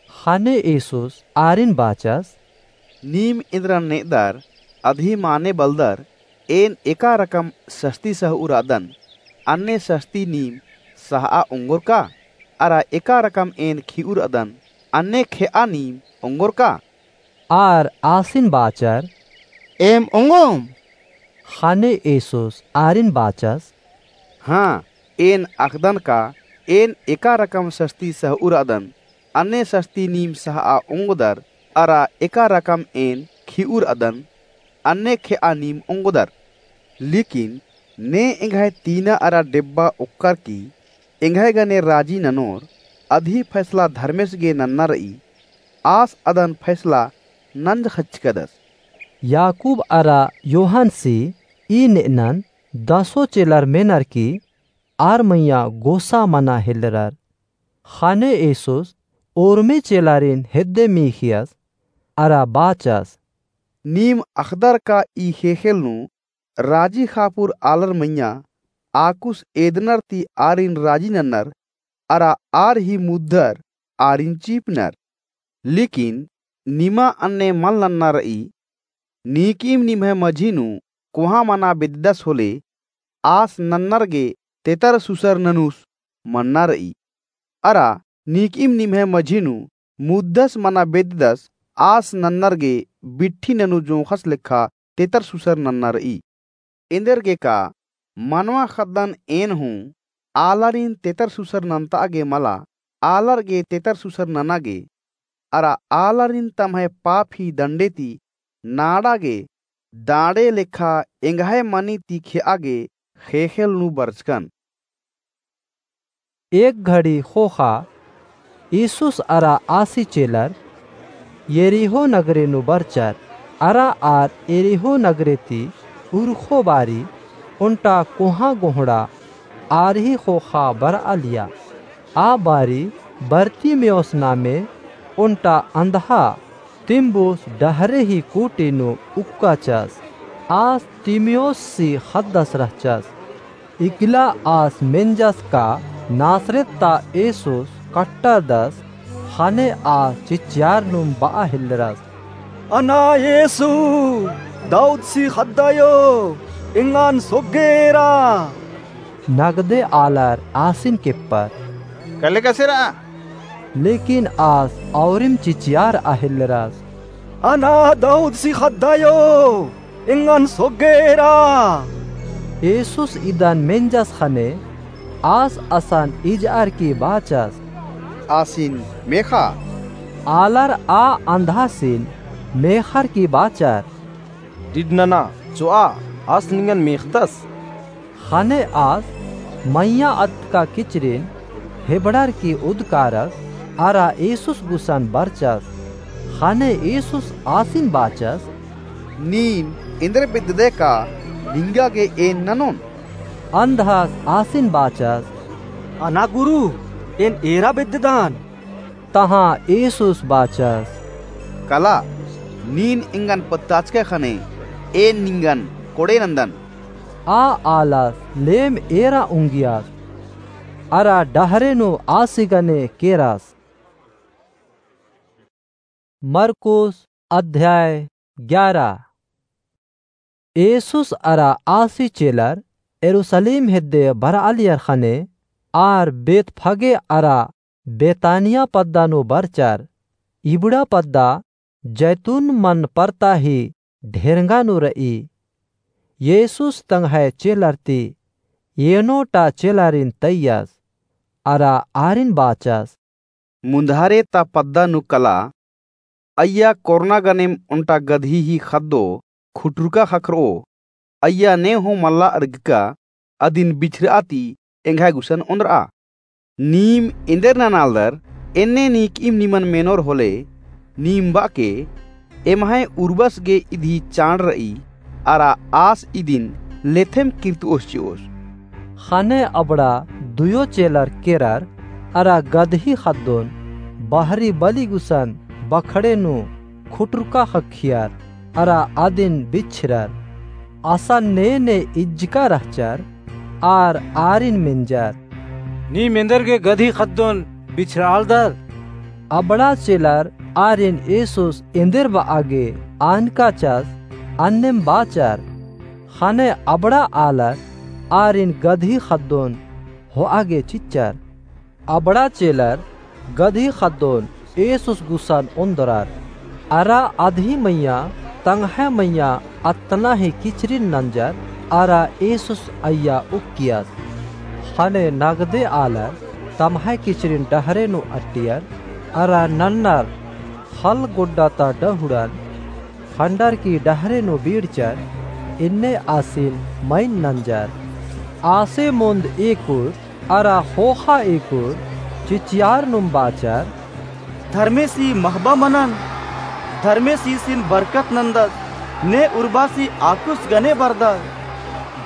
ख़ने येसुस आरिन बाचस, नीम एन्देरन ने'दर, अदही माने बलदर, एन एका रकम सस्ती सह'उर'अदन, अन्ने सस्ती नीम सह'आ ओंगोर का? अरा एका रकम एन खि'उर'अदन, अन्ने खे'आ नीम ओंगोर का? आर आसिन बाचर, एम ओंगोम। ख़ने येसुस आरिन बाचस, हाँ, एन अख़दन का, एन एका रकम सस्ती सह'उर'अदन, अन्ने सस्ती नीम सह'आ ओंगदर, अरा एका रकम एन खि'उर'अदन, अन्ने खे'आ नीम ओंगदर। लेकिन ने एंग्है तीना अरा डेब्बा ओक्कर की एंग्है गने राजी ननोर, अदही फैसला धर्मेस गे नन्ना र'ई, आस अदन फैसला नंजख़चकदस। याकूब अरा योहनसी ई ने'अनन दसो चेलर मेनर की आर मइय्याँ गोसा मना हेल्लरर। ख़ने येसुस ओर्मे चेलारिन हेद्दे मीख़ियस अरा बाचस, नीम अख़दर का ई ख़ेख़ेल नू राजी ख़ापुर आलर मइय्याँ आकुस एदनर ती आरिन राजी नन्नर, अरा आर ही मुद्दर आरिन चीपनर। लेकिन निमा अन्ने मल नन्ना र'ई, नीकिम निम्है मझी नू कोहाँ मना बेद्ददस होले, आस नन्नर गे तेतर सुसर ननुस मन्ना र'ई। अरा नीकिम निम्है मझी नू मुद्दस मना बेद्ददस, आस नन्नर गे बिट्ठी ननु जोंख़स लेखा तेतर सुसर नन्ना र'ई। एन्देरगेका मनवा ख़द्दन एन हूँ आलारिन तेतर सुसर नन्त'आ गे मला, आलर गे तेतर सुसर नना गे। अरा आलारिन तम्है पापी दंडे ती नाड़ा गे दाड़े लेखा एंग्है मनी ती खेआ गे ख़ेख़ेल नू बरचकन। एक घड़ी ख़ोख़ा ईसुस अरा आसी चेलर यरीहो नगरे नू बरचर। अरा आर यरीहो नगरे ती उरखो बारी ओन्टा कोहाँ गोहड़ा आर ही ख़ोख़ा बरआलिया। आ बारी बरतिमेउस नामे ओन्टा अंधा तिम्बुस डहरे ही कूटी नू उक्काचस। आस तिमेउस सी ख़द्दस रहचस। इकला आस मेंजस का नासरेत ता येसुस कट्टरदस। ख़ने आस चिच्चियार नुम बआ हेल्लरस, अना येसु, दाऊद सी ख़द्दायो, एंगन सोग्गेरा। नगदे आलर आसिन केप्पर, कले कसेरा? लेकिन आस औरिम चिचियारआ हेल्लरस, अना दाऊद सी ख़द्दायो, एंगन सोग्गेरा। येसुस इदन मेंजस ख़ने आस असन इजअर की बाचस, आसिन मेख़ा। आलर आ अंधासिन मेख़अर की बाचर, डिड नना, चोआ, आस निंगन मेख़दस। ख़ने आस मइय्याँ अतका किचरिन हेबड़र की उदकारस अरा येसुस गुसन बरचस। ख़ने येसुस आसिन बाचस, नीम एन्देर बेद्ददय का निंगा गे एन ननोन? अंधास आसिन बाचस, अना गुरु, एन एरा बेद्ददन। तहाँ येसुस बाचस, कला, नीन एंगन पत्ताचकय ख़ने एन निंगन कोड़े नन्दन। आ आलस लेम एरा उंगियस अरा डहरे नू आसी गने केरस। मरकुस अध्याय ग्यारा। येसुस अरा आसी चेलर यरूसलेम हेद्दे बरआलियर ख़ने आर बेतफगे अरा बेतानिया पद्दा नू बरचर। इबड़ा पद्दा जैतून मन परता ही ढेरंगा नू रई। येसुस तंग्है चेलर ती एनो टा चेलारिन तैयस अरा आरिन बाचस, मुन्धारे ता पद्दा नू कला, अइय्या कोरना गनेम ओन्टा गदही ही ख़द्दो खुटुरका ख़क्खरओ, अइय्या ने हूँ मल्ला अरगका, अदिन बिछरआ ती एंग्है गुसन ओन्द्रआ। नीम एन्देर ननालदर, एन्ने नीकिम निमन मेनोर होले, नीम बअके, एम्है उर्बस गे इदी चाड़ रई, अरा आस इदिन लेथेम किर्तओस चिओस। ख़ने अबड़ा दुयो चेलर केरर, अरा गदही ख़द्दोन बहरी बली गुसन बखड़े नू खुटुरका ख़क्खियर, अरा अदिन बिछरर। असन ने ने इज्जका रहचर, आर आरिन मेंजर, नीम एन्देर गे गदही ख़द्दोन बिछरआलदर? अबड़ा चेलर आरिन येसुस एन्देर बआ गे आनकाचस, अन्नेम बाचर। ख़ने अबड़ा आलर आरिन गदही ख़द्दोन होआ गे चिच्चर। अबड़ा चेलर गदही ख़द्दोन येसुस गुसन ओन्दरर। अरा अदही मइय्याँ तंग्है मइय्याँ अत्तना ही किचरिन नंजर, अरा येसुस अइय्या उक्कियस। ख़ने नगदे आलर तम्है किचरिन डहरे नू अट्टियर, अरा नन्नर ख़ल्ल गोड्डा ता डहुड़न खंडर की डहरे नू बीड़चर, एन्ने आसिन मइन नंजर। आसे मुन्द एकुर अरा ख़ोख़ा एकुर चिचियार नुम बाचर, धर्मेसी महबा मनन, धर्मेस ईसिन बरकत नन्दस, ने उर्बासी आकुस गने बरदस।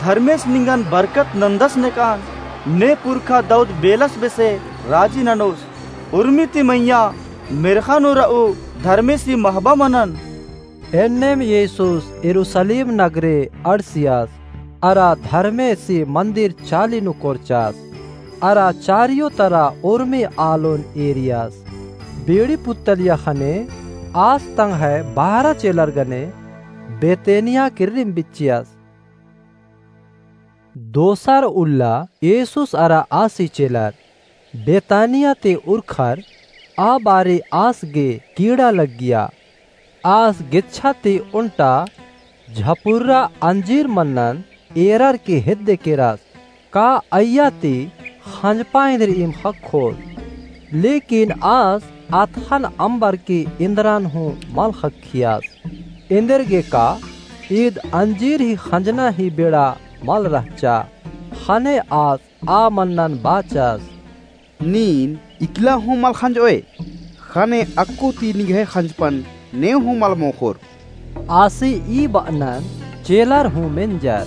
धर्मेस निंगन बरकत नन्दस नेकान, ने पुरखा दाऊद बेलस बेसे राजी ननोस। उर्मी ती मइय्याँ मेर्ख़ा नू रऊ धर्मेसी महबा मनन। एन्नेम येसुस यरूसलेम नगरे अंड़सियस, अरा धर्मेसी मन्दिर चाली नू कोरचस, अरा चारियो तरा उर्मी आलोन एरियस। बेड़ी पुत्तलिया ख़ने आस तंग्है बारह चेलर गने बेतनिया किर्रिम बिच्चियस। दोसर उल्ला येसुस अरा आसी चेलर बेतानिया ती उरखर, आ बारी आस गे कीड़ा लग्गिया। आस गेच्छा ती ओन्टा झपुर्रा अंजीर मन्नन एरर की हेद्दे केरस, का अइय्या ती ख़ंजपा एन्देरिम ख़क्खोस। लेकिन आस अतख़न अम्बरकी इन्द्रन हूँ मल ख़क्खियस। एन्देरगेका ईद अंजीर ही ख़ंजना ही बेड़ा मल रहचा। ख़ने आस आ मन्नन बाचस, नीन इकला हूँ मल ख़ंजओय, ख़ने अक्कु ती निंग्है ख़ंजपन नेंव हूँ मल मोख़ोर। आसी ई बअनन चेलर हूँ मेंजर।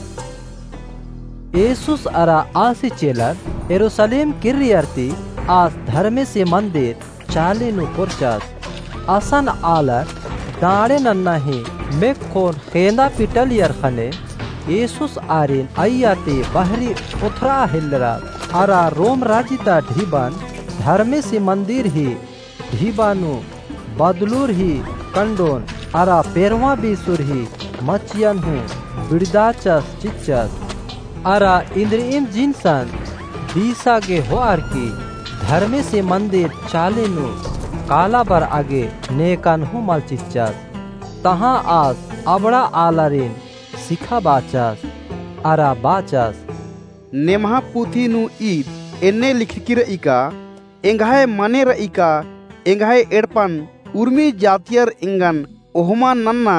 येसुस अरा आसी चेलर यरूसलेम किर्रियर ती आस धर्मेसी मन्दिर चाली नू कोरचस। असन आलर डाँड़े नन्ना ही मेक्खोन ख़ेंदा पिटलियर ख़ने येसुस आरिन अइय्या ती बहरी ओथरआ हेल्लरस। अरा रोम राजी ता ढिबन धर्मेसी मन्दिर ही ढिबा नू बदलुर ही कंडोन अरा पेरवा बीसुर ही मचियन हूँ बिड़दाचस चिच्चस। अरा इन्द्रिइम जिनसन बीसा गे होअर की धर्मेसी मन्दिर चाली नू काला बरआ गे नेकन हूँ मल चिच्चस। तहाँ आस अबड़ा आलारिन सिखाबाचस अरा बाचस, नेम्हा पुथी नू ईद एन्ने लिखरकी रई का, एंग्है मने रई का, एंग्है एड़पन उर्मी जातियर एंगन ओहमा नन्ना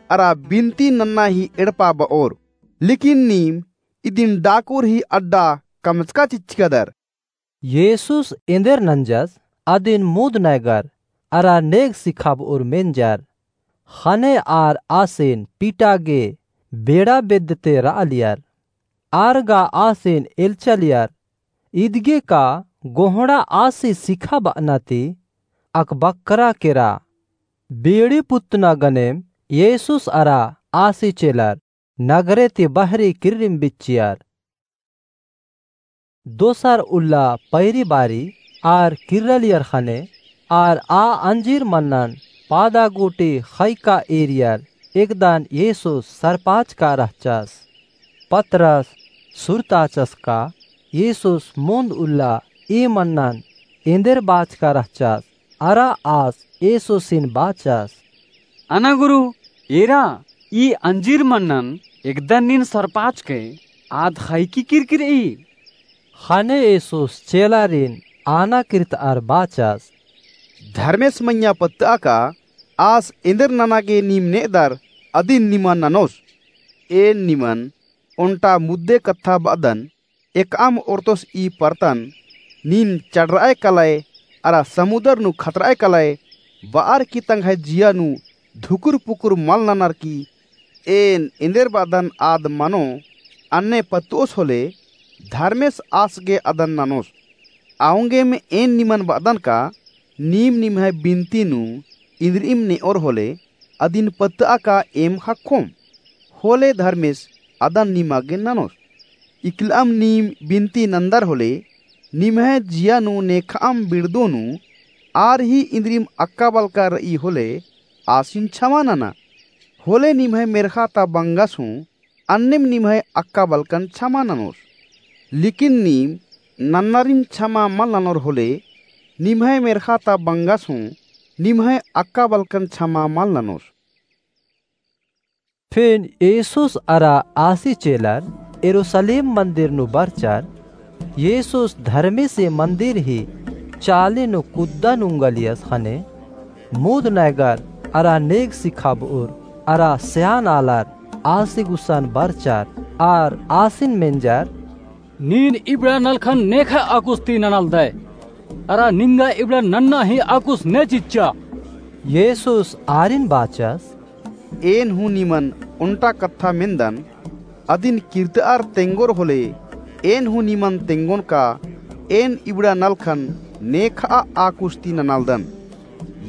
अरा बिनती नन्ना ही एड़पा बओर। लेकिन नीम इदिन डाकुर ही अड्डा कमचका चिच्चकदर। येसुस एन्देर नंजस अदिन मुन्द नैगर अरा नेग सिखाबओर मेंजर। ख़ने आर आसिन पीटा गे बेड़ा बेद्दते रआलियर। आर गा आसिन एल्चलियर। इदगे का गोहड़ा आसी सिखाबअना ती अकबक्करा केरा। बेड़ी पुत्तना गनेम येसुस अरा आसी चेलर नगरे ती बहरी किर्रिम बिच्चियर। दोसर उल्ला पैरी बारी आर किर्रलियर ख़ने आर आ अंजीर मन्नन पादा गूटी ख़ैका एरियर। एकदन येसुस सरपाचका रहचस। पतरस सुरताचस का येसुस मुन्द उल्ला ई मन्नन एन्देर बाचका रहचस। अरा आस येसुसिन बाचस, अना गुरु, एरा ई अंजीर मन्नन एकदन नीन सरपाचकय, आद ख़ैकी किरकिरई। ख़ने येसुस चेलारिन आना किर्तअर बाचस, धर्मेस मइय्याँ पत्तआ का आस एन्देर नना गे नीम नेदर अदिन निमन ननोस। एन निमन ओन्टा मुद्दे कत्था बअदन, एकअम ओर्तोस ई परतन, नीन चड़रअय कलय अरा समुदर नू खतरअय कलय, बअर की तंग्है जिया नू धुकुर पुकुर मल ननर की। एन एन्देर बअदन आद मनो, अन्ने पत्तओस होले, धर्मेस आस गे अदन ननोस। औंगेम एन निमन बअदन का, नीम निम्है बिनती नू इन्द्रिइम नेओर होले, अदिन पत्तआ का एम ख़क्खोम, होले धर्मेस अदन निमा गे ननोस। इकलअम नीम बिनती नन्दर होले, निम्है जिया नू नेखअम बिड़दो नू, आर ही इन्द्रिइम अक्का बलका रई होले, आसिन छमा नना। होले निम्है मेर्ख़ा ता बंगस हूँ, अन्नेम निम्है अक्का बलकन छमा ननोस। लेकिन नीम नन्नारिन छमा मल ननोर होले, निम्है मेर्ख़ा ता बंगस हूँ, निम्है अक्का बलकन छमा मल ननोस। फिन येसुस अरा आसी चेलर यरूसलेम मन्दिर नू बरचर। येसुस धर्मेसी मन्दिर ही चाली नू कुद्दा नुंगलियस ख़ने मुद नैगर अरा नेग सिखाबउर अरा स्यान आलर आसी गुसन बरचर आर आसिन मेंजर, नीन इबड़ा नलखन नेखय आकुस ती ननालदय, अरा निंगा इबड़ा नन्ना ही आकुस ने चिच्चा। येसुस आरिन बाचस, एन हूँ निमन ओन्टा कत्था मेन्दन, अदिन किर्तअर तेंगोर होले, एन हूँ निमन तेंगोन का, एन इबड़ा नलखन नेखय आकुस ती ननालदन।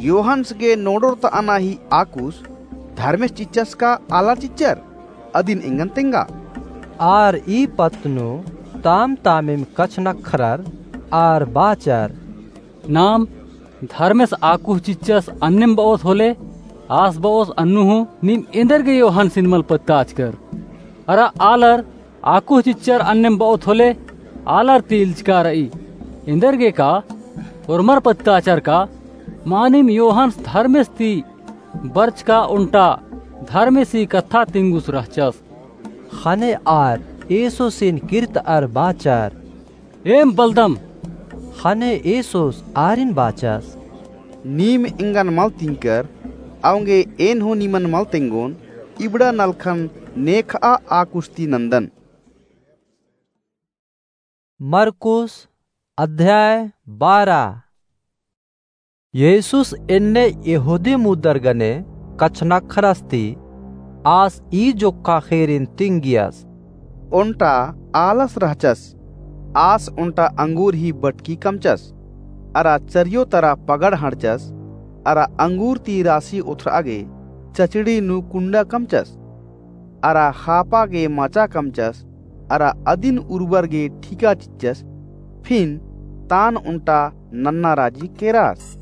योहन्स गे नोड़ोर तअना ही आकुस धर्मेस चिच्चस का आलर चिच्चर? अदिन एंगन तेंगा। आर ई पत्त नू ताम तामिम कछनखरर आर बाचर, नाम धर्मेस आकुस चिच्चस अन्नेम बओस होले, आस बओस अन्नु हूँ नीम एन्देरगे योहन्सिन मल पत्ताचकर। अरा आलर आकुस चिच्चर अन्नेम बओत होले, आलर ती इल्चका रई। एन्देरगे का ओर्मर पत्ताचर का, मानिम योहन्स धर्मेस ती बरचका ओन्टा धर्मेसी कत्था तिंगुस रहचस। ख़ने आर येसुसिन किर्तअर बाचर, एम बलदम। ख़ने येसुस आरिन बाचस, नीम एंगन मल तिंकर, औंगे एन हूँ निमन मल तेंगोन, इबड़ा नलखन नेखआ आ कुश्ती नंदन। मरकुस अध्याय बारह। येसुस एन्ने यहूदी मुद्दर गने कछनखरस ती आस ई जोक्खा ख़ीरिन तिंगियस। ओन्टा आलस रहचस, आस ओन्टा अंगूर ही बटकी कमचस, अरा चरियो तरा पगड़ हंड़चस, अरा अंगूर ती रासी ओथरआ गे चचड़ी नू कुंडा कमचस, अरा ख़ापा गे माचा कमचस, अरा अदिन उर्बर गे ठीका चिच्चस, फिन तान ओन्टा नन्ना राजी केरास।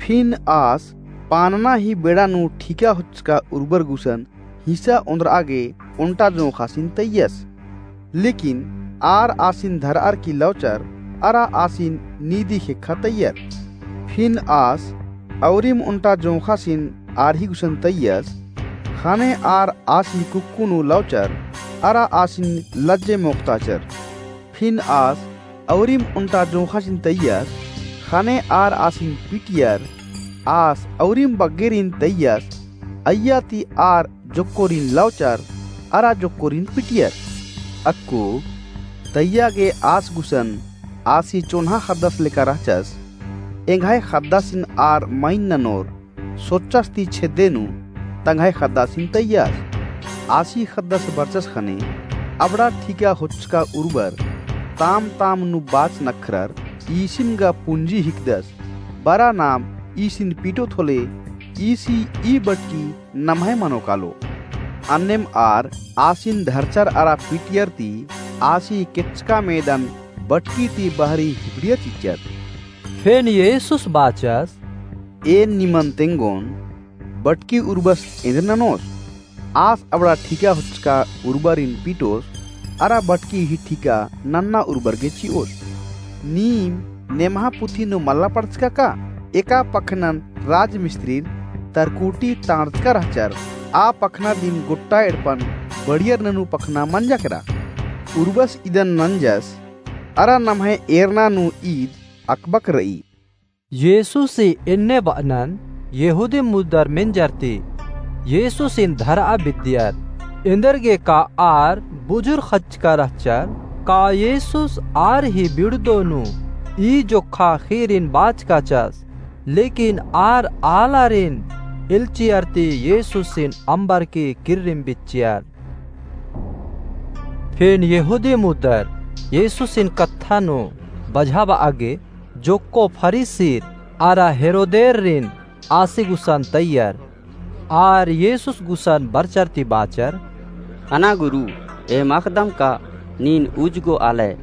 फिन आस पानना ही बेड़ा नू ठीका होचका उर्बर गुसन हिस्सा ओन्दरआ गे ओन्टा जोंख़ासिन तैयस। लेकिन आर आसिन धरअर की लौचर, अरा आसिन नीदी ख़ेक्खा तैयर। फिन आस औरिम ओन्टा जोंख़ासिन आर ही गुसन तैयस, ख़ने आर आसी कुक्कु नू लौचर, अरा आसिन लज्जे मोख़ताचर। फिन आस औरिम ओन्टा जोंख़ासिन तैयस, ख़ने आर आसिन पिटियर, आस औरिम बग्गेरिन तैयस, अइय्या ती आर जोक्कोरिन लौचर, अरा जोक्कोरिन पिटियर। अक्कु तैय्या गे आस गुसन आसी चोन्हा ख़द्दस लेका रहचस, एंग्है ख़द्दासिन आर मइन ननोर, सोच्चस ती छेद्दे नू तंग्है ख़द्दासिन तैयस। आसी ख़द्दस बरचस ख़ने अबड़ा ठीका होचका उर्बर ताम ताम नू बाच नखरर ईसिम गा पुंजी हिकदस, बरा नाम ईसिन पीटोत होले ईसी ई बटकी नम्है मनो कालो। अन्नेम आर आसिन धरचर अरा पीटियर ती आसी केच्चका मेदन बटकी ती बहरी हिबड़िया चिच्चर। फेन येसुस बाचस, एन निमन तेंगोन, बटकी उर्बस एन्देर ननोस? आस अबड़ा ठीका होचका उर्बरिन पीटोस, अरा बटकी ही ठीका नन्ना उर्बर गे चिओस। नीम नेम्हा पुथी नू मल्ला पढ़चका का? एका पखनन राजमिस्त्रीर तरकुटी तांड़चका रहचर, आ पखना दिम गोट्टा एड़पन बढ़ियर ननू पखना मंजा केरा। उर्बस इदन नंजस, अरा नम्है एरना नू ईद अकबक रई। येसुस ही एन्ने बअनन यहूदी मुद्दर मेंजर ती येसुसिन धरआ बिद्दियर। एन्देरगे का आर बुझुर खच्चका रहचर, का येसुस आर ही बिड़दो नू ई जोक्खा खीरिन बाचकाचस? लेकिन आर आलारिन एल्चियर ती येसुसिन अम्बरकी किर्रिम बिच्चियर। फेन यहूदी मुद्दर येसुसिन कत्था नू बझाबआ गे जोक्को फरीसीर अरा हेरोदेरिन आसी गुसन तैयर। आर येसुस गुसन बरचर ती बाचर, अना गुरु, एम अख़दम का नीन उजगो आलय,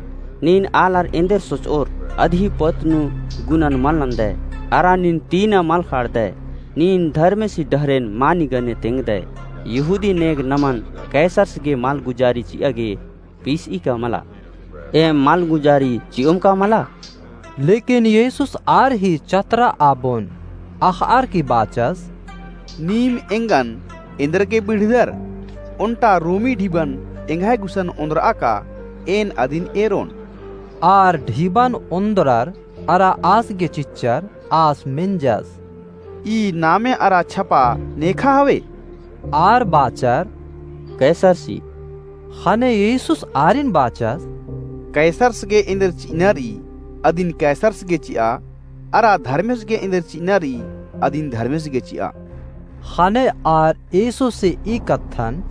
नीन आलर एन्देर सोचओर अदही पत्त नू गुनन मल नन्दय, अरा नीन तीना मल ख़ाड़दय, नीन धर्मेसी डहरेन मानी गने तेंगदय। यहूदी नेग नमन कैसरस गे मलगुजारी चिआ गे पीसई का मला, एम मलगुजारी चिओम का मला? लेकिन येसुस आर ही चतरा आबोन अख़अर की बाचस, नीम एंगन एन्देरगे बिड़दर? ओन्टा रोमी ढिबन एंग्है गुसन ओन्द्रआ का एन अदिन एरोन। आर ढिबन ओन्द्रर अरा आस गे चिच्चर, आस मेंजस, ई नामे अरा छपा नेखा हवे? आर बाचर, कैसरसी। ख़ने येसुस आरिन बाचस, कैसरस गे एन्देर चिअना रई, अदिन कैसरस गे चिआ, अरा धर्मेस गे एन्देर चिअना रई, अदिन धर्मेस गे चिआ। ख़ने आर येसुसे ई कत्थन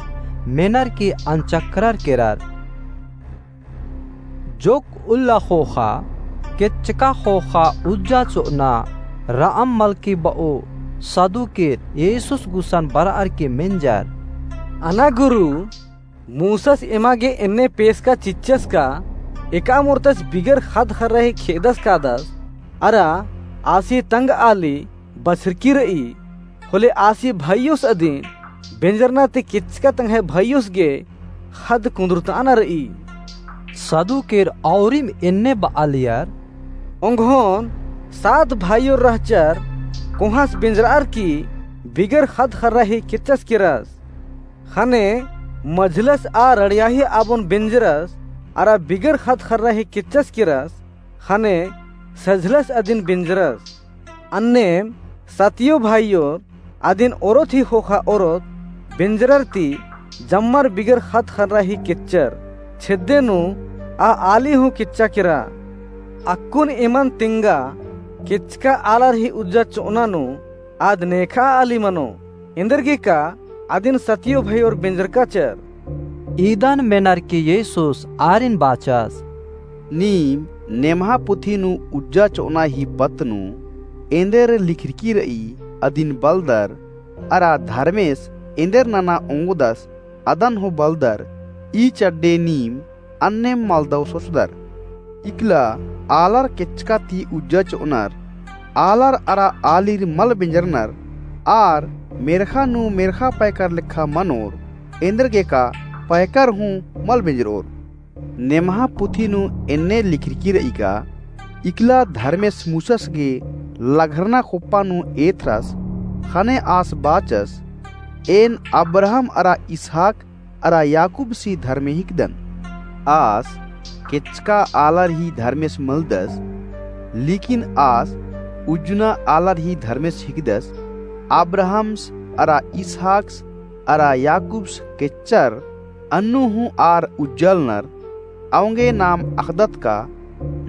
मेनर की अनचकरर केरर। जोक्क उल्ला ख़ोख़ा, केच्चका ख़ोख़ा उज्जा चोअना रअम मलकी बओ सदुकेर येसुस गुसन बरअर की मेंजर, अना गुरु, मूसस एमा गे एन्ने पेसका चिच्चस का, एका मोर्तस बिगर ख़द्द ख़र्रा ही खेदस कादस, अरा आसी तंग आली बछरकी रई, होले आसी भइयोस अदिन बेंजरना ती केच्चका तंग्है भइयोस गे ख़द्द कुन्दुरतअना रई। सदुकेर औरिम एन्ने बआलियर, ओंगोन सात भइयोर रहचर, कोहाँस बेंजरअर की बिगर ख़द्द ख़र्रा ही केच्चस केरस? ख़ने मझलस आ रड़ियाही आबोन बेंजरस, अरा बिगर ख़द्द ख़र्रा ही केच्चस केरस, ख़ने सझलस अदिन बेंजरस। अन्नेम सतियो भाईयोर, अदिन ओरोत ही ख़ोख़ा ओरोत, बेंजरर ती जम्मर बिगर ख़द्द ख़र्रा ही केच्चर, छेद्दे नू आ आली हूँ केच्चा केरा। अक्कुन एमन तेंगा, केच्चका आलर ही उज्जा चोअना नू, आद नेखा आली मनो, एन्देरगेका अदिन सतियो भाईयोर बेंजरकाचर। इदन मेनर की येसुस आरिन बाचस। नीम नेम्हा पुथी नू उज्जा चोअना ही पत्त नू एन्देर लिखरकी र'ई अदिन बलदर, अरा धर्मेस एन्देर नना ओंगोदस अदन हूँ बलदर, ई चड्डे नीम अन्नेम मलदव सोचदर। इकला आलर केच्चका ती उज्जा चोअनर, आलर अरा आलिर मल बेंजरनर, आर मेर्ख़ा नू मेर्ख़ा पैकर लेखा मनोर, एन्देरगेका पैकर हूँ मल बेंजरओर। नेम्हा पुथी नू एन्ने लिखरकी र'ई का, इकला धर्मेस मूसस गे लघरना खोप्पा नू एथरस, ख़ने आस बाचस, एन अब्राहम अरा इसहाक अरा याकूबसी धर्मे हिकदन। आस केच्चका आलर ही धर्मेस मलदस, लेकिन आस उज्जना आलर ही धर्मेस हिकदस। अब्राहमस अरा इसहाकस अरा याकूबस केच्चर, अन्नु हूँ आर उज्जालनर। औंगे नाम अख़दत का,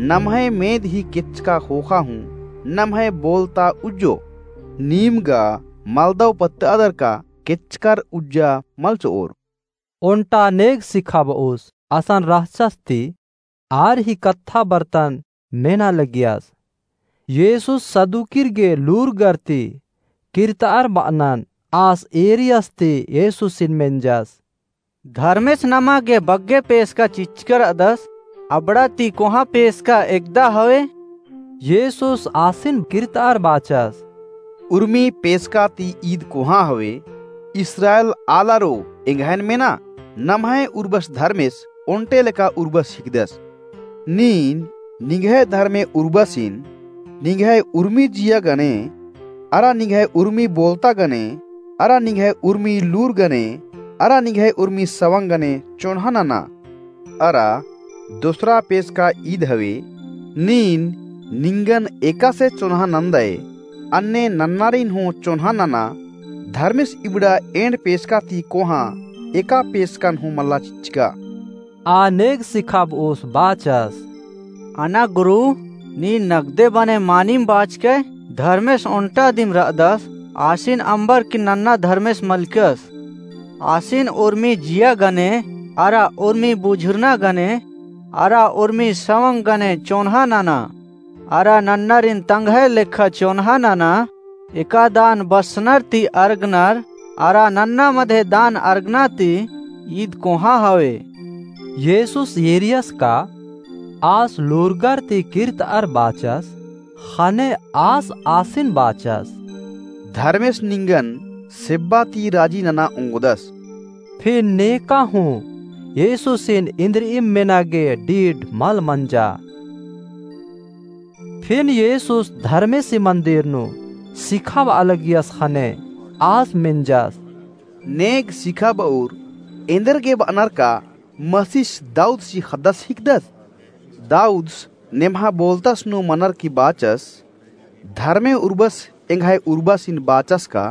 नम्है मेद ही केच्चका ख़ोख़ा हूँ नम्है बोलता उज्जो। नीम गा मलदव पत्त'अदर का केच्चकर उज्जा मल चो'ओर। ओन्टा नेग सिखाब'ओस असन रहचस ती आर ही कत्था बरतन मेना लगियस। येसुस सदुकिर गे लूरगर ती किर्त'अर ब'अनन आस एरियस ती येसुसिन मेंजस। धर्मेस नमा गे बग्गे पेसका चिच्चका र'अदस, अबड़ा ती कोहाँ पेसका एकदा हवे? येसुस आसिन किर्त'अर बाचस। उर्मी पेसका ती ईद कोहाँ हवे, इस्राएल आलारो एंग्हैन मेना, नम्है उर्बस धर्मेस ओन्टे लेका उर्बस हिकदस। नीन निंग्है धर्मे उर्बसिन, निंग्है उर्मी जिया गने, अरा निंग्है उर्मी बोलता गने, अरा निंग्है उर्मी लूर गने, अरा निंग्है उर्मी सवंग गने चोन्हा नना। अरा दोसरा पेसका ईद हवे, नीन निंगन एकासे चोन्हा नन्दय, अन्ने नन्नारिन हूँ चोन्हा नना, धर्मेस इबड़ा एंड़ पेसका ती कोहाँ एका पेसकन हूँ मल्ला चिच्चका। आ नेग सिखाब'ओस बाचस। अना गुरु, नीन नगदे बने मानिम बाचकय, धर्मेस ओन्टा दिम र'अदस, आसिन अम्बरकी नन्ना धर्मेस मलकस। आसिन उर्मी जिया गने, अरा उर्मी बुझुरना गने, अरा उर्मी सवंग गने चोन्हा नना। अरा नन्नारिन तंग्है लेखा चोन्हा नना, एका दान बस्सनर ती अरगनर, अरा नन्ना मधे दान अरगना ती ईद कोहाँ हवे। येसुस एरियस का आस लूरगर ती किर्त'अर बाचस, ख़ने आस आसिन बाचस। धर्मेस निंगन सेब्बा ती राजी नना ओंगोदस। फिन नेका हूँ येसुसिन इन्द्रिइम मेना गे डीड मल मंजा। फिन येसुस धर्मेसी मन्दिर नू सिखाब'आ लगियस ख़ने आस मेंजस। नेग सिखाब'उर एन्देर गे ब'अनर का मसीस दाऊदसी ख़द्दस हिकदस? दाऊदस नेम्हा बोलतस नू मनर की बाचस, धर्मे उर्बस एंग्है उर्बासिन बाचस का,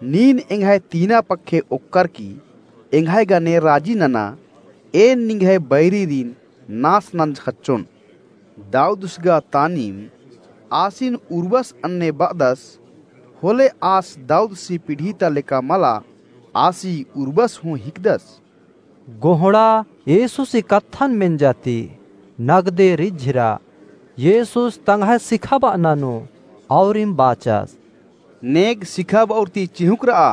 नीन एंग्है तीना पक्खे ओक्कर की एंग्है गने राजी नना, एन निंग्है बैरीरिन नास नंजखच्चोन। दाऊदस गा तानिम आसिन उर्बस अन्ने ब'अदस, होले आस दाऊदसी पीढ़ी ता लेका मला, आसी उर्बस हूँ हिकदस। गोहड़ा येसुसी कत्थन मेंजा ती नगदे रिझिरा। येसुस तंग्है सिखाब'अना नू औरिम बाचस। नेग सिखाब'उर ती चिहुंक र'आ,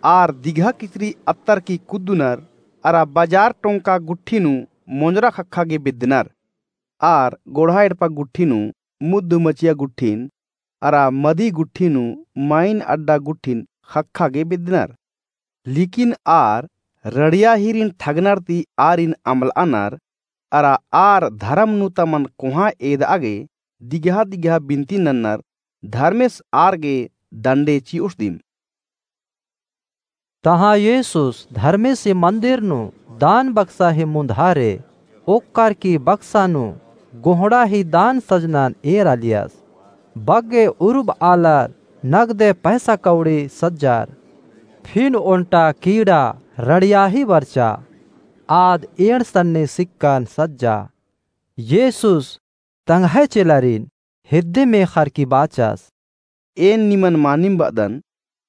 आर दिगहा किचरी अत्तर की कुद्दनर, अरा बजार टोंका गुट्ठी नू मोंजरा ख़क्खा गे बेद्दनर। आर गोड़हा एड़पा गुट्ठी नू मुद्द मचिया गुट्ठिन, अरा मदी गुट्ठी नू माइन अड्डा गुट्ठिन ख़क्खा गे बेद्दनर। लेकिन आर रड़िया हीरिन ठगनर ती आरिन अम्बल'अनर, अरा आर धरम नू तमन कोहाँ एद'आ गे दिगहा दिगहा बिनती नन्नर, धर्मेस आर गे दंडे चि'ओस दिम। तहाँ येसुस धर्मेसी मन्दिर नू दान बक्सा ही मुन्धारे ओक्कर की बक्सा नू गोहड़ा ही दान सजनन एरालियस। बग्गे उरुब आलर नगदे पैसा कौड़ी सज्जर, फिन ओन्टा कीड़ा रड़िया ही बरचा, आद एंड़ सन्नी सिक्कन सज्जा। येसुस तंग्है चेलरिन हेद्दे मेख़रकी बाचस, एन निमन मानिम बअदन,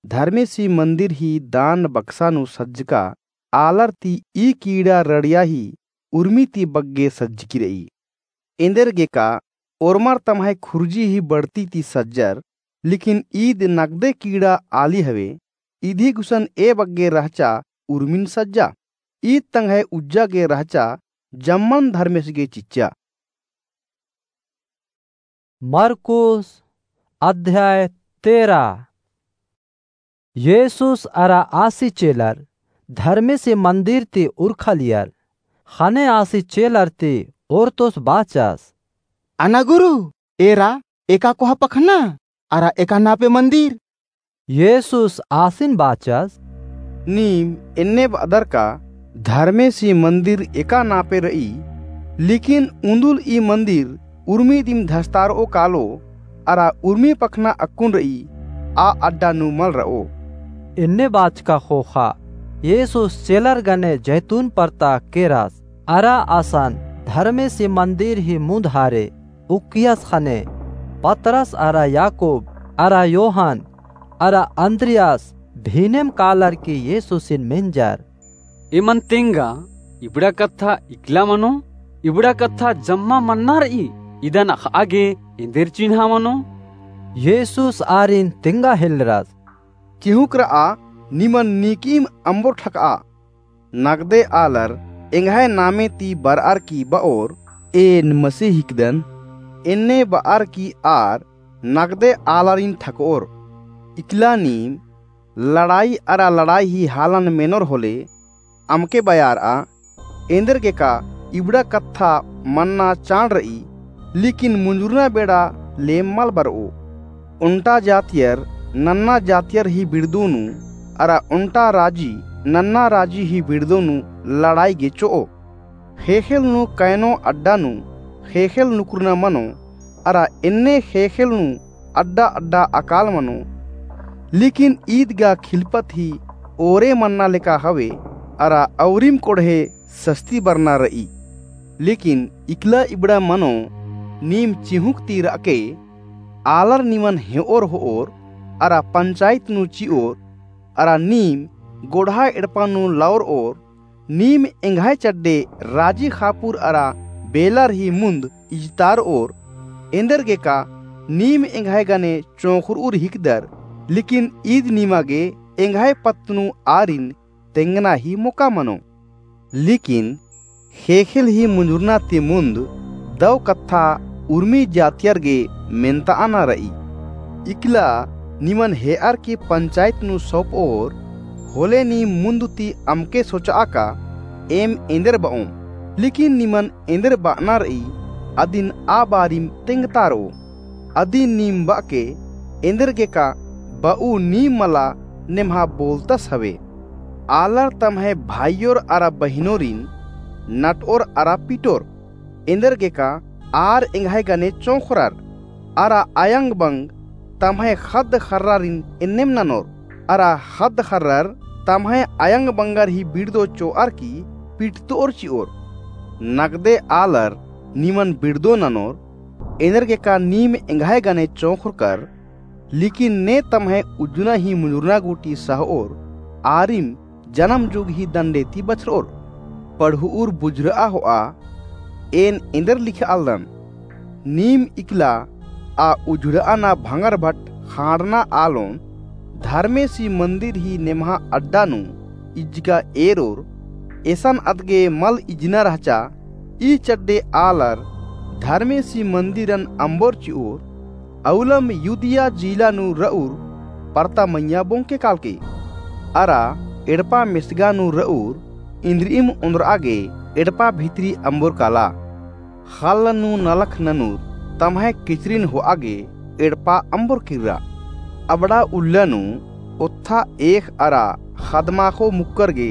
धर्मेसी मन्दिर ही दान बक्सा नू सज्जका आलर ती ई कीड़ा रड़िया ही उर्मी ती बग्गे सज्जकी रई। एन्देरगेका ओर्मर तम्है खुर्जी ही बड़ती ती सज्जर, लेकिन ईद नगदे कीड़ा आली हवे, इदी गुसन ए बग्गे रहचा उर्मिन सज्जा। ईद तंग्है उज्जा गे रहचा, जम्मन धर्मेस गे चिच्चा। मरकुस अध्याय तेरा। येसुस अरा आसी चेलर धर्मेसी मन्दिर ती उरखालियर। ख़ने आसी चेलर ती ओर्तोस बाचस, अना गुरु, एरा एका कोहा पखना अरा एका नापे मन्दिर? येसुस आसिन बाचस, नीम एन्ने बअदर का धर्मेसी मन्दिर एका नापे रई, लेकिन उन्दुल ई मन्दिर उर्मी दिम धसतारओ कालो, अरा उर्मी पखना अक्कुन रई, आ अड्डा नू मल रओ। एन्ने बाचका ख़ोख़ा येसुस चेलर गने जैतून परता केरस, अरा असन धर्मेसी मन्दिर ही मुन्द हारे उक्कियस ख़ने पतरस अरा याकूब अरा योहन अरा अन्द्रियास भीनेम कालर की येसुसिन मेंजर। एमन तेंगा इबड़ा कत्था इकला मनो, इबड़ा कत्था जम्मा मन्ना रई, इदन अख़आ गे एन्देर चिन्हा मनो? येसुस आरिन तेंगा हेलरस, चिहुँक रआ, निमन नीकिम अम्बोर ठकआ। नगदे आलर एंग्है नामे ती बरअर की बओर, एन मसीह हिकदन, एन्ने बअर की आर नगदे आलारिन ठकओर। इकला नीम लड़ाई अरा लड़ाई ही हालन मेनोर होले अमके बयारआ, एन्देरगेका इबड़ा कत्था मन्ना चाड़ रई, लेकिन मुंजुरना बेड़ा लेम मल बरओ। ओन्टा जातियर नन्ना जातियर ही बिड़दो नू, अरा ओन्टा राजी नन्ना राजी ही बिड़दो नू लड़ाई गे चिओ। ख़ेख़ेल नू कैनो अड्डा नू ख़ेख़ेल नुकुरना मनो, अरा एन्ने ख़ेख़ेल नू अड्डा अड्डा अकाल मनो। लेकिन ईद गा खिलपत ही ओरे मन्ना लेका हवे, अरा अउरिम कोड़हे सस्ती बरना रई। लेकिन इकला इबड़ा मनो, नीम चिहुँक ती रअके, आलर निमन हेओर होओर, अरा पंचायत नू चिओर, अरा नीम गोड़हा एड़पा नू लओरओर, नीम एंग्है चड्डे राजी ख़ापुर अरा बेलर ही मुन्द इजतारओर। एन्देरगेका नीम एंग्है गने चोंख़रउर हिकदर, लेकिन ईद निमा गे एंग्है पत्त नू आरिन तेंगना ही मोका मनो। लेकिन ख़ेख़ेल ही मुंजुरना ती मुन्द दौ कत्था उर्मी जातियर गे मेन्ताअना रई। इकला निमन हेअर की पंचायत नू सौंपओर, होले नीम मुन्द ती अमके सोचआ का एम एन्देर बओम। लेकिन निमन एन्देर बअना रई, अदिन आ बारिम तेंगतारओ। अदिन नीम बअके, एन्देरगेका बऊ नीम मला नेम्हा बोलतस हवे। आलर तम्है भाईयोर अरा बहिनोरिन नटओर अरा पिटोर। एन्देरगेका आर एंग्है गने चोंख़रर, अरा अयंग बंग तम्है ख़द्द ख़र्रारिन एन्नेम ननोर, अरा ख़द्द ख़र्रर तम्है अयंग बंगर ही बिड़दो चोअर की पिटतओर चिओर। नगदे आलर निमन बिड़दो ननोर, एन्देरगेका नीम एंग्है गने चोंख़रकर, लेकिन ने तम्है उज्जना ही मुंजुरना गूटी सहओर, आरिम जनम जुग ही दंडे ती बछरओर। पढ़ुउर बुझुरआ होआ, एन एन्देर लिखआलदन। नीम इकला आ उझुड़आना भंगर भट ख़ांड़ना आलोन, धर्मेसी मन्दिर ही नेम्हा अड्डा नू इज्जका एरोर, एसन अदगे मल इजना रहचा। ई चड्डे आलर धर्मेसी मन्दिरन अम्बोर चिओर, अउलम युदिया जिला नू रउर परता मइय्याँ बोंके कालके, अरा एड़पा मेसगा नू रउर इन्द्रिइम ओन्द्रआ गे एड़पा भितरी अम्बोर काला। ख़ल्ल नू नलख ननुर तम्है किचरिन होआ गे एड़पा अम्बोर किर्रा। अबड़ा उल्ला नू ओत्था एख़ अरा ख़द्माख़ो मुक्कर गे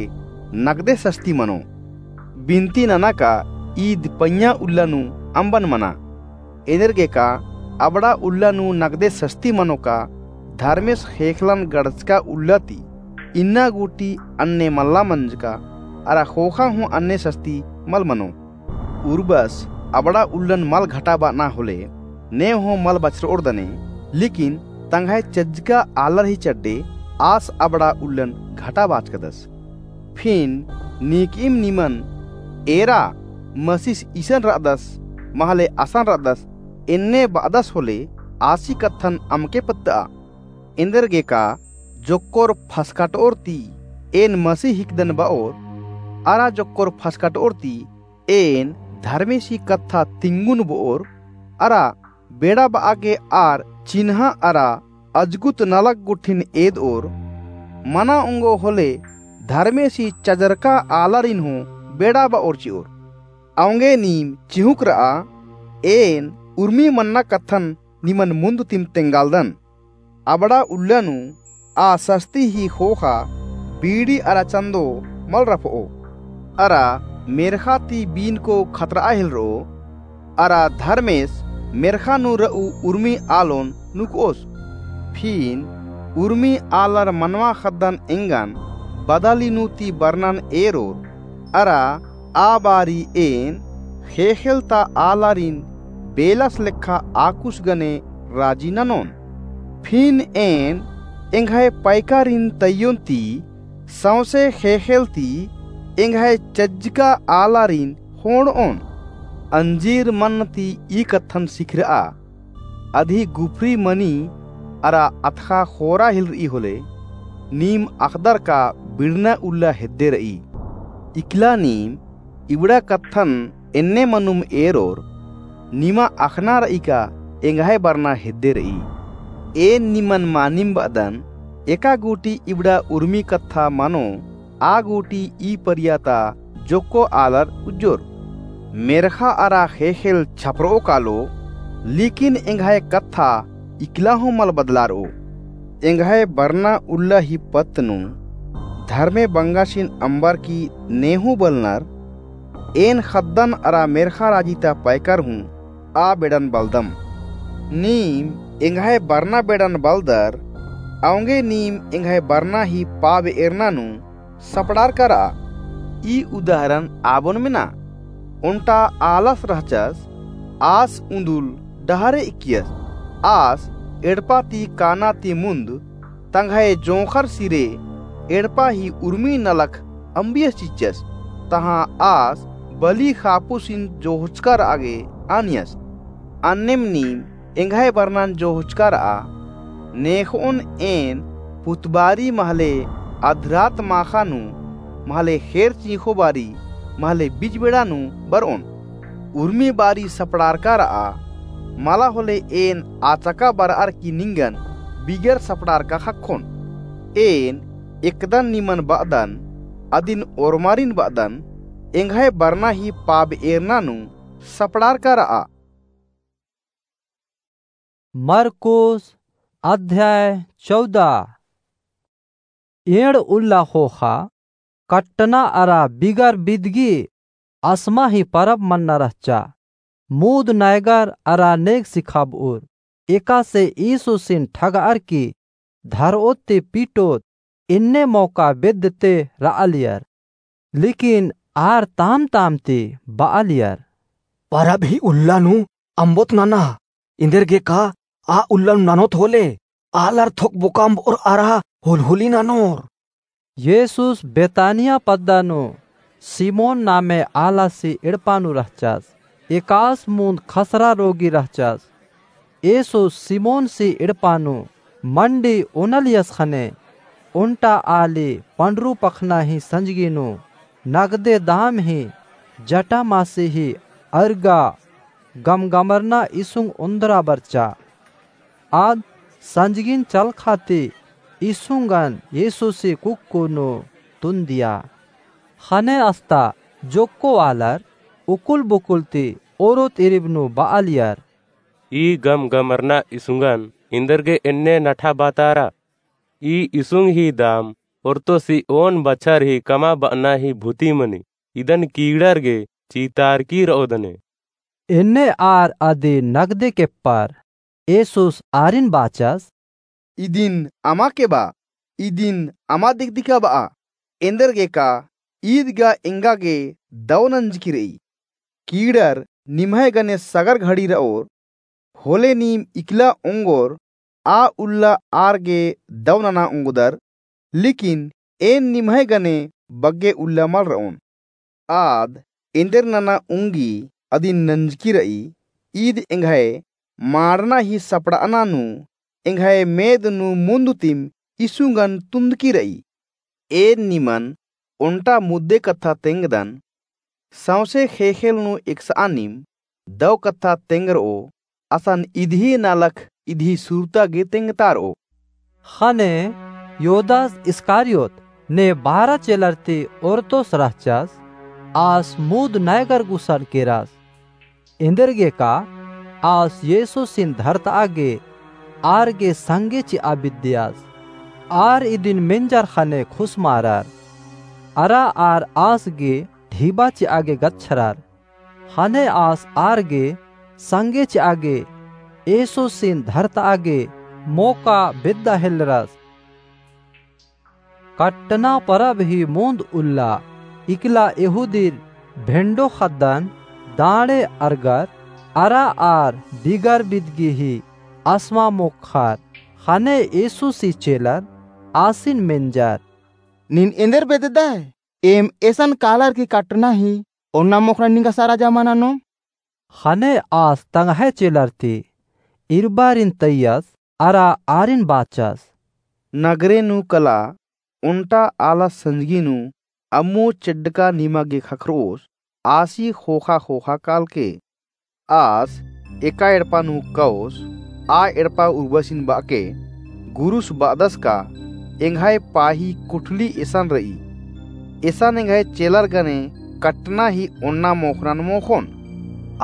नगदे सस्ती मनो। बिनती नना का ईद पइय्याँ उल्ला नू अम्बन मना। एन्देरगेका अबड़ा उल्ला नू नगदे सस्ती मनो का धर्मेस ख़ेख़ेलन गड़चका उल्ला ती इन्ना गूटी अन्ने मल्ला मंजका, अरा ख़ोख़ा हूँ अन्ने सस्ती मल मनो। उर्बस अबड़ा उल्लन मल घटाबअना होले, ने हूँ मल बछरओर दने, लेकिन तंग्है चज्जका आलर ही चड्डे आस अबड़ा उल्लन घटाबाचकदस। फिन नीकईम निमन एरा मसीस इसन रअदस, महले असन रअदस, एन्ने बअदस होले आसी कत्थन अमके पत्तआ। एन्देरगेका जोक्कोर फसकटओर ती एन मसी हिकदन बओर, अरा जोक्कोर फसकटओर ती एन धर्मेसी कत्था तिंगुन बओर, अरा बेड़ा बआ गे आर चिन्हा अरा अजगुत नलख गुट्ठिन एदओर, मना ओंगो होले धर्मेसी चजरका आलारिन हूँ बेड़ा बओर चिओर। औंगे नीम चिहुँक रआ, एन उर्मी मन्ना कत्थन निमन मुन्द तिम तेंगालदन। अबड़ा उल्ला नू आ सस्ती ही ख़ोख़ा बीड़ी अरा चन्दो मल रफओ, अरा मेर्ख़ा ती बीनको खतरआ हेलरओ, अरा धर्मेस मेर्ख़ा नू रऊ उर्मी आलोन नुकओस। फिन उर्मी आलर मनवा ख़द्दन एंगन बदली नू ती बरनन एरोर, अरा आ बारी एन ख़ेख़ेल ता आलारिन बेलस लेखा आकुस गने राजी ननोन। फिन एन एंग्है पैकारिन तइयोन ती सौंसे ख़ेख़ेल ती एंग्है चज्जका आलारिन ख़ोंड़ओन। अंजीर मन्न ती ई कत्थन सिखरआ, अदी गुफरी मनी अरा अथख़ा ख़ोरा हेलरई होले, नीम अख़दर का बिड़ना उल्ला हेद्दे रई। इकला नीम इबड़ा कत्थन एन्ने मनुम एरोर, निमा अख़ना रई का एंग्है बरना हेद्दे रई। एन निमन मानिम बअदन, एका गूटी इबड़ा उर्मी कत्था मनो, आ गूटी ई परिया ता जोक्को आलर उज्जोर। मेर्ख़ा अरा ख़ेख़ेल छपरओ कालो, लेकिन एंग्है कत्था इकला हूँ मल बदलारओ। एंग्है बरना उल्ला ही पत्त नू धर्मे बंगासिन अम्बर की ने हूँ बलनर, एन ख़द्दन अरा मेर्ख़ा राजी ता पैकर हूँ आ बेड़न बलदम। नीम एंग्है बरना बेड़न बलदर, औंगे नीम एंग्है बरना ही पाब एरना नू सपड़ारका रआ। ई उदाहरण आबोन मेना, ओन्टा आलस रहचस, आस उन्दुल डहरे इक्कियस। आस एड़पा ती काना ती मुन्द तंग्है जोंख़र सिरे एड़पा ही उर्मी नलख अम्बियस चिच्चस, तहाँ आस बली ख़ापुसिन जोहचका रआ गे आनियस। अन्नेम नीम एंग्है बरनन जोहचका रआ, नेख़ओन एन पुतबारी महले अधरात माख़ा नू, महले ख़ेर चींख़ो बारी, महले बिजबेड़ा नू बरओन। उर्मी बारी सपड़ारका रआ, मला होले एन आचका बरअर की निंगन बिगर सपड़ारका ख़क्खोन। एन एकदन निमन बअदन, अदिन ओर्मारिन बअदन, एंग्है बरना ही पाब एरना नू सपड़ारका रआ। मरकुस अध्याय चौदह। एंड़ उल्ला ख़ोख़ा कट्टना अरा बिगर बिदगी असमा ही परब मन्ना रहचा। मुद नैगर अरा नेग सिखाबउर। एकासे ईसुसिन ठगअर की धरओत ती पीटओत एन्ने मौका बेद्दते रआलियर। लेकिन आर ताम-ताम ती बआलियर, परब ही उल्ला नू अम्बोत नना, एन्देरगेका आ उल्ला नू ननोत होले, आलर थोक बोकाम्बओर अरा हुलहुली ननोर। येसुस बेतानिया पद्दा नू सिमोन नामे आलासी एड़पा नू रहचस। एकास मुन्द खसरा रोगी रहचस। येसुस सिमोनसी एड़पा नू मंडी ओनलियस ख़ने, ओन्टा आली पंडरू पखना ही संजगी नू नगदे दाम ही जटामासी ही अरगा गमगमरना इसुंग ओन्द्रा बरचा। आद संजगिन चलखा ती इसुंगन येसुसी कुक्कु नू तुन्दिया। ख़ने अस्ता जोक्को आलर उकुल-बुकुल ती ओरोत इरिब नू बआलियर, ई गमगमरना इसुंगन एन्देरगे एन्ने नठा बातारा? ई इसुंग ही दाम ओर्तो सी ओन बछर ही कमा बअना ही भूती मनी, इदन कीड़र गे चीतारकी रओदने। एन्ने आर अदी नगदे केप्पर येसुस आरिन बाचस, इदिन अमा के बा, इदिन अमा दिकदिका बआ, एन्देरगेका ईद गा एंगा गे दौ नंजकी रई। कीड़र निम्है गने सगर घड़ी रओर, होले नीम इकला ओंगोर, आ उल्ला आर गे दौ नना ओंगदर, लेकिन एन निम्है गने बग्गे उल्ला मल रओन। आद एन्देर नना ओंगी अदिन नंजकी रई, ईद एंग्है माड़ना ही सपड़ाना नू एंग्है मेद नू मुन्द तिम इसुंगन तुन्दकी रई। एन निमन ओन्टा मुद्दे कत्था तेंगदन, सौंसे ख़ेख़ेल नू एकसआ नीम दौ कत्था तेंगरओ, असन इदही नलख इदही सुरता गे तेंगतारओ। ख़ने योदास इस्कारियोत ने बारा चेलर ती ओरतोस रहचस, आस मुद नैगर गुसन केरस। एन्देरगेका आस येसुसिन धरतआ गे आर गे संगे चिआ बिद्दियस। आर इदिन मेंजर ख़ने खुसमारर। अरा आर आस गे ढिबा चिआ गे गच्छरर। ख़ने आस आर गे संगे चिआ गे येसुसिन धरतआ गे मोका बेद्दा हेल्लरस। कट्टना परब ही मुन्द उल्ला इकला यहूदीर भेंडो ख़द्दन दाँड़े अरगर अरा आर डिगर बिदगी ही असमा मोख़र। ख़ने येसुसी चेलर आसिन मेंजर, नीन एन्देर बेद्ददय? एम एसन कालर की कट्टना ही ओन्ना मोख़नन निंगा सराजा मल ननोम। ख़ने आस तंग्है चेलर ती इरबारिन तैयस अरा आरिन बाचस, नगरे नू कला ओन्टा आला संजगी नू अम्मु चेड्डका निमा गे ख़क्खरओस, आसी ख़ोख़ा ख़ोख़ा कालके। आस एका एड़पा नू कओस, आ एड़पा उर्बसिन बअके गुरुस बअदस का एंग्है पाही कुठली एसन रई। एसन एंग्है चेलर गने कट्टना ही ओन्ना मोख़नन मोख़ोन।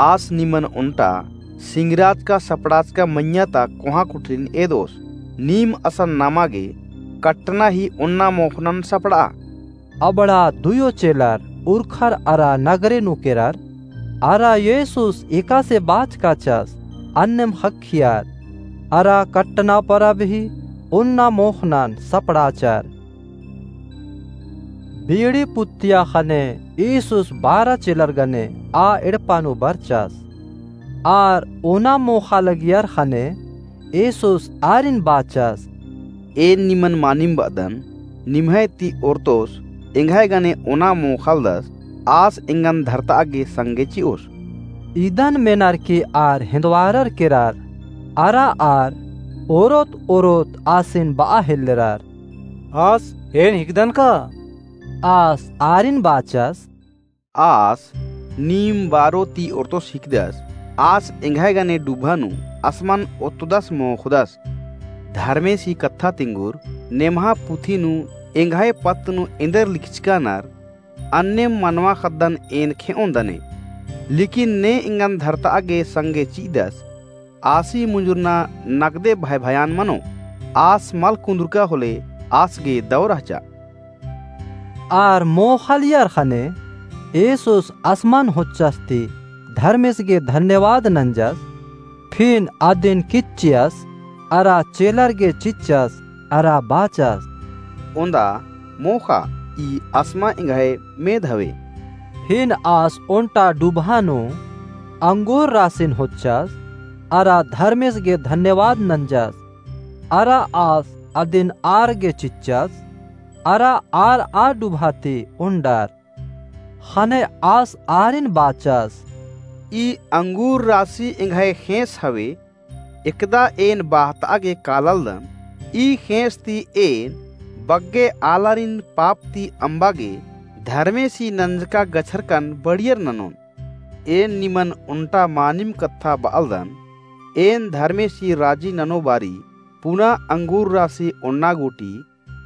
आस निमन ओन्टा सिंगराचका सपड़ाचका मइय्याँ ता कोहाँ कुठलिन एदोस। नीम असन नमा गे कट्टना ही ओन्ना मोख़नन सपड़आ। अबड़ा दुयो चेलर उरखर अरा नगरे नू केरर, अरा येसुस एकासे बाचकाचस अन्नेम ख़क्खियर, अरा कट्टना परब ही ओन्ना मोख़नन सपड़ाचर। बीड़ी पुत्तिया ख़ने येसुस बारा चेलर गने आ एड़पा नू बरचस। आर ओना मोख़ा लगियर ख़ने येसुस आरिन बाचस, एन निमन मानिम बअदन, निम्है ती ओरतोस एंग्है गने ओना मोख़ालदस, आस एंगन धरतआ गे संगे चिओस। इदन मेनर की आर हेन्दवारर केरर, अरा आर ओरोत ओरोत आसिन बआ हेल्लरर, आस एन हिकदन का? आस आरिन बाचस, आस नीम बारो ती ओरतोस हिकदस, आस एंग्है गने डुभा नू असमन ओत्तदस मोख़दस। धर्मेसी कत्था तिंगुर नेम्हा पुथी नू एंग्है पत्त नू एन्देर लिखचकानर, अन्नेम मनवा ख़द्दन एन खेओन दने। लेकिन ने एंगन धरतआ गे संगे चिअदस, आसी मुंजुरना नकदे भय भयान मनो, आस मल कुन्दुरका होले आस गे दौ रहचा। आर मोख़ालियर ख़ने येसुस असमन होच्चस ती धर्मेस गे धन्यवाद नंजस, फिन अदिन किच्चियस, अरा चेलर गे चिच्चस, अरा बाचस, ओन्दा मोख़ा, ई असमा एंग्है मेद हवे। फिन आस ओन्टा डुभा नू अंगूर रासिन होच्चस, अरा धर्मेस गे धन्यवाद नंजस, अरा आस अदिन आर गे चिच्चस, अरा आर आ डुभा ती ओन्डर। ख़ने आस आरिन बाचस, ई अंगूर रासी एंग्है ख़ेंस हवे, एकदा एन बाहतआ गे काललदन, ई ख़ेंस ती एन बग्गे आलारिन पाप ती अम्बा गे धर्मेसी नंजका गछरकन बढ़ियर ननोन। एन निमन ओन्टा मानिम कत्था बअलदन, एन धर्मेसी राजी ननो बारी पुना अंगूर रासी ओन्ना गूटी,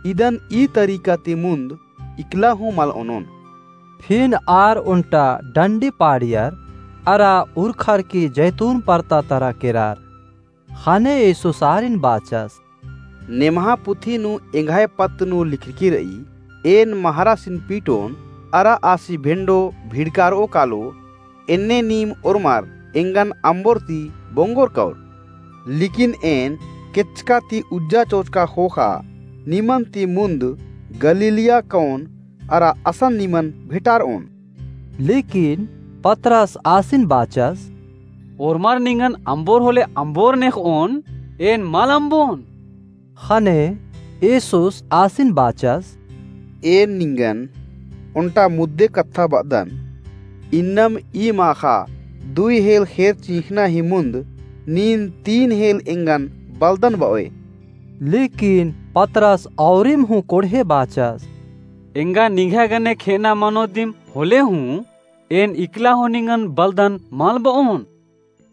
इदन ई तरीका ती मुन्द इकला हूँ मल ओनोन। फिन आर ओन्टा डंडी पाड़ियर, अरा उरखर की जैतून परता तरा केरर। ख़ने येसुस आरिन बाचस, नेम्हा पुथी नू एंग्है पत्त नू लिखरकी रई, एन महरासिन पीटोन, अरा आसी भेंडो भिड़कारओ कालो, एन्ने नीम ओर्मर एंगन अम्बोर ती बोंगोर कौर। लेकिन एन केचका ती उज्जा चोचका ख़ोख़ा, निमन ती मुन्द गलीलिया कओन, अरा असन निमन भेटारओन।" लेकिन पतरस आसिन बाचस, "ओर्मर निंगन अम्बोर होले अम्बोर नेख़ओन, एन मल अम्बोन।" ख़ने येसुस आसिन बाचस, "एन निंगन ओन्टा मुद्दे कत्था बअदन, इन्नम ई माख़ा दुई हेल ख़ेर चिख़ना ही मुन्द नीन तीन हेल एंगन बलदन बओय।" लेकिन पतरस औरिम हूँ कोड़हे बाचस, "एंगा निंग्है गने खेअना मनो दिम होले हूँ, एन इकला हूँ निंगन बलदन मल बओन।"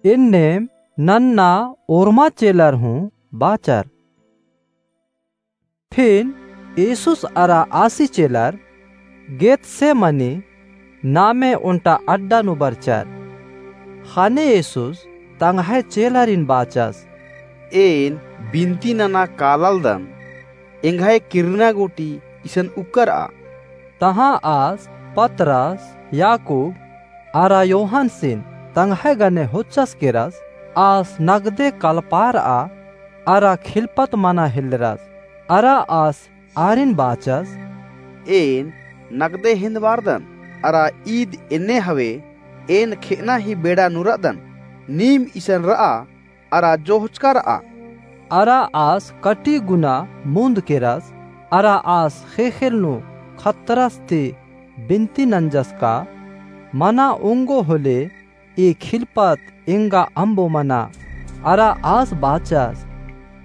एन्नेम नन्ना ओर्मा चेलर हूँ बाचर। फिन येसुस अरा आसी चेलर गेतसेमनी नामे ओन्टा अड्डा नू बरचर। ख़ने येसुस तंग्है चेलरिन बाचस, "एन बिनती नना काललदन, एंग्है किर्रना गूटी इसन उक्करआ।" तहाँ आस पतरस, याकूब अरा योहानसिन तंग्है गने होच्चस केरस, आस नगदे कलपारआ अरा खिलपत मना हेल्लरस। अरा आस आरिन बाचस, "एन नगदे हेंदबारदन, अरा ईद एन्ने हवे, एन खेअना ही बेड़ा नू रअदन, नीम इसन रआ अरा जोहचका रआ।" अरा आस कटी गुना मुन्द केरस, अरा आस ख़ेख़ेल नू खतरस ती बिनती नंजस का, मना ओंगो होले ई खिलपत एंगा अम्बो मना। अरा आस बाचस,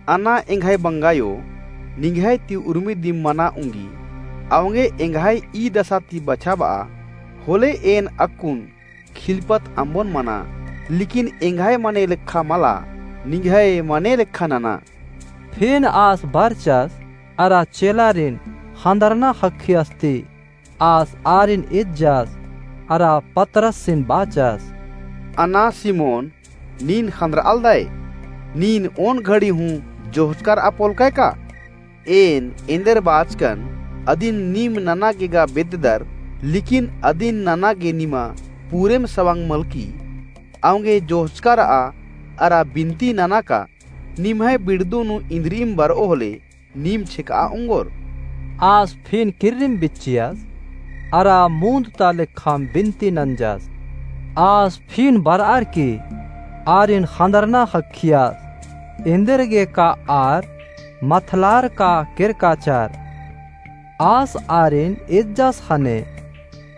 "अना एंग्है बंगायो, निंग्है ती उर्मी दिम मना ओंगी, अवंगे एंग्है ई दसा ती बछाबआ, होले एन अक्कुन खिलपत अम्बोन मना, लेकिन एंग्है मने लेखा मला, निंग्है मने लेखा नना।" फिन आस बरचस अरा चेलारिन ख़न्दरना ख़क्खियस ती आस आरिन इज्जस अरा पतरसिन बाचस, "अना सिमोन, नीन ख़न्दरआलदय? नीन ओन घड़ी हूँ जोहचका रआ पोलकय का? एन एन्देर बाचकन, अदिन नीम नना गे गा बेद्ददर, लेकिन अदिन नना गे निमा पूरेम सवंग मलकी। अवंगे जोहचका रआ अरा बिनती नना का, निम्है बिड़दू नू इन्द्रिइम बरओ होले, नीम छेकआ ओंगोर।" आस फिन किर्रिम बिच्चियस, अरा मुन्द ता लेखाम बिनती नंजस। आस फिन बरअर की आरिन ख़न्दरना ख़क्खियस, एन्देर गे का आर मथलार का केरकाचर। आस आरिन इज्जस ख़ने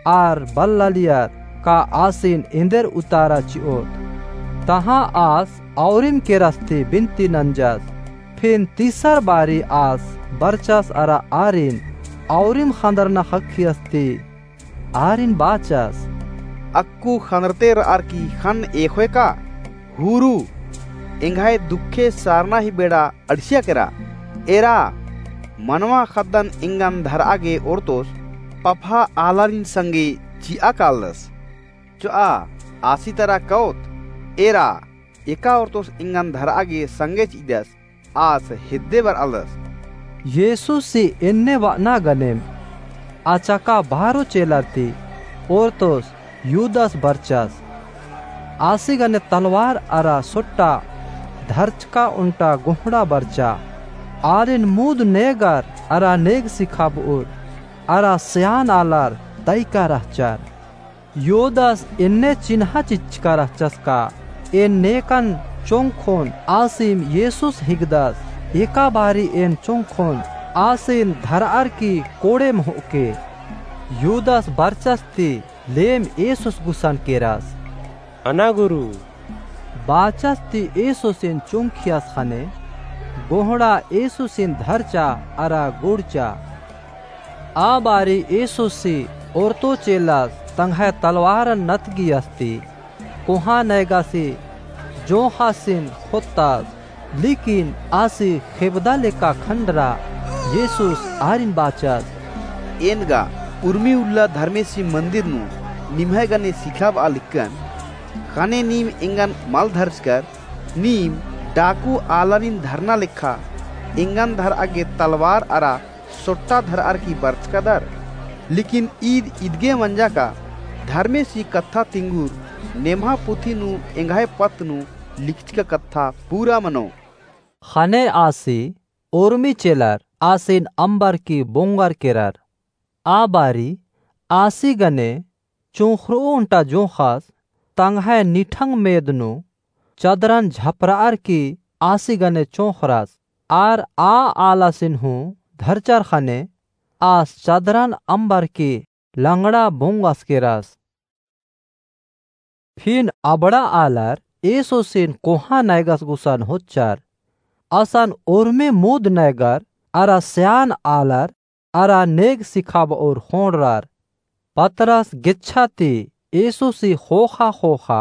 आर बल्लालियर का आसिन एन्देर उतारा चिओत। तहाँ आस औरिम केरस ती बिनती नंजस। फिन तीसर बारी आस बरचस अरा आरिन औरिम ख़न्दरना ख़क्खियस ती आरिन बाचस, "अक्कु ख़न्दरते रअर की ख़न्न एख़ोय का? हुरु, एंग्है दुखे सारना ही बेड़ा अंड़सिया केरा। एरा, मनवा ख़द्दन एंगन धरआ गे ओरतोस पफा आलारिन संगे चिआ कालदस। चोआ, आसी तरा कओत, एरा, एका ओरतोस एंगन धरआ गे संगे चिदस, आस हेद्दे बरआलदस।" येसुसी एन्ने बअना गनेम अचका बारो चेलर ती ओरतोस युदास बरचस। आसी गने तलवार अरा सोट्टा धरचका ओन्टा गोहड़ा बरचा। आरिन मुद नेगर अरा नेग सिखाबउर अरा स्यान आलर तइका रहचर। युदास एन्ने चिन्हा चिच्चका रहचस का एन नेकन चोंखोन आसिम येसुस हिकदस। एका बारी एन चोंखोन आसिन धरअर की कोड़ेम होके। युदास बरचस ती लेम येसुस गुसन केरस। अना गुरु। बाचस ती येसुसिन चुंखियस ख़ने गोहड़ा येसुसिन धरचा अरा गुड़चा। आ बारी येसुसी ओरतो चेलस तंग्है तलवारन नतगियस ती कोहाँ नैगासी जोंख़ासिन ख़ोत्तस। लेकिन आसी खेबदा लेका खंडरा येसुस आरिन बाचस। एन गा उर्मी उल्ला धर्मेसी मंदिर नू निम्है गने सिखाबआ लिक्कन। ख़ने नीम एंगन मल धरचकर, नीम डाकू आलारिन धरना लेखा एंगन धरआ गे तलवार अरा सोट्टा धरअर की बरचकदर। लेकिन ईद इदगे मंजा का धर्मेसी कत्था तिंगुर नेम्हा पुथी नू एंग्है पत्त नू लिखचका कत्था पूरा मनो। ख़ने आसी उर्मी चेलर आसिन अम्बरकी बोंगर केरर। आ बारी आसी गने चोंख़रऊ ओन्टा जोंख़स तंग्है निठंग मेद नू चदरन झपरअर की आसी गने चोंख़रस। आर आ आलासिन हूँ धरचर ख़ने आस चदरन अम्बरकी लंगड़ा बोंगस केरस। फिन अबड़ा आलर येसुसिन कोहाँ नैगस गुसन होच्चर। असन उर्मी मुद नैगर अरा स्यान आलर अरा नेग सिखाबओर ख़ोंड़रर। पतरस गेच्छा ती येसुसी ख़ोख़ा ख़ोख़ा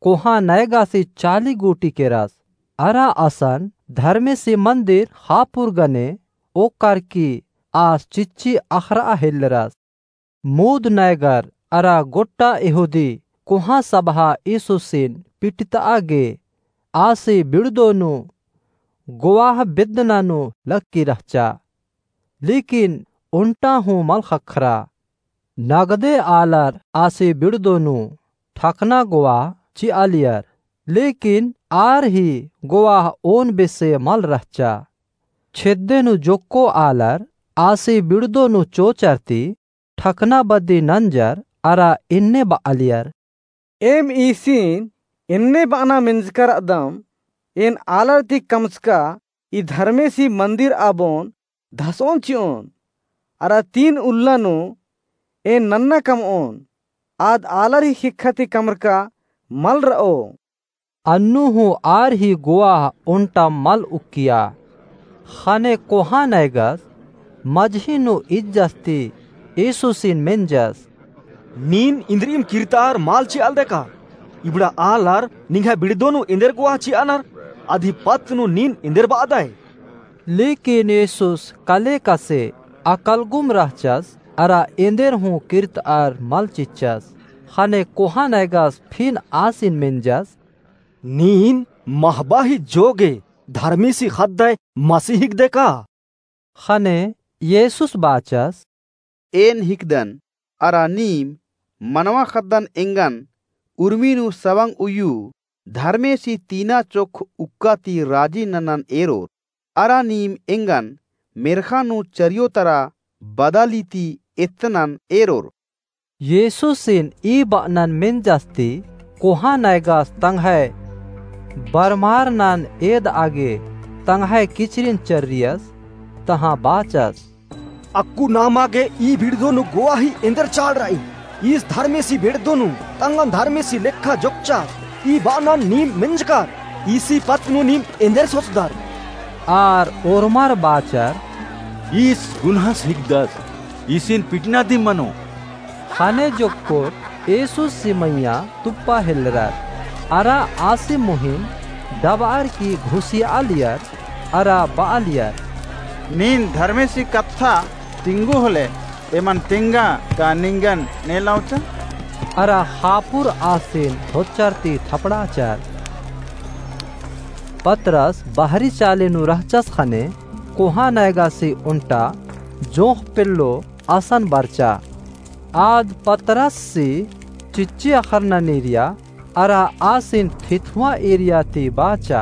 कोहाँ नैगासी चाली गूटी केरस। अरा असन धर्मेसी मन्दिर ख़ापुर गने ओक्कर की आस चिच्ची अख़रआ हेल्लरस। मुद नैगर अरा गोट्टा यहूदी कोहाँ सभा येसुसिन पिटतआ गे आसी बिड़दो नू गोवाह बेद्दना नू लक्की रहचा। लेकिन ओन्टा हूँ मल ख़क्खरा। नगदे आलर आसी बिड़दो नू ठकना गोवाह चिआलियर। लेकिन आर ही गोवाह ओन बेसे मल रहचा। छेद्दे नू जोक्को आलर आसी बिड़दो नू चोचर ती ठकना बदी नंजर अरा एन्ने बआलियर। एम ईसिन एन्ने बअना मेंजका रअदम, एन आलर ती कमचका ई धर्मेसी मन्दिर आबोन धसओन चिओन, अरा तीन उल्ला नू एन नन्ना कमओन, आद आलर ही ख़ेक्खा ती कमरका मल रओ। अन्नु हूँ आर ही गोवाह ओन्टा मल उक्किया। ख़ने कोहाँ नैगस मझी नू इज्जस ती येसुसिन मेंजस। नीन इन्द्रिइम किर्तार मल चिआलदय का? इबड़ा आलर निंग्है बिड़दो नू एन्देर गोवाह चिअनर, अदी पत्त नू नीन एन्देर बअदय? लेकिन येसुस कले कसे अकलगुम रहचस, अरा एन्देर हूँ किर्तार मल चिच्चस। ख़ने कोहाँ नैगस फिन आसिन मेंजस। नीन महबा ही जोगे धर्मेसी ख़द्दय मसीह हिकदय का? ख़ने येसुस बाचस। एन हिकदन, अरा नीम मनवा ख़द्दन एंगन उर्मी नू सवंग उइय्यू धर्मेसी तीना चोख उक्का ती राजी ननन एरोर, अरा नीम एंगन मेर्ख़ा नू चरियो तरा बदाली ती एत्तनन एरोर। येसुसिन ई बअनन मेंजस ती कोहाँ नैगस तंग्है बरमारनन एदआ गे तंग्है किचरिन चर्रियस, तहाँ बाचस। अक्कु नामा गे ई बिड़दो नू गोवाही एन्देर चाड़ रई? ईस धर्मेसी बिड़दो नू तंगन धर्मेसी लेखा जोक्कचस। ई बअनन नीम मेंजकर, ईसी पत्त नू नीम एन्देर सोचदर? आर ओर्मर बाचर। ईस गुन्हस हिकदस, ईसिन पिटना दिम मनो। ख़ने जोक्कोर येसुसी मइय्याँ तुप्पा हेल्लरर, अरा आसी मुहिन डबअर की घुसियालियर, अरा बआलियर। नीन धर्मेसी कत्था तिंगु होले, एमन तेंगा का निंगन नेलौचा? अरा ख़ापुर आसिन होच्चर ती थपड़ाचर। पतरस बहरी चाले नू रहचस ख़ने कोहाँ नैगासी ओन्टा जोंख़ पेल्लो असन बरचा। आद पतरससी चिच्ची अख़रना नीरिया अरा आसिन थिथुआ एरिया ती बाचा।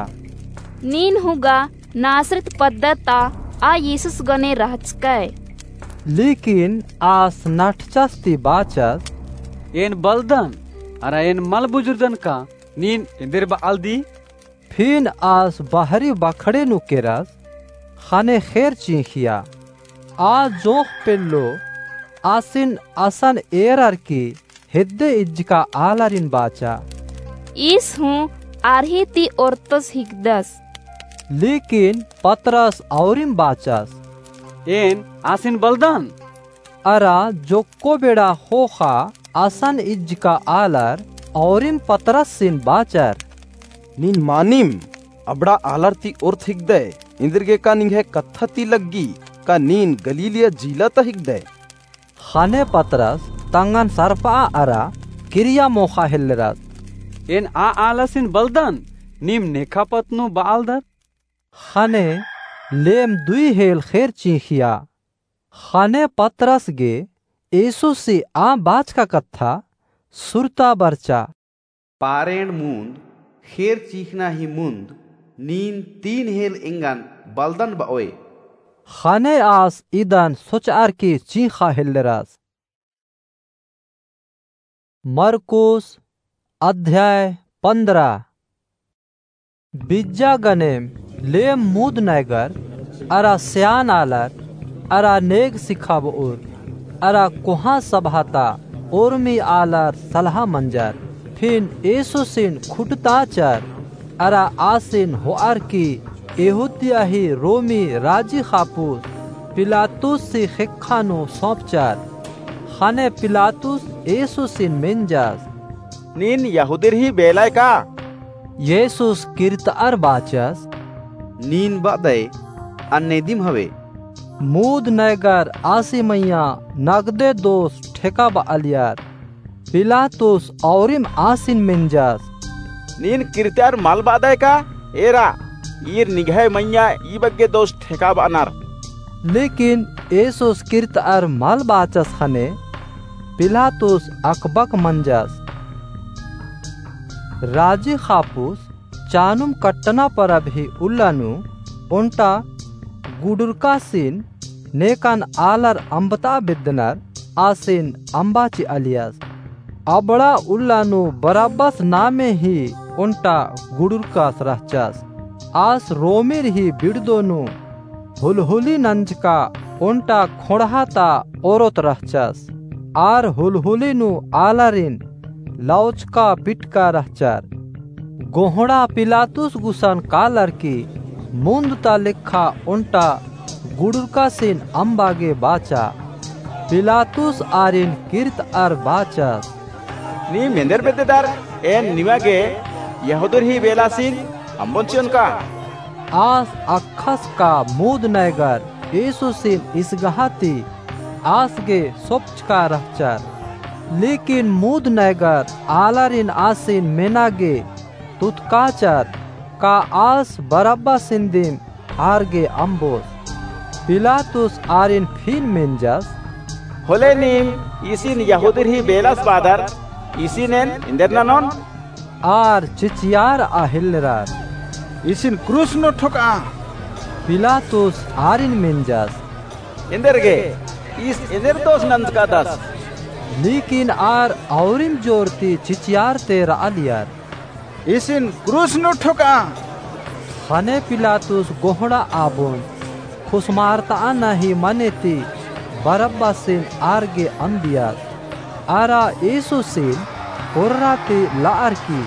नीन हूँ गा नासरत पद्दा ता आ येसुस गने रहचकय। लेकिन आस नठचस ती बाचस। एन बलदन, अरा एन मल बुझुरदन का नीन एन्देर बआलदी? फिन आस बहरी बखड़े नू केरस, ख़ने ख़ेर चिंख़िया। आ जोंख़ पेल्लो आसिन असन एरर की हेद्दे इज्जका आलारिन बाचा। ईस हूँ आर ही ती ओर्तस हिकदस। लेकिन पतरस औरिम बाचस। एन आसिन बलदन। अरा जोक्को बेड़ा ख़ोख़ा असन इज्जका आलर औरिम पतरसिन बाचर। नीन मानिम अबड़ा आलर ती ओर्त हिकदय, एन्देरगे का निंग्है कत्था ती लग्गी, का नीन गलीलिया जिला ता हिकदय? ख़ने पतरस तंगन सरपआ अरा किरिया मोख़ा हेल्लरस। एन आ आलासिन बलदन, नीम नेखा पत्त नू बआलदर। ख़ने लेम दुई हेल ख़ेर चिंख़िया। ख़ने पतरस गे येसुसी आ बाचका कत्था सुरता बरचा। पारेण मुन्द ख़ेर चिंख़ना ही मुन्द नीन तीन हेल एंगन बलदन ब'ओय। ख़ने आस इदन सोच'अर की चींख़ा हेल्लरस। मरकुस अध्याय पन्द्रह। बिज्जा गनेम लेम मुद नैगर अरा स्यान आलर अरा नेग सिखाब'ओर अरा कोहाँ सभा ता ओर्मी आलर सलहा मंजर। फिन येसुसिन खुटताचर अरा आसिन हो'अर की यहूदिया ही रोमी राजी ख़ापुस पिलातुसी ख़ेक्खा नू सौंपचर। ख़ने पिलातुस येसुसिन मेंजस, नीन यहूदिर ही बेलाय का? येसुस किर्त'अर बाचस, नीन ब'अदय, अन्ने दिम हवे। मुद नैगर आसी मइय्याँ नगदे दोस ठेकाब'आलियर। पिलातुस औरिम आसिन मेंजस, नीन किर्त'अर मल ब'अदय का? एरा, ईर निंग्है मइय्याँ ई बग्गे दोस ठेकाब'अनर। लेकिन येसुस किर्त'अर मल बाचस ख़ने पिलातुस अकबक मंजस। राजी ख़ापुस चानुम कट्टना परब ही उल्ला नू ओन्टा गुडुरकासिन नेकन आलर अम्बता बेद्दनर आसिन अम्बा चि'आलियस। अबड़ा उल्ला नू बरब्बस नामे ही ओन्टा गुडुरकास रहचस। आस रोमिर ही बिड़दो नू हुलहुली नंजका ओन्टा खोंड़हा ता ओरोत रहचस। आर हुलहुली नू आलारिन लौचका पिटका रहचर। गोहड़ा पिलातुस गुसन कालर की मुन्द ता लेखा ओन्टा गुडुरकासिन अम्बा गे बाचा। पिलातुस आरिन किर्त'अर बाचस, नीम एन्देर बेद्ददर, एन निमा गे यहूदिर ही बेलासिन अम्बोन चि'ओन का? आस अक्खस का मुद नैगर येसुसिन इसगहा ती आस गे सोपचका रहचर। लेकिन मुद नैगर आलारिन आसिन मेना गे तुतकाचर, का आस बरब्बासिन दिम आर गे अम्बोस? पिलातुस आरिन फिन मेंजस, होले नीम इसिन यहूदिर ही बेलास ब'अदर, इसिन एन एन्देर ननोन? आर चिचियार'आ हेल्लरर, इसिन क्रूस नू ठोक'आ। पिलातुस आरिन मेंजस, एन्देर गे, ईस एन्देर दोस नंजकादस? लेकिन आर औरिम जोर ती चिचियारते र'आलियर, इसिन क्रूस नू ठोक'आ। ख़ने पिलातुस गोहड़ा आबोन खुसमारत'अना ही मने ती बरब्बासिन आर गे अम्बियस। अरा येसुसिन कोर्रा ती ल'अर की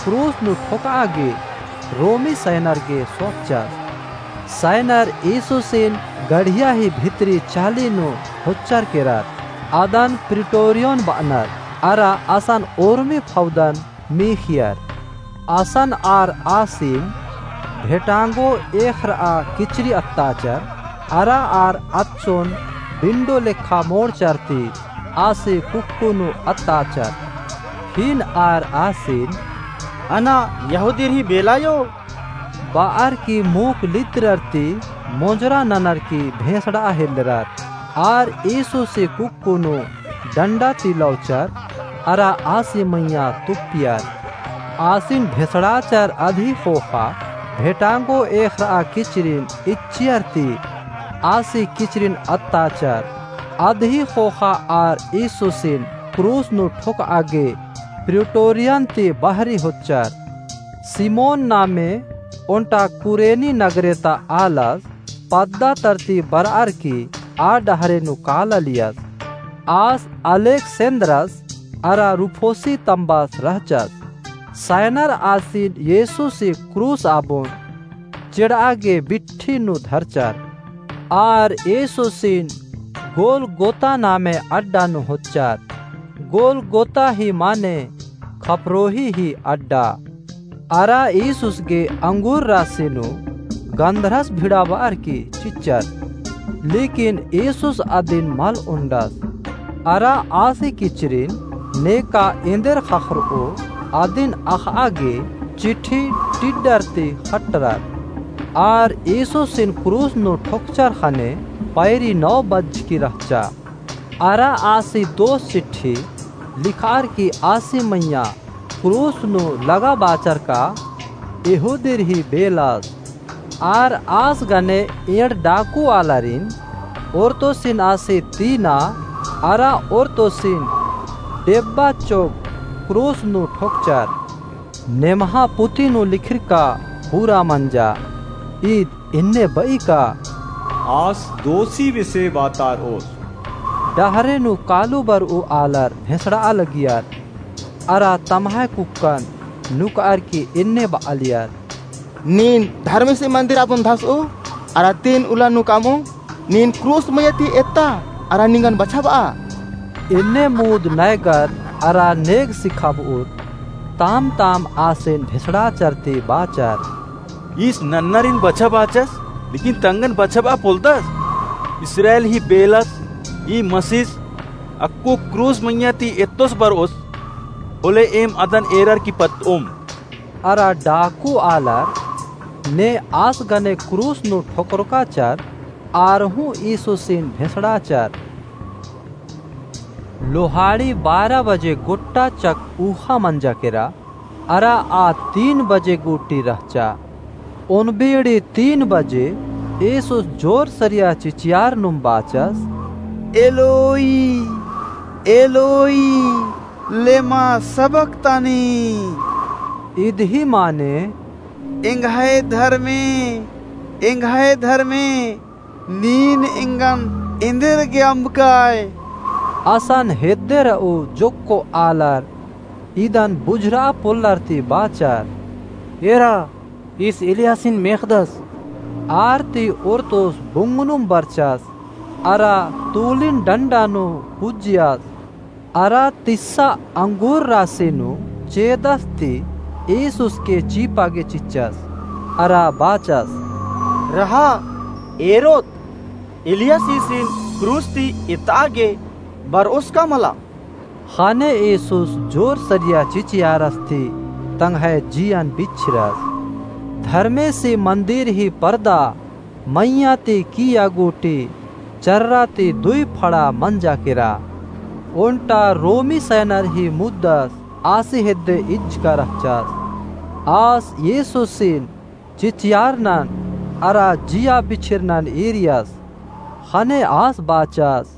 क्रूस नू ठोक'आ गे रोमी सैनर गे सोपचस। सैनर येसुसिन गढ़िया ही भितरी चाली नू होच्चर केरर। अदन प्रिटोरियोन ब'अनर अरा असन ओर्मी फौदन मीख़ियर। असन आर आसिन भेटांगो एख़र'आ किचरी अत्ताचर, अरा आर अच्चोन बिंडो लेखा मोड़चर ती आसी कुक्कु नू अत्ताचर। फिन आर आसिन, अना यहूदिर ही बेलायो? ब'अर की मूक लिद्दरर ती मोंजरा ननर की भेंसड़'आ हेल्लरर। आर येसुसी कुक्कु नू डंडा ती लौचर, अरा आसी मइय्याँ तुप्पियर। आसिन भेंसड़ाचर अदही ख़ोख़ा भेटांगो एख़र'आ किचरिन इच्चियर ती आसी किचरिन अत्ताचर। अदही ख़ोख़ा आर येसुसिन क्रूस नू ठोक'आ गे प्रिटोरियन ती बहरी होच्चर। सिमोन नामे ओन्टा कुरेनी नगरे ता आलस पद्दा तरती बर'अर की आ डहरे नू कालालियस। आस अलेक्सेन्द्रस अरा रुफोसी तम्बस रहचस। सैनर आसिन येसुसी क्रूस आबोन चेड़'आ गे बिट्ठी नू धरचर। आर येसुसिन गोलगोता नामे अड्डा नू होच्चर। गोलगोता ही माने खपरोही ही अड्डा। अरा येसुस गे अंगूर रासी नू गंधरस भिड़ाब'अर की चिच्चर। लेकिन येसुस अदिन मल ओन्डस। अरा आसी किचरिन नेका एन्देर ख़क्खर'ओ अदिन अख़'आ गे चिट्ठी टिड्डर ती ख़ट्टरर। आर येसुसिन क्रूस नू ठोकचर ख़ने पैरी नौ बज्जकी रहचा। अरा आसी दोस चिट्ठी लिख'अर की आसी मइय्याँ क्रूस नू लगाबाचर का यहूदीर ही बेलस। आर आस गने एंड़ डाकू आलारिन ओरतोसिन आसी तीना अरा ओरतोसिन डेब्बा चोग क्रूस नू ठोकचर। नेम्हा पुथी नू लिखरका पूरा मंजा। ईद एन्ने बई का? आस दोसी बेसे बातारओस। डहरे नू कालू बरऊ आलर भेसड़आ लगियर। अरा तम्है कुक्कन नुकअर की एन्ने बआलियर। नीन धर्मेसी मंदिर आबुन धसऊ, अरा तीन उल्ला नू कामऊ, नीन क्रूस मइय्याँ ती एत्ता, अरा निंगन बछाबआ। एन्ने मुद नैगर अरा नेग सिखाबउर, ताम ताम आसिन भेसड़ाचर ती बाचर। ईस नन्नरिन बछाबाचस, लेकिन तंगन बछाबआ पोल्लदस? इस्राएल ही बेलस, ई मसीस, अक्कु क्रूस मइय्याँ ती एत्तोस बरओस, होले एम अदन एरर की पत्तओम। अरा डाकू आलर ने आस गने क्रूस नू ठोकरकाचर, आर हूँ ईसुसिन भेसड़ाचर। लोहाड़ी बारह बजे गोट्टा चक ऊहा मंजा केरा, अरा आ तीन बजे गूटी रहचा। ओन्द बीड़ी तीन बजे ईसुस जोर सरिया चिचियार नुम बाचस, एलोई, एलोई, लेमा सबक्तानी। इदही माने, एंग्है धर्मे, एंग्है धर्मे, नीन एंगन एन्देरगे अम्बकाय? असन हेद्दे रऊ जोक्को आलर इदन बुझुरआ पोल्लर ती बाचर, एरा, ईस एलियासिन मेख़दस। आर ती ओरतोस बुंगनुम बरचस, अरा तूलिन डंडा नू हुज्जियस, अरा तिस्सा अंगूर रासी नू चेदस ती ईसुस के चीपा गे चिच्चस, अरा बाचस, रहा, एरोत, एलियासिसिन क्रूस ती एतआ गे बरओस का मला? ख़ने ईसुस जोर सरिया चिचियारस ती तंग्है जियन बिछिरस। धर्मेसी मंदिर ही परदा मइय्याँ ती किइय्या गूटी चर्रा ती दुई फड़ा मंजा केरा। ओन्टा रोमी सैनर ही मुद्दस आसी हेद्दे इज्जका रहचस। आस ईसुसिन चिचियारनन अरा जिया बिछिरनन ईरियस। ख़ने आस बाचस,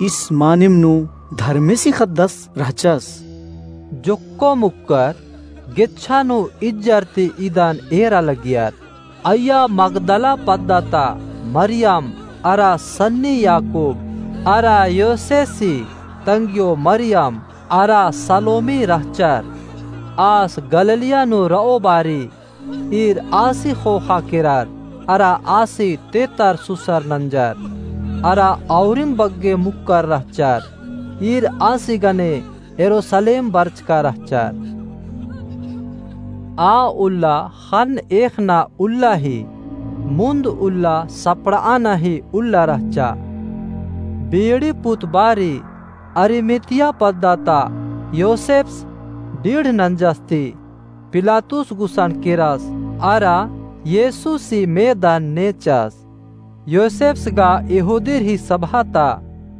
ईस मानिम नू धर्मेसी ख़द्दस रहचस। जोक्को मुक्कर गेच्छा नू इज्जर ती इदन एरा लगियर। अइय्या मगदला पद्दा ता मरियम अरा सन्नी याकूब अरा योसेसी तंग्यो मरियम अरा सलोमी रहचर। आस गलीलिया नू रओ बारी ईर आसी ख़ोख़ा केरर, अरा आसी तेतर सुसर नंजर, अरा औरिम बग्गे मुक्कर रहचर, ईर आसी गने यरूसलेम बरचका रहचर। आ उल्ला ख़न्न एख़ना उल्ला ही, मुन्द उल्ला सपड़आना ही उल्ला रहचा। बीड़ी पुत बारी अरिमतिया पद्दा ता योसेप्स डीढ़ नंजस ती पिलातुस गुसन केरस, अरा येसुसी मेदन नेचस। योसेप्स गा यहूदीर ही सभा ता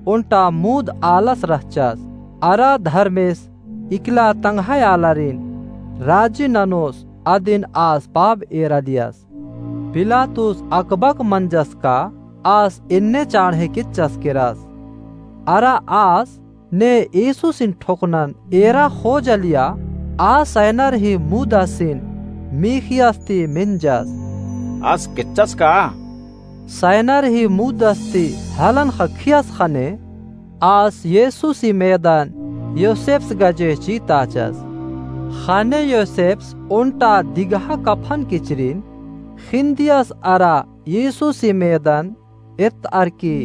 ओन्टा मुद आलस रहचस, अरा धर्मेस इकला तंग्है आलारिन राजी ननोस अदिन आस पाब एरालियस। पिलातुस अकबक मंजस का आस एन्ने चाँड़हे केच्चस केरस। अरा आस ने येसुसिन ठोकनन एरा ख़ोजालिया आ सैनर ही मुदासिन मीख़ियस ती मेंजस। आस केच्चस का? सैनर ही मुदास ती हलन ख़क्खियस ख़ने आस येसुसी मेदन योसेप्स गजे चीताचस। ख़ने योसेप्स ओन्टा दिगहा कफन किचरिन ख़िन्दियस अरा येसुसी मेदन एत्तअर की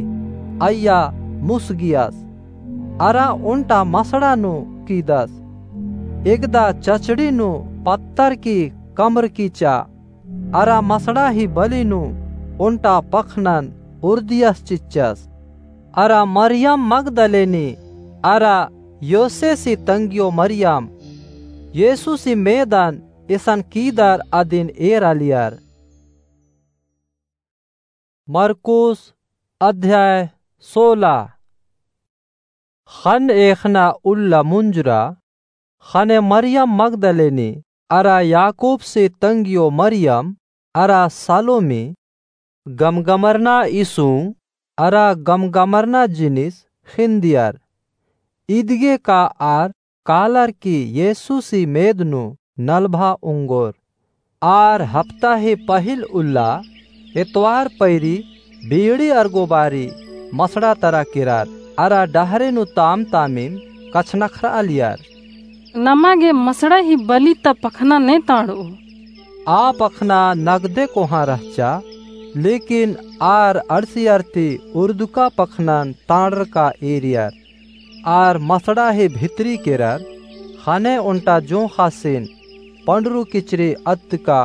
अइय्या मुसगियस। अरा ओन्टा मसड़ा नू कीदस। एकदा चचड़ी नू पत्तर की कमरकी चा। अरा मसड़ा ही बली नू ओन्टा पखनन उर्दियस चिच्चस। अरा मरियम मगदलेनी अरा योसेसी तंग्यो मरियम येसुसी मेदन इसन कीदर अदिन एरालियर। मरकुस अध्याय सोला। ख़न्न एख़ना उल्ला मुंजुरा। ख़ने मरियम मगदलेनी अरा याकूबसी तंग्यो मरियम, अरा सालोमी, गमगमरना इसुंग, अरा गमगमरना जिनिस ख़िन्दियर। इदगे का आर कालर की येसुसी मेद नू नलभा ओंगोर। आर हप्ता ही पहिल उल्ला एतवार पैरी बीड़ी अरगो बारी मसड़ा तरा केरर, अरा डहरे नू ताम तामिन कछनखरआलियर। नमा गे मसड़ा ही बलि ता पखना ने तांड़ओ। आ पखना नगदे कोहाँ रहचा, लेकिन आर अंड़सियर ती उर्दुका पखनन तांड़रका एरियर। आर मसड़ा ही भितरी केरर, ख़ने ओन्टा जोंख़ासिन पंडरू किचरी अत्तका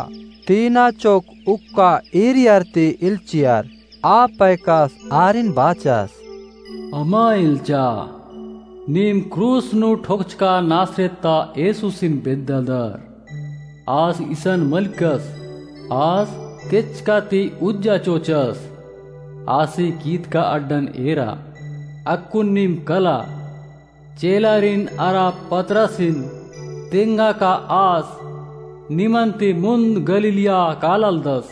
तीना चोक उक्का एरियर ती इल्चियर। आ पैकस आरिन बाचस, अमा इल्चा, नीम क्रूस नू ठोकचका नासरेत ता येसुसिन बेद्दालदर। आस इसन मलकस, आस केचका ती उज्जा चोचस। आसी कीदका अड्डन एरा, अक्कुन नीम कला, चेलारिन अरा पतरसिन तेंगा का आस निमन ती मुन्द गलीलिया काललदस।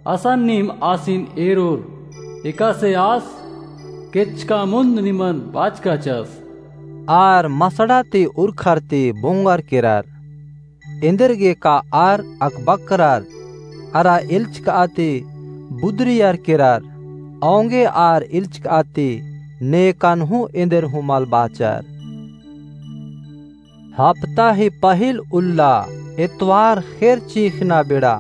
असन नीम आसिन एरोर, एकासे आस केचका मुन्द निमन बाचकाचस। आर मसड़ा ती उरखर ती बोंगर केरर। एन्देरगे का आर अकबकरर, अरा इल्चकआ ती बुदरियर केरर, औंगे आर इल्चकआ ती नेकन हूँ एन्देर हूँ मल बाचर। हप्ता ही पहिल उल्ला एतवार ख़ेर चींख़ना बेड़ा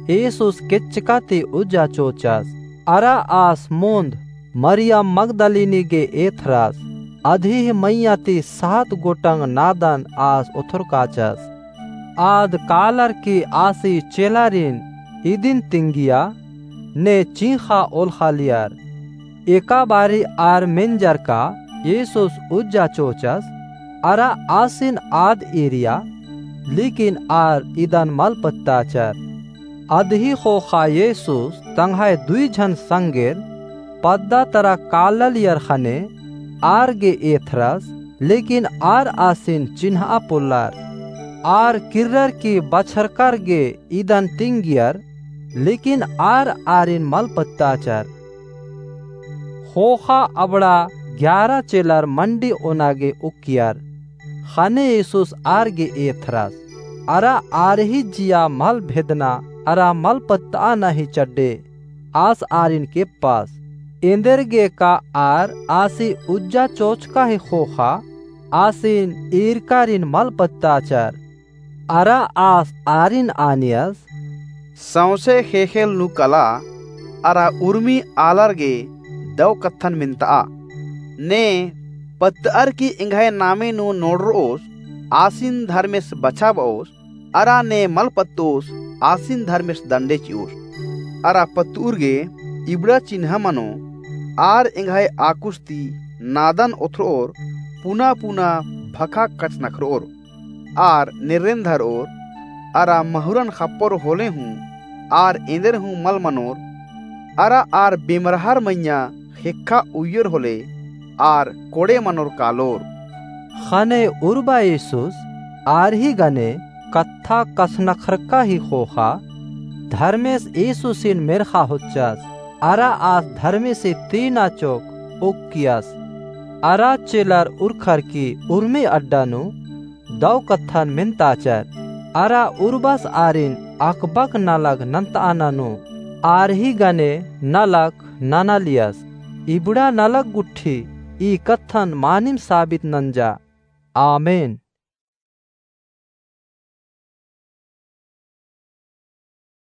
येसुस केचका ती उज्जा चोचस। अरा आस मुन्द मरियम मगदलिनी गे एथरस। अदही मइय्याँ ती सात गोटंग नादन आस ओथरकाचस। आद कालर की आसी चेलारिन इदिन तिंगिया ने चींख़ा ओलख़ालियर। एका बारी आर मेंजर का येसुस उज्जा चोचस, अरा आसिन आद एरिया, लेकिन आर इदन मल पत्ताचर। अदही ख़ोख़ा येसुस तंग्है दुई झन संगेर पद्दा तरा काललियर ख़ने आर गे एथरस, लेकिन आर आसिन चिन्हआ पोल्लर। आर किर्रर की बछरकर गे इदन तिंगियर, लेकिन आर आरिन मल पत्ताचर। ख़ोख़ा अबड़ा ग्यारा चेलर मंडी ओना गे उक्कियर। ख़ने येसुस आर गे एथरस। अरा आर ही जिया मल भेदना अरा मल पत्तआना ही चड्डे आस आरिन केप्पस। एन्देरगे का आर आसी उज्जा चोचका ही ख़ोख़ा आसिन ईरकारिन मल पत्ताचर। अरा आस आरिन आनियस, सौंसे ख़ेख़ेल नू कला, अरा उर्मी आलर गे दौ कत्थन मेन्तआ। ने पत्तअर की एंग्है नामे नू नोड़रओस, आसिन धर्मेस बछाबओस, अरा ने मल पत्तओस, आसिन धर्मेस दंडे चिओस। अरा पत्तउर गे इबड़ा चिन्हा मनो, आर एंग्है आकुस ती नादन ओथरओर, पुना पुना भखा कछनखरओर। आर नेर्रेन धरओर, अरा महुरन ख़प्पर होले हूँ, आर एन्देर हूँ मल मनोर, अरा आर बेमरहार मइय्याँ ख़ेक्खा उइयर होले, आर कोड़े मनोर कालोर। ख़ने उर्बा येसुस आर ही गने कत्था कछनखरका ही ख़ोख़ा, धर्मेस येसुसिन मेर्ख़ा होच्चस, अरा आस धर्मेसी तीना चोक उक्कियस। अरा चेलर उरखर की उर्मी अड्डा नू दौ कत्थन मेन्ताचर, अरा उर्बस आरिन अकबक नलख नन्तआना नू, आर ही गने नलख ननालियस। इबड़ा नलख गुट्ठी ई कत्थन मानिम साबित नंजा। आमेन।